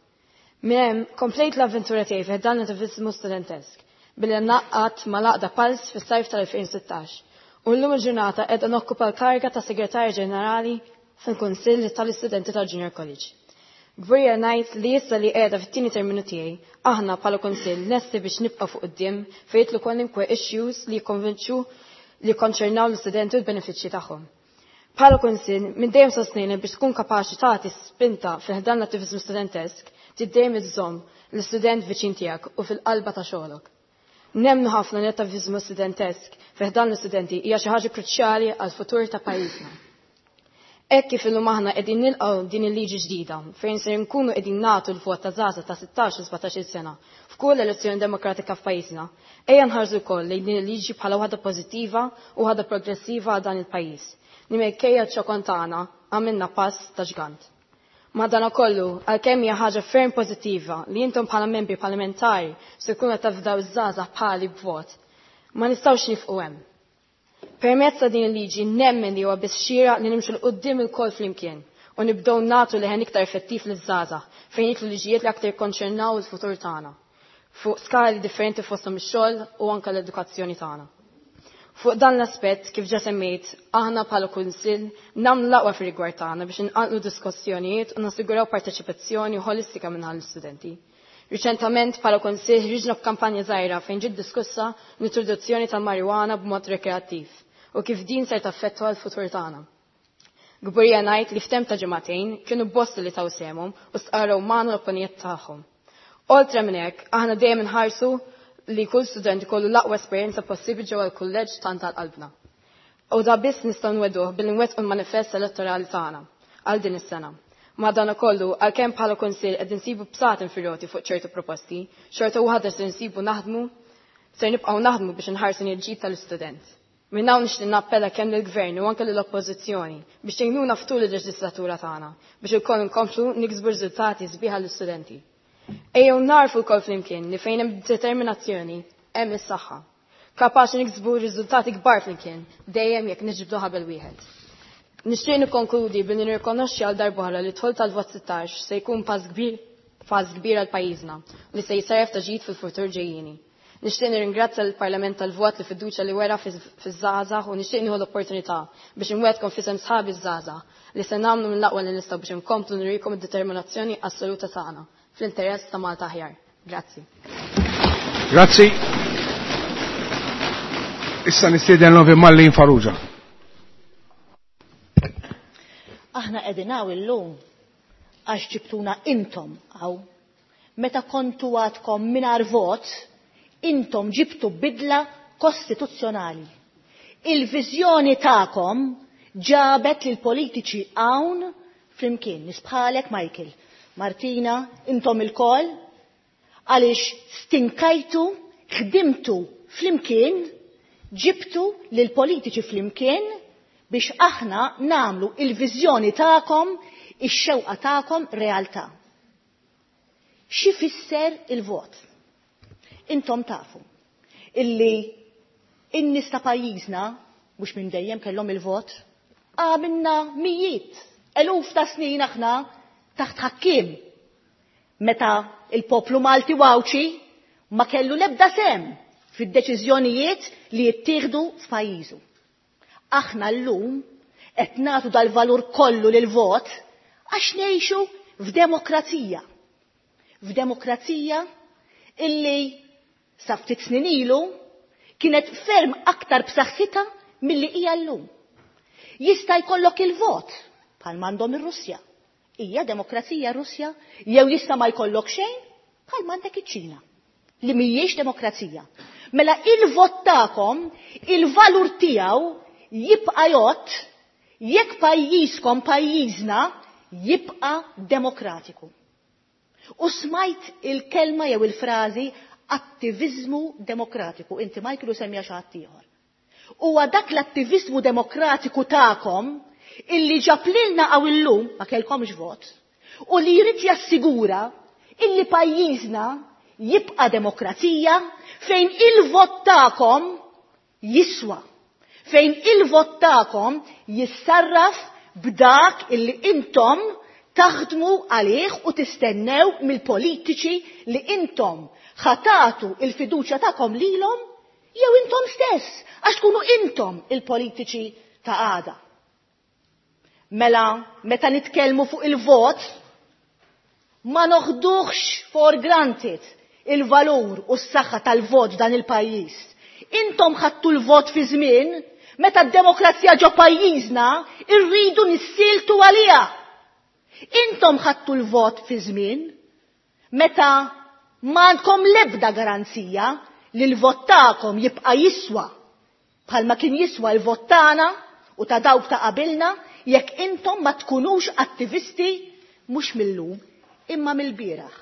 Minn hemm, komplejt l-avventura tiegħi fi ħdan l-attiviżmu studentesk, billi ngħaqqadt mal-għaqda Pulse fis-sajf tal-2016 u llum il-ġurnata qiegħda nokkupa l-kariga ta' Segretarja Ġenerali fil-Kunsill tal-Istudenti tal-Junior College. Kburija ngħid li issa li qiegħda fit-tieni terminu tiegħi, aħna bħala Kunsill lesti biex nibqgħu fuq quddiem fejn jidħlu kwalunkwe issues li jikkonvinċu li jikkonċernaw l-istudenti u l-benefiċċji tagħhom. Bħala Kunsill, minn dejjem sostnejna biex tkun kapaċi tagħti spinta fi ħdan l-attiviżmu studentesk, trid dejjem iżżomm l-istudent viċin tiegħek u fil-qalba ta' xogħlok. Nemmnu ħafna li l-attiviżmu studentesk fi ħdan l-istudenti hija xi ħaġa kruċjali għall-futur ta' pajjiżna. Hekk kif illum aħna qegħdin nilqgħu din il-liġi ġdida fejn ser nkunu qegħdin nagħtu l-vot ta' żgħażagħ ta' 16 u 17-il sena f'kull elezzjoni demokratika f'pajjiżna, ejja nħarsu wkoll lejn din il-liġi bħala waħda pożittiva u waħda progressiva għal dan il-pajjiż li minkejja ċ-ċokon tagħna għamilna pass ta' ġgant. Madanakollu, għalkemm hija ħaġa ferm pożittiva li intom bħala membri parlamentari se tkunu qed tafdaw iż-żgħażagħ bħali b'vot, ma nistgħux nifqu hemm. Permezz ta' din il-liġi nemmen li huwa biss xieraq li nimxu 'l quddiem ilkoll flimkien u nibdew nagħtu leħen iktar effettiv liż-żgħażagħ fejn jidħlu liġijiet li aktar jikkonċernaw il-futur tagħna fuq skali differenti fosthom ix-xogħol u anke l-edukazzjoni tagħna. Fuq dan l-aspett, kif ġa semmejt, aħna bħala kunsill nagħmlu l-aqwa fir-rigward tagħna biex inqanqlu diskussjonijiet u nassiguraw parteċipazzjoni ħolistika minn l-istudenti. Riċentament bħala kunsill ħriġna b'kampanja żgħira fejn ġiet diskussa l-introduzzjoni tal-marijuana b'mod rekreattiv u kif din ser taffettwa l-futur tagħna. Kburija ngħid li f'temp ta' ġimagħtejn kienu bosta li taw sehemhom u stqarrew magħna l-opinjonijiet tagħhom. Oltre minn hekk, aħna dejjem inħarsu li kull student ikollu l-aqwa esperjenza possibbli ġewwa l-kulleġġ tant għal qalbna. U da biss nistgħu nweduh billi nwettqu l-manifest elettorali tagħna għal din is-sena. Madankollu, għalkemm bħala kunsill qed insibu bsaten fir-roti fuq ċertu proposti, xorta waħda se nsibu naħdmu ser nibqgħu naħdmu biex inħarsu l-ġid tal-istudent. Minn hawn nixtieq nappella kemm lill-Gvern u anke lill-Oppożizzjoni biex tgħinuna ftul il-leġislatura tagħna biex ilkoll nkomplu niksbu riżultati sbieħ għall-istudenti. Ejjew narfu lkoll flimkien li fejn hemm determinazzjoni hemm is-saħħa. Kapaċi niksbu riżultati kbar flimkien dejjem jekk niġbdu ħabel wieħed. Nixtieq nikkonkludi billi nirrikonoxxi għal darb'oħra li dħul tal-vot 16 se jkun pass kbir pass kbir għal pajjiżna li se jsarraf ta' ġid fil-futur ġejjieni. Nixtieq nirringrazzja l-Parlament tal-vot li fiduċja li wera fiż-żgħażagħ u nixtieq nieħu l-opportunità biex inwegħedkom f'isem sħabi ż-żgħażagħ li se nagħmlu mill-aqwa li nistgħu biex inkomplu nurikom id-determinazzjoni assoluta tagħna fl-interess ta' Malta aħjar. Grazzi. Grazzi. Issa nistieden l Mallin Farrugia. Aħna qegħdin hawn illum għax ġibtuna intom hawn. Meta kontu għadkom mingħajr vot, intom ġibtu bidla kostituzzjonali. Il-viżjoni tagħkom ġabet lil politiċi hawn flimkien, nies bħalek Michael, Martina, intom ilkoll, għaliex stinkajtu, ħdimtu flimkien, ġibtu lil politiċi flimkien biex aħna namlu il-viżjoni tagħkom, ix-xewqa tagħkom realtà. Xi fisser il-vot? Intom tafu illi in-nies ta' pajjiżna mhux minn dejjem kellhom il-vot, għamilna mijiet, eluf ta' snin aħna taħt ħakkiem. Meta il-poplu Malti u Għawdxi ma kellu l-ebda sem fid-deċiżjonijiet li jittieħdu f'pajjiżu. Aħna llum qed nagħtu dal-valur kollu lil vot għax ngħixu f'demokrazija. F'demokrazija illi sa ftit snin ilu kienet ferm aktar b'saħħitha milli hija llum. Jista' jkollok il-vot bħal m'għandhom ir-Russja. Hija demokrazija Russja jew jista' ma jkollok xejn bħal m'għandek iċ-Ċina li mhijiex demokrazija. Mela il-vot tagħkom, il-valur tiegħu jibqa' jgħodd jekk pajjiżkom pajjiżna jibqa' demokratiku. U smajt il-kelma jew il-frażi attiviżmu demokratiku. Inti Michael u semmija xi ħadd ieħor. Huwa dak l-attiviżmu demokratiku tagħkom illi ġab lilna hawn illum ma kellkomx vot u li jrid jassigura illi pajjiżna jibqa' demokrazija fejn il-vot tagħkom jiswa, fejn il-vot tagħkom jissarraf b'dak illi intom taħdmu għalih u tistennew mill-politiċi li intom ħatatu il-fiduċja tagħkom lilhom jew intom stess għax tkunu intom il-politiċi ta' għada. Mela, meta nitkellmu fuq il-vot, ma noħduhx for granted il-valur u s-saħħa tal-vot dan il-pajjiż. Intom ħadtu l-vot fi żmien meta d-demokrazija ġo pajjiżna irridu nissiltu għaliha. Intom ħadtu l-vot fi żmien meta m'għandkom l-ebda garanzija li l-vot tagħkom jibqa' jiswa bħalma kien jiswa l-vot tagħna u ta' dawk ta' qabilna jekk intom ma tkunux attivisti mhux mill-lum imma mill-bieraħ.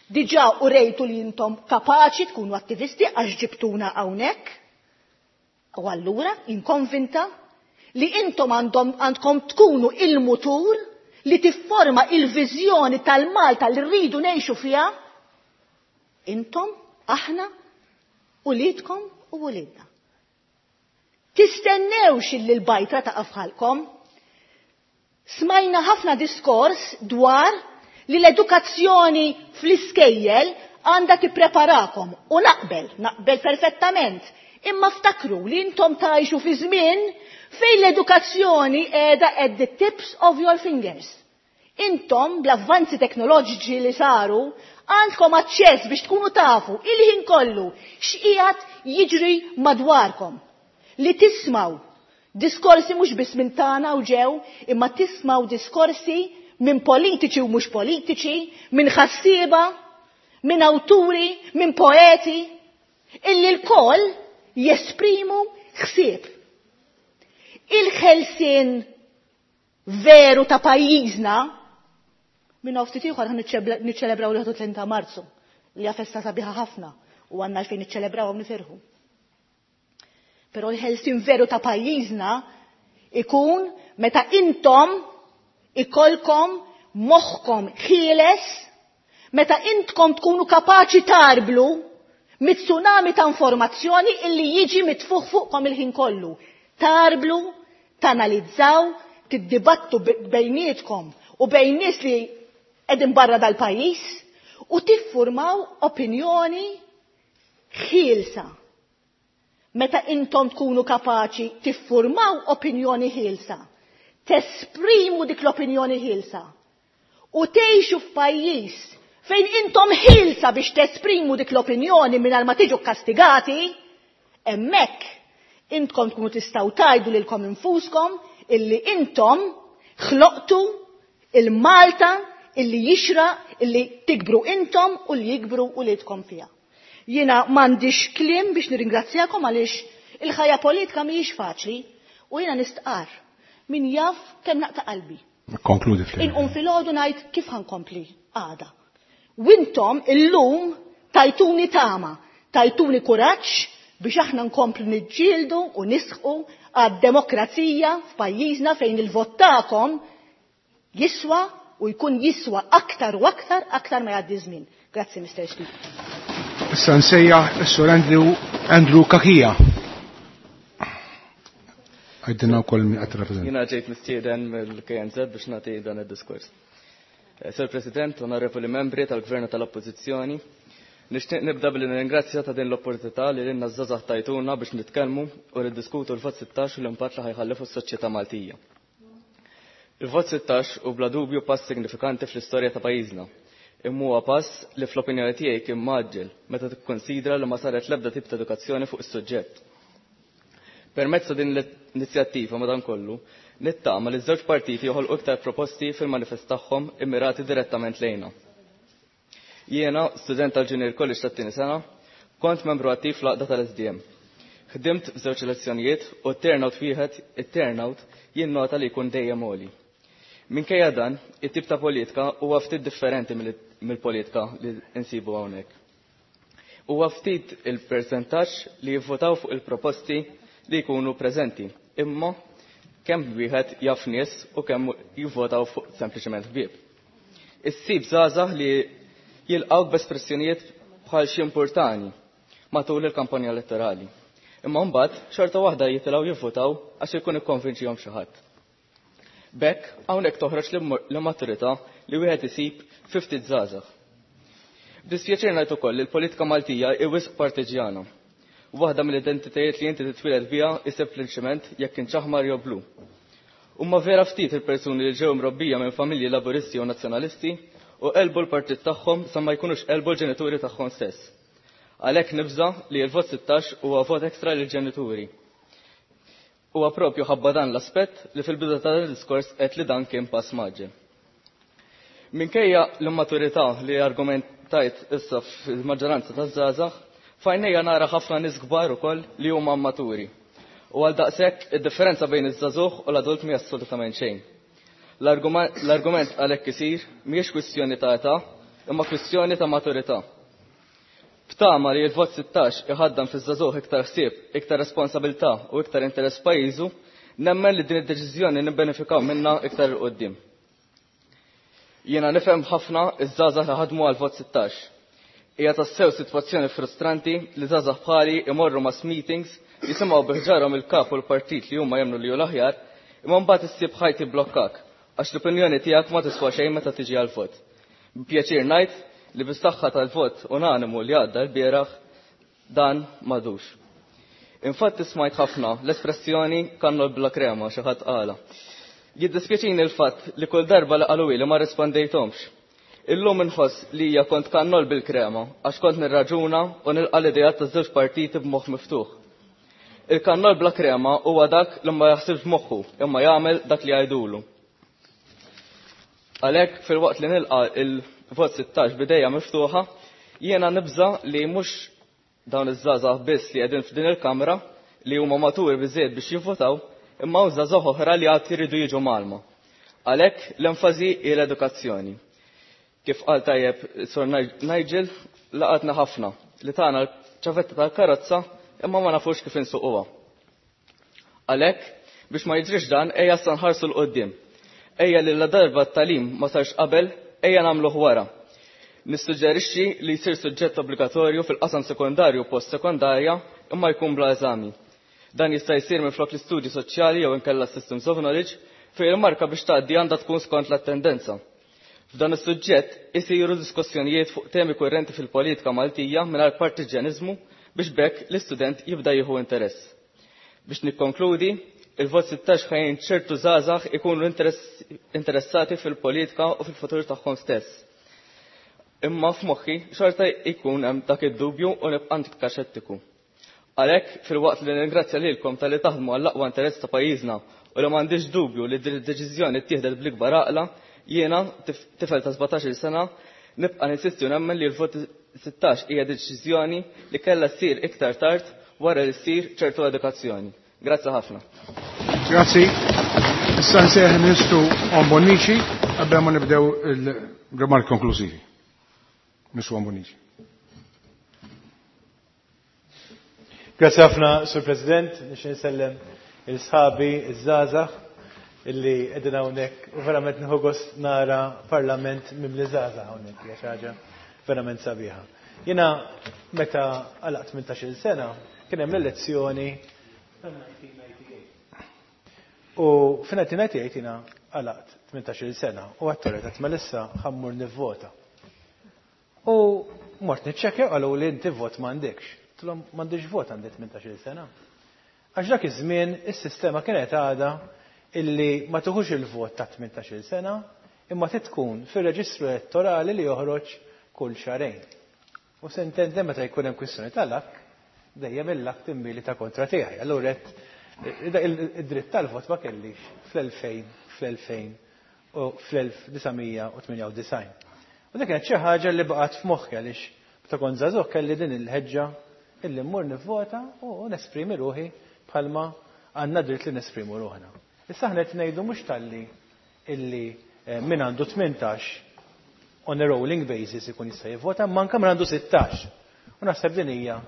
Diġà urejtu li intom kapaċi tkunu attivisti għax ġibtuna hawnhekk. U allura inkonvinta li intom għandkom tkunu il-mutur li tifforma il-viżjoni tal-Malta li rridu ngħixu fiha. Intom, aħna, uliedkom u uliedna. Tistennewx illi l-bajtra taqa' f'ħalkom. Smajna ħafna diskors dwar li l-edukazzjoni fl-iskejjel għandha tippreparakom u naqbel, naqbel perfettament. Imma ftakru li intom tgħixu fi żmien fejn l-edukazzjoni qiegħda at the tips of your fingers. Intom bl-avvanzi teknoloġiċi li saru għandkom aċċess biex tkunu tafu il-ħin kollu x'qiegħed jiġri madwarkom. Li tismaw diskorsi mhux biss minn tagħna u ġew, imma tismaw diskorsi minn politiċi u mhux politiċi, minn ħassieba, minn awturi, minn poeti, illi l-koll jesprimu ħsieb. Il-ħelsien veru ta' pajjiżna minn ftit ieħor niċċelebraw l-31 ta' Marzu li hija festa sabiħa ħafna u għandna għalfejn niċċelebraw u nifirħu. Però l-ħelsien veru ta' pajjiżna ikun meta intom ikolkom moħħkom ħieles, meta intkom tkunu kapaċi tarblu mit-tsunami ta' informazzjoni illi jiġi mitfuħ fuqkom il-ħin kollu. Tarblu, tanalizzaw, tiddibattu bejnietkom u bejn nies li qegħdin barra dal-pajjiż u tiffurmaw opinjoni ħielsa. Meta intom tkunu kapaċi tiffurmaw opinjoni ħielsa, tesprimu dik l-opinjoni ħielsa u tgħixu f'pajjiż fejn intom ħielsa biex tesprimu dik l-opinjoni mingħajr ma tiġu kastigati, hemmhekk intkom tkunu tistgħu tgħidu lilkom infuskom illi intom ħloqtu il-Malta illi jixra illi tikbru intom u li jikbru uliedkom fiha. Jiena m'għandix kliem biex nirringrazzjakom għaliex il-ħajja politika mhijiex faċli u jiena nistqarr min jaf kemm naqta' qalbi. Konkludi fl Inqum filgħodu ngħid kif ħankompli għada. Wintom illum tajtuni tama, tajtuni kuraġġ biex aħna nkomplu niġġieldu u nisħqu għad-demokrazija f'pajjiżna fejn il-vot tagħkom jiswa u jkun jiswa aktar u aktar aktar ma jgħaddi żmien. Grazzi, Mr. Speaker. Issa nsejjaħ is-Sur Andrew, Andrew Kakija. Għajdinna wkoll min qed rappreżenta. Jiena ġejt mistieden mill-KNZ biex nagħti dan id-diskors. Sir President, onorevoli membri tal-Gvern u tal-Oppożizzjoni, nixtieq nibda billi nirringrazzja ta' din l-opportunità li lilna żgħażagħ tajtuna biex nitkellmu u niddiskutu l-vot 16 u l-impatt li ħajħalli fuq is-soċjetà Maltija. Il-vot 16 hu bla dubju pass signifikanti fl-istorja ta' pajjiżna. Imma huwa pass li fl-opinjoni tiegħi kien mgħaġġel meta tikkonsidra li ma saret l-ebda tip ta' edukazzjoni fuq is-suġġett. Permezz ta' din l-inizjattiva madankollu, nittama li ż-żewġ partiti joħolqu iktar proposti fil-manifest tagħhom immirati direttament lejna. Jiena, student tal-Junior College tat-tieni sena, kont membru attiv fl-għaqda tal-SDM. Ħdimt f'żewġ elezzjonijiet u t-turnout wieħed, it-turnout jinnota li jkun dejjem għoli. Minkejja dan, it-tip ta' politika huwa ftit differenti mill-politika li nsibu hawnhekk. Huwa ftit il-persentaġġ li jivvotaw fuq il-proposti li jkunu preżenti, imma kemm wieħed jaf nies u kemm jivvotaw fuq sempliċement ħbieb. Issib żgħażagħ li jilqgħu b'espressjonijiet bħal xi importani matul il-kampanja elettorali. Imma mbagħad xorta waħda jitilgħu jivvotaw għax ikun ikkonvinċihom xi ħadd. B'hekk hawnhekk toħroġ l-immaturità li wieħed isib fi ftit żgħażagħ. B'dispjaċir ngħid ukoll li l-politika Maltija hi wisq partiġjana. Waħda mill-identitajiet li inti titwieled biha hi sempliċement jekk kienx aħmar jew blu. Huma vera ftit il-persuni li ġew mrobbija minn familji laburisti u nazzjonalisti u qelbu l-partit tagħhom sa ma jkunux qelbu l-ġenituri tagħhom stess. Għalhekk nibża' li l-vot 16 huwa vot ekstra lill-ġenituri. Huwa propju ħabba dan l-aspett li fil-bidu ta' dan id-diskors għedt li dan kien pass mgħaġġel. Minkejja l-immaturità li argumentajt issa fil-maġġoranza taż-żgħażagħ, f'għajnejja nara ħafna nies kbar ukoll li huma immaturi. U għal daqshekk id-differenza bejn iż-żagħżugħ u l-adult mhi assolutament xejn. L-argument għalhekk isir mhijiex kwistjoni ta' età, imma kwistjoni ta' maturità. B'tama li l-vot 16 iħaddan fiż-żagħżugħ iktar ħsieb, iktar responsabilità u iktar interess f'pajjiżu, nemmen li din id-deċiżjoni nibbenefikaw minnha iktar 'il quddiem. Jiena nifhem ħafna iż-żgħażagħ li ħadmu għal vot 16. Hija tassew sitwazzjoni frustranti li żgħażagħ bħali imorru mass meetings jisimgħu bi ħġarhom il-kap u l-partit li huma jemmnu li hu l-aħjar, imma mbagħad issib ħajt jibblokkak għax l-opinjoni tiegħek ma tiswa xejn meta tiġi għall-vot. B'pjaċir ngħid li bis-saħħa tal-vot unanimu li għadda l-bieraħ dan m'għadux. Infatti smajt ħafna l-espressjoni kannol bla krema xi ħadd qala. Jiddispjaċini l-fatt li kull darba li qaluli ma rispondejthomx. Illum inħoss li hija kont kannol bil-krema għax kont nirraġuna u nilqa' l-ideat taż-żewġ partiti b'moħħ miftuħ. Il-kannol bla krema huwa dak li ma jaħsibx b'moħħu imma jagħmel dak li jgħidulu. Għalhekk filwaqt li nilqa' il-vot 16 b'idejja miftuħa, jiena nibża' li mhux dawn iż-żgħażagħ biss li qegħdin f'din il-kamra li huma maturi biżżejjed biex jivvotaw, imma hawn żgħażagħ oħra li għad iridu jiġu mgħallma. Għalhekk l-enfasi hi l-edukazzjoni. Kif qal tajjeb Sur Nigel, laqatna ħafna li tana l-ċavetta tal-karozza imma ma nafux kif insuquha. Għalhekk, biex ma jiġrix dan, ejja sa nħarsu 'l quddiem. Ejja li ladarba t-tagħlim ma sarx qabel, ejja nagħmluh wara. Nissuġġerixxi li jsir suġġett obbligatorju fil-qasam sekondarju u post-sekondarja imma jkun bla eżami. Dan jista' jsir minflok l-istudji soċjali jew inkella systems of knowledge fejn il-marka biex tgħaddi għandha tkun skont l-attendenza. F'dan is-suġġett isiru diskussjonijiet fuq temi kurrenti fil-politika Maltija mingħajr partiġġjaniżmu biex b'hekk l-istudent jibda jieħu interess. Biex nikkonkludi, il-vot 16 ħa jgħin ċertu żgħażagħ ikunu interessati fil-politika u fil-futur tagħhom stess. Imma f'moħħi xorta jkun hemm dak id-dubju u nibqa' ntikka xettiku. Għalhekk filwaqt li nirringrazzja lilkom talli taħdmu għall-aqwa interess ta' pajjiżna u li m'għandix dubju li din id-deċiżjoni ttieħdet bl-ikbar għaqla, jiena, tifel ta' 17-il sena, nibqa' ninsisti u nemmen li l-vot 16 hija deċiżjoni li kellha ssir iktar tard wara li ssir ċertu edukazzjoni. Grazzi ħafna. Grazzi. Issa nsejjaħ il-Ministru Owen Bonnici qabel ma nibdew il-rimarki konklużivi. Ministru Owen Bonnici. Grazzi ħafna, Sur President, nixtieq nsellem il-sħabi, iż-żgħażagħ illi qegħdin hawnhekk u verament nieħu gost nara parlament mimli żgħażagħ hawnhekk, hija xi ħaġa verament sabiħa. Jiena meta għalaqt 18-il sena kien hemm l-elezzjoni tal-1998. U fin-1998 jiena għalaqt 18-il sena u għattoret għat melissa ħammur nivvota. U mort niċċekkja qalu li inti vot m'għandekx. Tlhom m'għandix vot għandi 18-il sena. Għax dak iż-żmien is-sistema kienet għadha illi ma tuħux il-vot ta' 18-il sena imma trid tkun fir-reġistru elettorali li joħroġ kull xahrejn. U sentende meta jkun hemm kwistjoni tal-lak, dejjem il-lak timmilita kontra tiegħi. Allura id-dritt tal-vot ma kellix fl-2000, fl-2000 u fl-1998. U dik kienet xi ħaġa li baqgħet f'moħħi għaliex meta kont żagħżugħ kelli din il-ħeġġa illi mmur nivvota u nesprimi ruħi bħalma għandna dritt li nesprimu ruħna. Issa aħna qed ngħidu mhux talli illi min għandu 18 on a rolling basis ikun jista' jivvota, imma anke min għandu 16. U naħseb din hija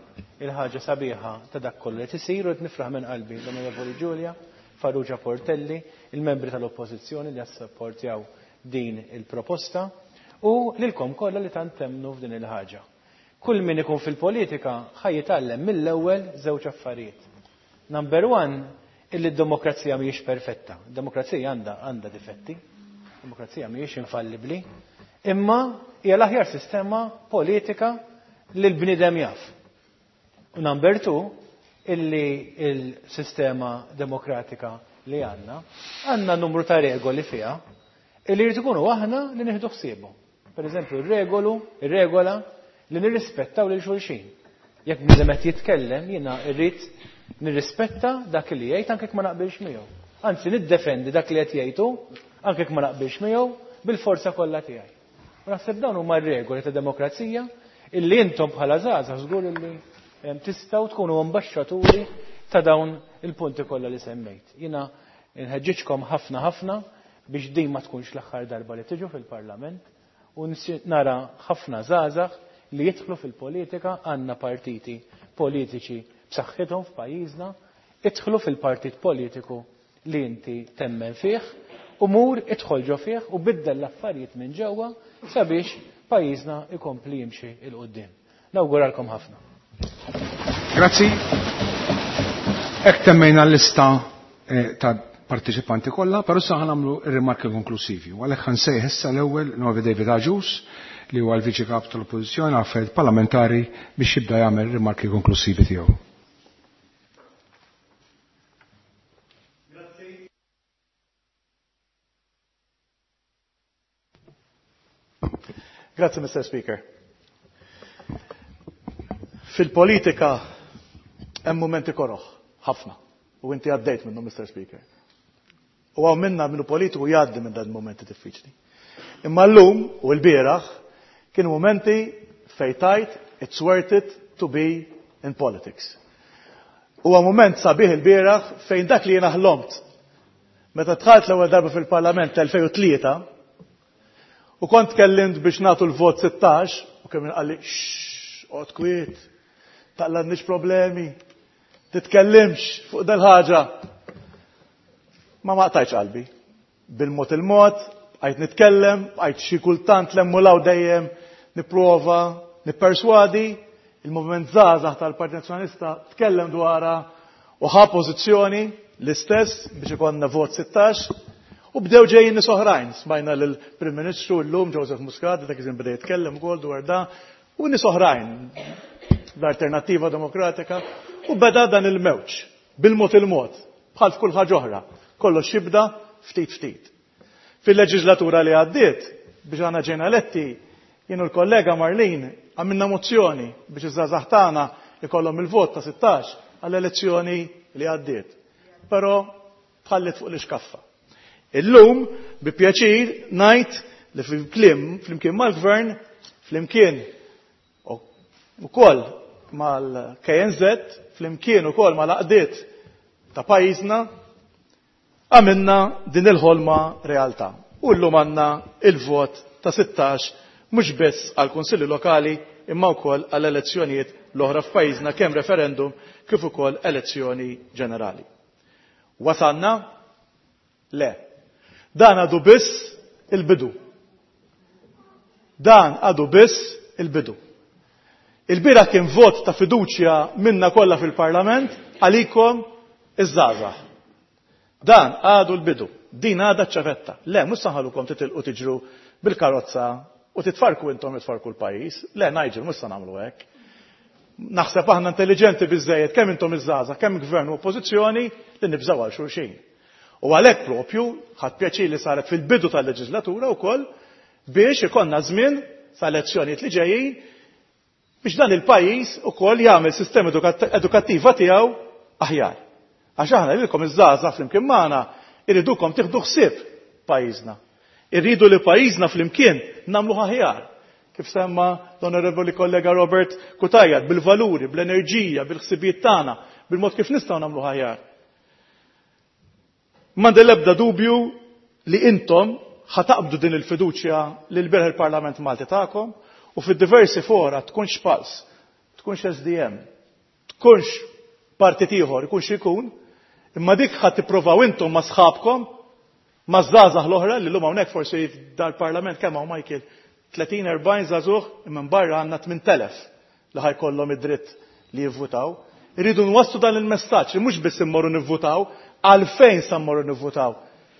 il-ħaġa sabiħa ta' dak kollu li qed isir u qed nifraħ minn qalbi l-Onorevoli Giulia Farrugia Portelli, il-membri tal-Oppożizzjoni li assapportjaw din il-proposta u lilkom kollha li tant temmnu f'din il-ħaġa. Kull min ikun fil-politika ħa jitgħallem mill-ewwel żewġ affarijiet. Number one, illi d-demokrazija mhijiex perfetta. Demokrazija għandha għandha difetti. Demokrazija mhijiex infallibbli. Imma hija l-aħjar sistema politika li l-bniedem jaf. U number two, illi il-sistema demokratika li għandna, għandna numru ta' regoli fiha illi jrid ikunu aħna li nieħdu ħsiebhom. Per eżempju, ir-regolu, ir-regola li nirrispettaw lil xulxin. Jekk bniedem qed jitkellem, jiena rrid nirrispetta dak li jgħid anke jekk ma naqbilx miegħu. Anzi, niddefendi dak li qed jgħid hu anke jekk ma naqbilx miegħu bil-forza kollha tiegħi. U naħseb dawn huma r-regoli ta' demokrazija illi intom bħala żgħażagħ żgur illi tistgħu tkunu ambaxxaturi ta' dawn il-punti kollha li semmejt. Jiena nħeġġiġkom ħafna ħafna biex din ma tkunx l-aħħar darba li tiġu fil-Parlament u nara ħafna żgħażagħ li jidħlu fil-politika, għandna partiti politiċi b'saħħithom f'pajjiżna, idħlu fil-partit politiku li inti temmen fih u mur idħol ġo fih u biddel l-affarijiet minn ġewwa sabiex pajjiżna ikompli jimxi 'l quddiem. Nawguralkom ħafna. Grazzi. Hekk temmejna l-lista ta' partiċipanti kollha, però issa ħanamlu r-rimarki konklusivi. U għalhekk ħansejħ issa l-ewwel Novi David Agius li huwa l-Viċi Kap tal-Oppożizzjoni għal Affarijiet Parlamentari biex jibda jagħmel rimarki konklusivi tiegħu. Grazzi, Mr. Speaker. Fil-politika hemm mumenti koroħ, ħafna. U inti għaddejt minnu, Mr. Speaker. U hawn minna minnu politiku jgħaddi minn dan momenti diffiċli. Imma llum u l-bieraħ kienu mumenti fejn tajt it's worth it to be in politics. Huwa mument sabiħ il-bieraħ fejn dak li jiena ħlomt meta dħalt l-ewwel darba fil-Parlament tal-2003 u kont tkellimt biex nagħtu l-vot 16 u kemm qalli oqgħod kwiet, taqladniex problemi, titkellimx fuq dal-ħaġa. Ma ma qtajtx qalbi. Bil-mod il-mod, bqajt nitkellem, bqajt xi kultant l-hemm dejjem nipprova nipperswadi, il-Moviment Żgħażagħ tal-Partit Nazzjonalista tkellem dwarha u ħa pożizzjoni l-istess biex ikollna vot 16 u bdew ġejjin nies oħrajn. Smajna lill-Prim Ministru llum Joseph Muscat dak iż-żmien beda jitkellem ukoll dwar da u nies oħrajn l-Alternattiva Demokratika u beda dan il-mewġ bil-mod il-mod bħal f'kull ħaġa oħra. Kollox jibda ftit ftit. Fil-leġislatura li għaddiet biex aħna ġejna eletti jien u l-kollega Marlene għamilna mozzjoni biex iż-żgħażagħ tagħna ikollhom il-vot ta' 16 għall-elezzjoni li għaddiet. Però tħalliet fuq l-iskaffa. Illum bi pjaċir ngħid li fil-kliem flimkien mal-gvern, flimkien ukoll mal-KNZ, flimkien ukoll mal-għaqdiet ta' pajjiżna, għamilna din il-ħolma realtà. U llum għandna il-vot ta' 16 mhux biss għall-Kunsilli Lokali imma wkoll għall-elezzjonijiet l-oħra f'pajjiżna kemm referendum kif ukoll elezzjoni ġenerali. Wasalna? Le. Dan għadu biss il-bidu. Dan għadu biss il-bidu. Il-bieraħ kien vot ta' fiduċja minna kollha fil-Parlament għalikom iż-żgħażagħ. Dan għadu l-bidu. Din għadha ċ-ċavetta. Le, mhux se nħallukom titilqu tiġru bil-karozza u titfarku intom tfarku l-pajjiż. Le, Nigel, mhux se nagħmlu hekk. Naħseb aħna intelligenti biżejjed kemm intom iż-żgħażagħ, kemm gvern u oppożizzjoni li nibżgħu għal xulxin. U għalhekk propju ħadt pjaċir li saret fil-bidu tal-leġislatura wkoll biex ikollna żmien sa elezzjonijiet li ġejjin biex dan il-pajjiż ukoll jagħmel sistema edukattiva tiegħu aħjar. Għax aħna lilkom iż-żgħażagħ flimkien magħna irridukom tieħdu ħsieb pajjiżna. Irridu li pajjiżna flimkien nagħmluh aħjar. Kif semma l-onorevoli kollega Robert Cutajar, bil-valuri, bl-enerġija, bil-ħsibijiet tagħna, bil-mod kif nistgħu nagħmluh aħjar. M'għandi l-ebda dubju li intom ħa taqbdu din il-fiduċja li l-bieraħ il-Parlament Malti tagħkom u fid-diversi fora tkunx Pulse, tkunx SDM, tkunx partit ieħor, ikun xi jkun, imma dik ħa tippruvaw intom ma' sħabkom, ma' żgħażagħ l-oħra li llum hawnhekk forsi dal-Parlament kemm hawn Michael 30-40 żagħżugħ imma barra għandna 8000 li ħa jkollhom id-dritt li jivvutaw. Irridu nwasslu dan il-messaġġ li mhux biss immorru nivvutaw, għalfejn sa mmorru nivvutaw.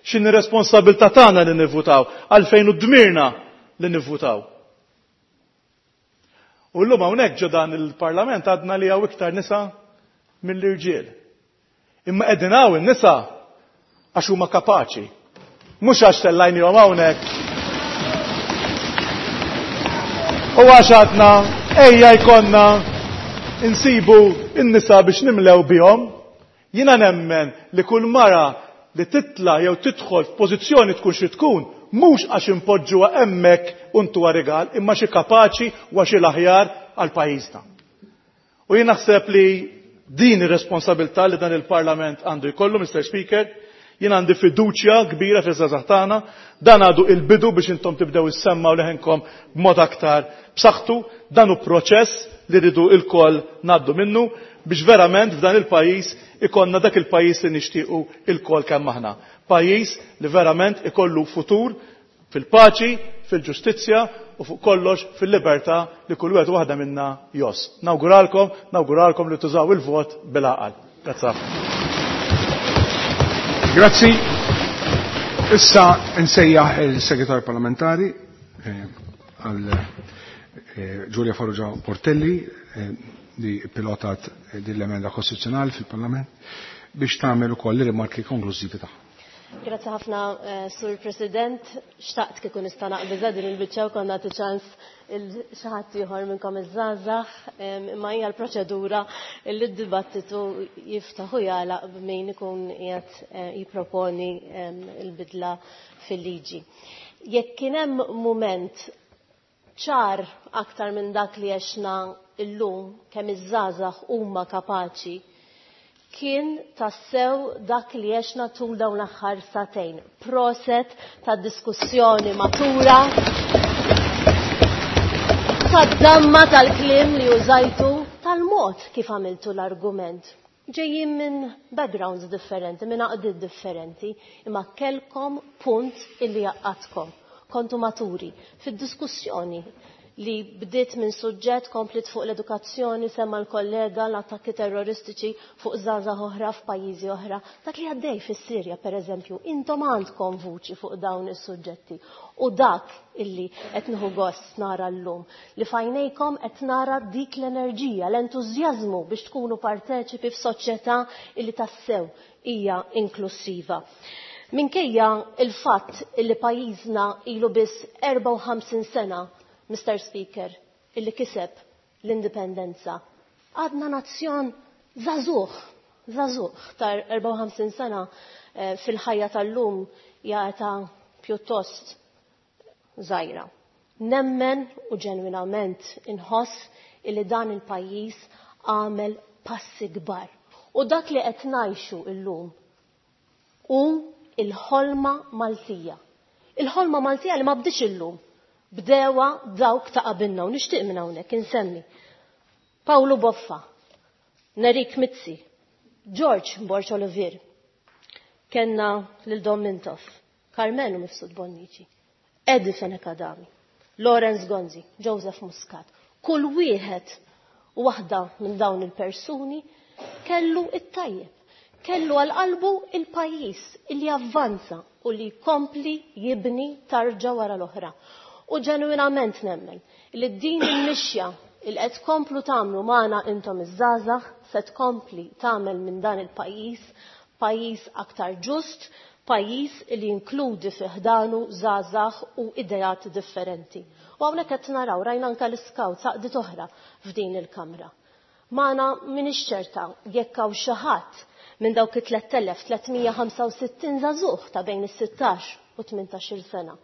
X'inhi responsabilità tagħna li nivvutaw, għalfejn u dmirna li nivvutaw. U llum hawnhekk ġo dan il-Parlament għadna li hawn iktar nisa mill-irġiel. Imma qegħdin hawn in-nisa għax huma kapaċi. Mhux għax tellajnihom hawnhekk. U għax għadna ejja jkollna insibu n-nisa biex nimlew bihom. Jiena nemmen li kull mara li titla jew tidħol f'pożizzjoni tkun xi tkun, mhux għax impoġġuha hemmhekk u ntuha rigal, imma xi kapaċi u għax l-aħjar għal pajjiżna. U jien naħseb li din ir-responsabilità li dan il-Parlament għandu jkollu, Mr. Speaker, jien għandi fiduċja kbira fiż-żgħażagħ tagħna, dan għadu il-bidu biex intom tibdew issemmgħu leħenkom b'mod aktar b'saħħtu, dan hu proċess li rridu lkoll ngħaddu minnu biex verament f'dan il-pajjiż ikollna dak il-pajjiż li nixtiequ ilkoll kemm aħna. Pajjiż li verament ikollu futur fil-paċi, fil-ġustizzja u fuq kollox fil-libertà li kull wieħed u waħda minna jgħożż. Nawguralkom, nawguralkom li tużaw il-vot bil-għaqal. Grazzi ħafna. Grazzi. Issa nsejjaħ il-Segretarju Parlamentari għal Giulia Farrugia Portelli li pilotat din l-emenda kostituzzjonali fil-Parlament biex tagħmel ukoll ir-rimarki konklużivi tagħha. Grazzi ħafna, Sur President. Xtaqt kieku nista' naqbiża din il-biċċa u konna nagħti ċans il xi ħadd ieħor minnkom iż-żgħażagħ, imma hija l-proċedura li d-dibattitu jiftaħ u jagħlaq b'min ikun qiegħed jipproponi l-bidla fil-liġi. Jekk kien hemm mument ċar aktar minn dak li għexna illum kemm iż-żgħażagħ huma kapaċi, kien tassew dak li għexna tul dawn l-aħħar sagħtejn. Proset ta' diskussjoni matura, tad-damma tal-kliem li użajtu, tal-mod kif għamiltu l-argument. Ġejjin minn backgrounds differenti, minn għaqdiet differenti, imma kellkom punt illi jgħaqqadkom. Kontu maturi fid-diskussjoni li bdiet minn suġġett komplet fuq l-edukazzjoni, semma l-kollega l-attakki terroristiċi fuq żgħażagħ oħra f'pajjiżi oħra. Dak li għaddej fis-Sirja, per eżempju, intom għandkom vuċi fuq dawn is-suġġetti. U dak illi qed nieħu gost nara llum, li f'għajnejkom qed nara dik l-enerġija, l-entużjażmu biex tkunu parteċipi f'soċjetà illi tassew hija inklusiva. Minkejja il-fatt illi pajjiżna ilu biss 54 sena, Mr. Speaker, illi kiseb l-indipendenza, għadna nazzjon żagħżugħ, żagħżugħ tar 54 sena fil-ħajja tal-lum hija età pjuttost żgħira. Nemmen u ġenwinament inħoss illi dan il-pajjiż għamel passi kbar. U dak li qed ngħixu llum hu il-ħolma Maltija. Il-ħolma Maltija li ma bdietx illum, bdewa dawk ta' qabilna u nixtieq minn hawnhekk insemmi Pawlu Boffa, Nerik Mizzi, George Borg Olivier, kenna lil Dom Mintoff, Karmenu Mifsud Bonnici, Eddie Fenech Adami, Lawrence Gonzi, Joseph Muscat. Kull wieħed u waħda minn dawn il-persuni kellu it-tajjeb, kellu għal qalbu il-pajjiż illi avvanza u li jkompli jibni tarġa wara l-oħra. U ġenwinament nemmen li din il-mixja il qed tkomplu tagħmlu magħna intom iż-żgħażagħ se tkompli tagħmel minn dan il-pajjiż pajjiż aktar ġust, pajjiż li jinkludi fi ħdanu żgħażagħ u ideat differenti. U hawnhekk qed naraw rajna anke l-iskawt għaqdiet oħra f'din il-kamra. Magħna m'iniex ċerta jekk hawn xi ħadd minn dawk it-3365 żagħżugħ ta' bejn is-16 u 18-il sena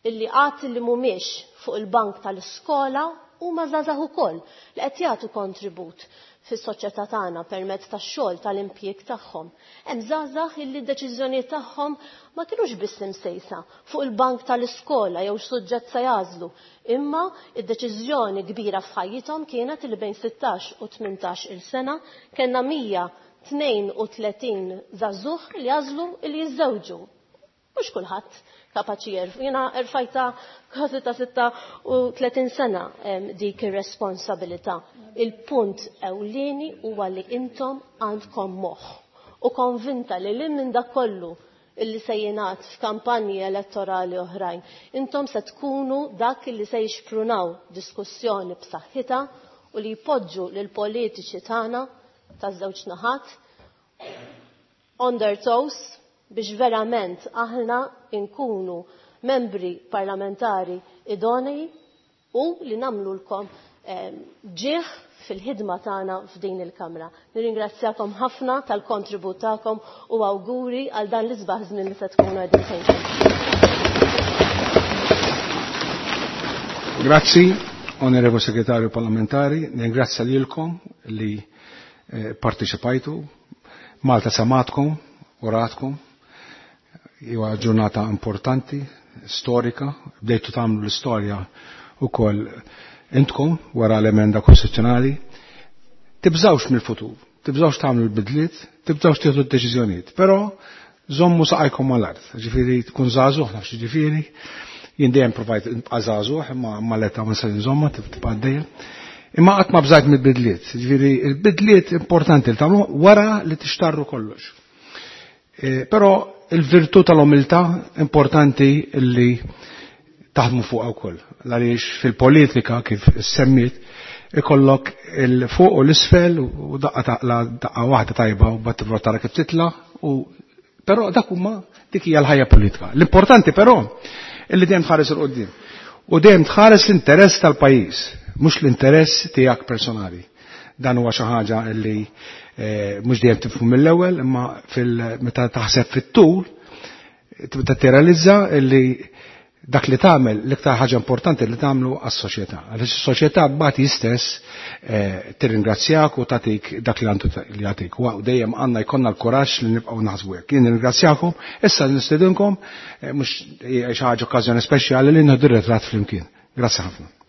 illi qatt li mhumiex fuq il-bank tal-iskola huma żgħażagħ ukoll li qed jagħtu kontribut fis-soċjetà tagħna permezz tax-xogħol tal-impjieg tagħhom. Hemm żgħażagħ illi d-deċiżjonijiet tagħhom ma kinux biss imsejsa fuq il-bank tal-iskola jew x'suġġett se jagħżlu, imma d-deċiżjoni kbira f'ħajjithom kienet li bejn 16 u 18-il sena kellna 132 żagħżugħ li għażlu li jiżżewġu. Mhux kulħadd kapaċi jerf. Jiena erfajta kważi ta' 36 sena dik ir-responsabilità. Il-punt ewlieni huwa li intom għandkom moħħ u konvinta li lil minn dak kollu illi se jingħad f'kampanji elettorali oħrajn, intom se tkunu dak illi se jixprunaw diskussjoni b'saħħitha u li jpoġġu lil politiċi tagħna taż-żewġ naħat on their toes biex verament aħna nkunu membri parlamentari idonei u li nagħmlulkom ġieħ fil-ħidma tagħna f'din il-Kamra. Nirringrazzjakom ħafna tal-kontribut tagħkom u awguri għal dan l-isbaħ żmien li se tkunu qegħdin tgħixu. Grazzi, Onorevole Segretarju Parlamentari, ningrazzja lilkom li parteċipajtu. Malta samatkom u ratkom. Huwa ġurnata importanti, storika, bdejtu tagħmlu l-istorja ukoll intkom wara l-emenda kostituzzjonali. Tibżawx mill-futur, tibżawx tagħmlu l-bidliet, tibżawx tieħdu d-deċiżjonijiet, però żommu saqajkom mal-art, ġifieri tkun żagħżugħ, nafx ġifieri, jien dejjem provajt nibqa' żagħżugħ, imma mal-età ma nistax nżomma, tibqa' għaddejja. Imma qatt ma bżajt mill-bidliet, ġifieri l-bidliet importanti li tagħmlu wara li tixtarru kollox. Però il-virtù tal-umiltà importanti li taħdmu fuqha wkoll. Għaliex fil-politika kif semmiet ikollok il-fuq u l-isfel u daqqa taqla daqqa waħda tajba u bat tara kif titla u Però dak huma dik hija l-ħajja politika. L-importanti però illi dejjem tħares il qudiem U dejjem tħares l-interess tal-pajjiż, mhux l-interess tiegħek personali. Dan huwa xi ħaġa li eh, mhux dejjem tifhmu mill-ewwel, imma meta taħseb fit-tul tibda tirrealizza illi dak li tagħmel l-iktar ħaġa importanti li tagħmlu għas-soċjetà. Għaliex is-soċjetà mbagħad hi stess eh, tirringrazzjak u tagħtik dak li għandu li jagħtik. U dejjem għandna jkollna l-kuraġġ li nibqgħu naħsbu hekk. Jien nirringrazzjakom, issa nistedinkom eh, mhux xi ħaġa okkażjoni speċjali li nieħdu ritratt flimkien. Grazzi ħafna.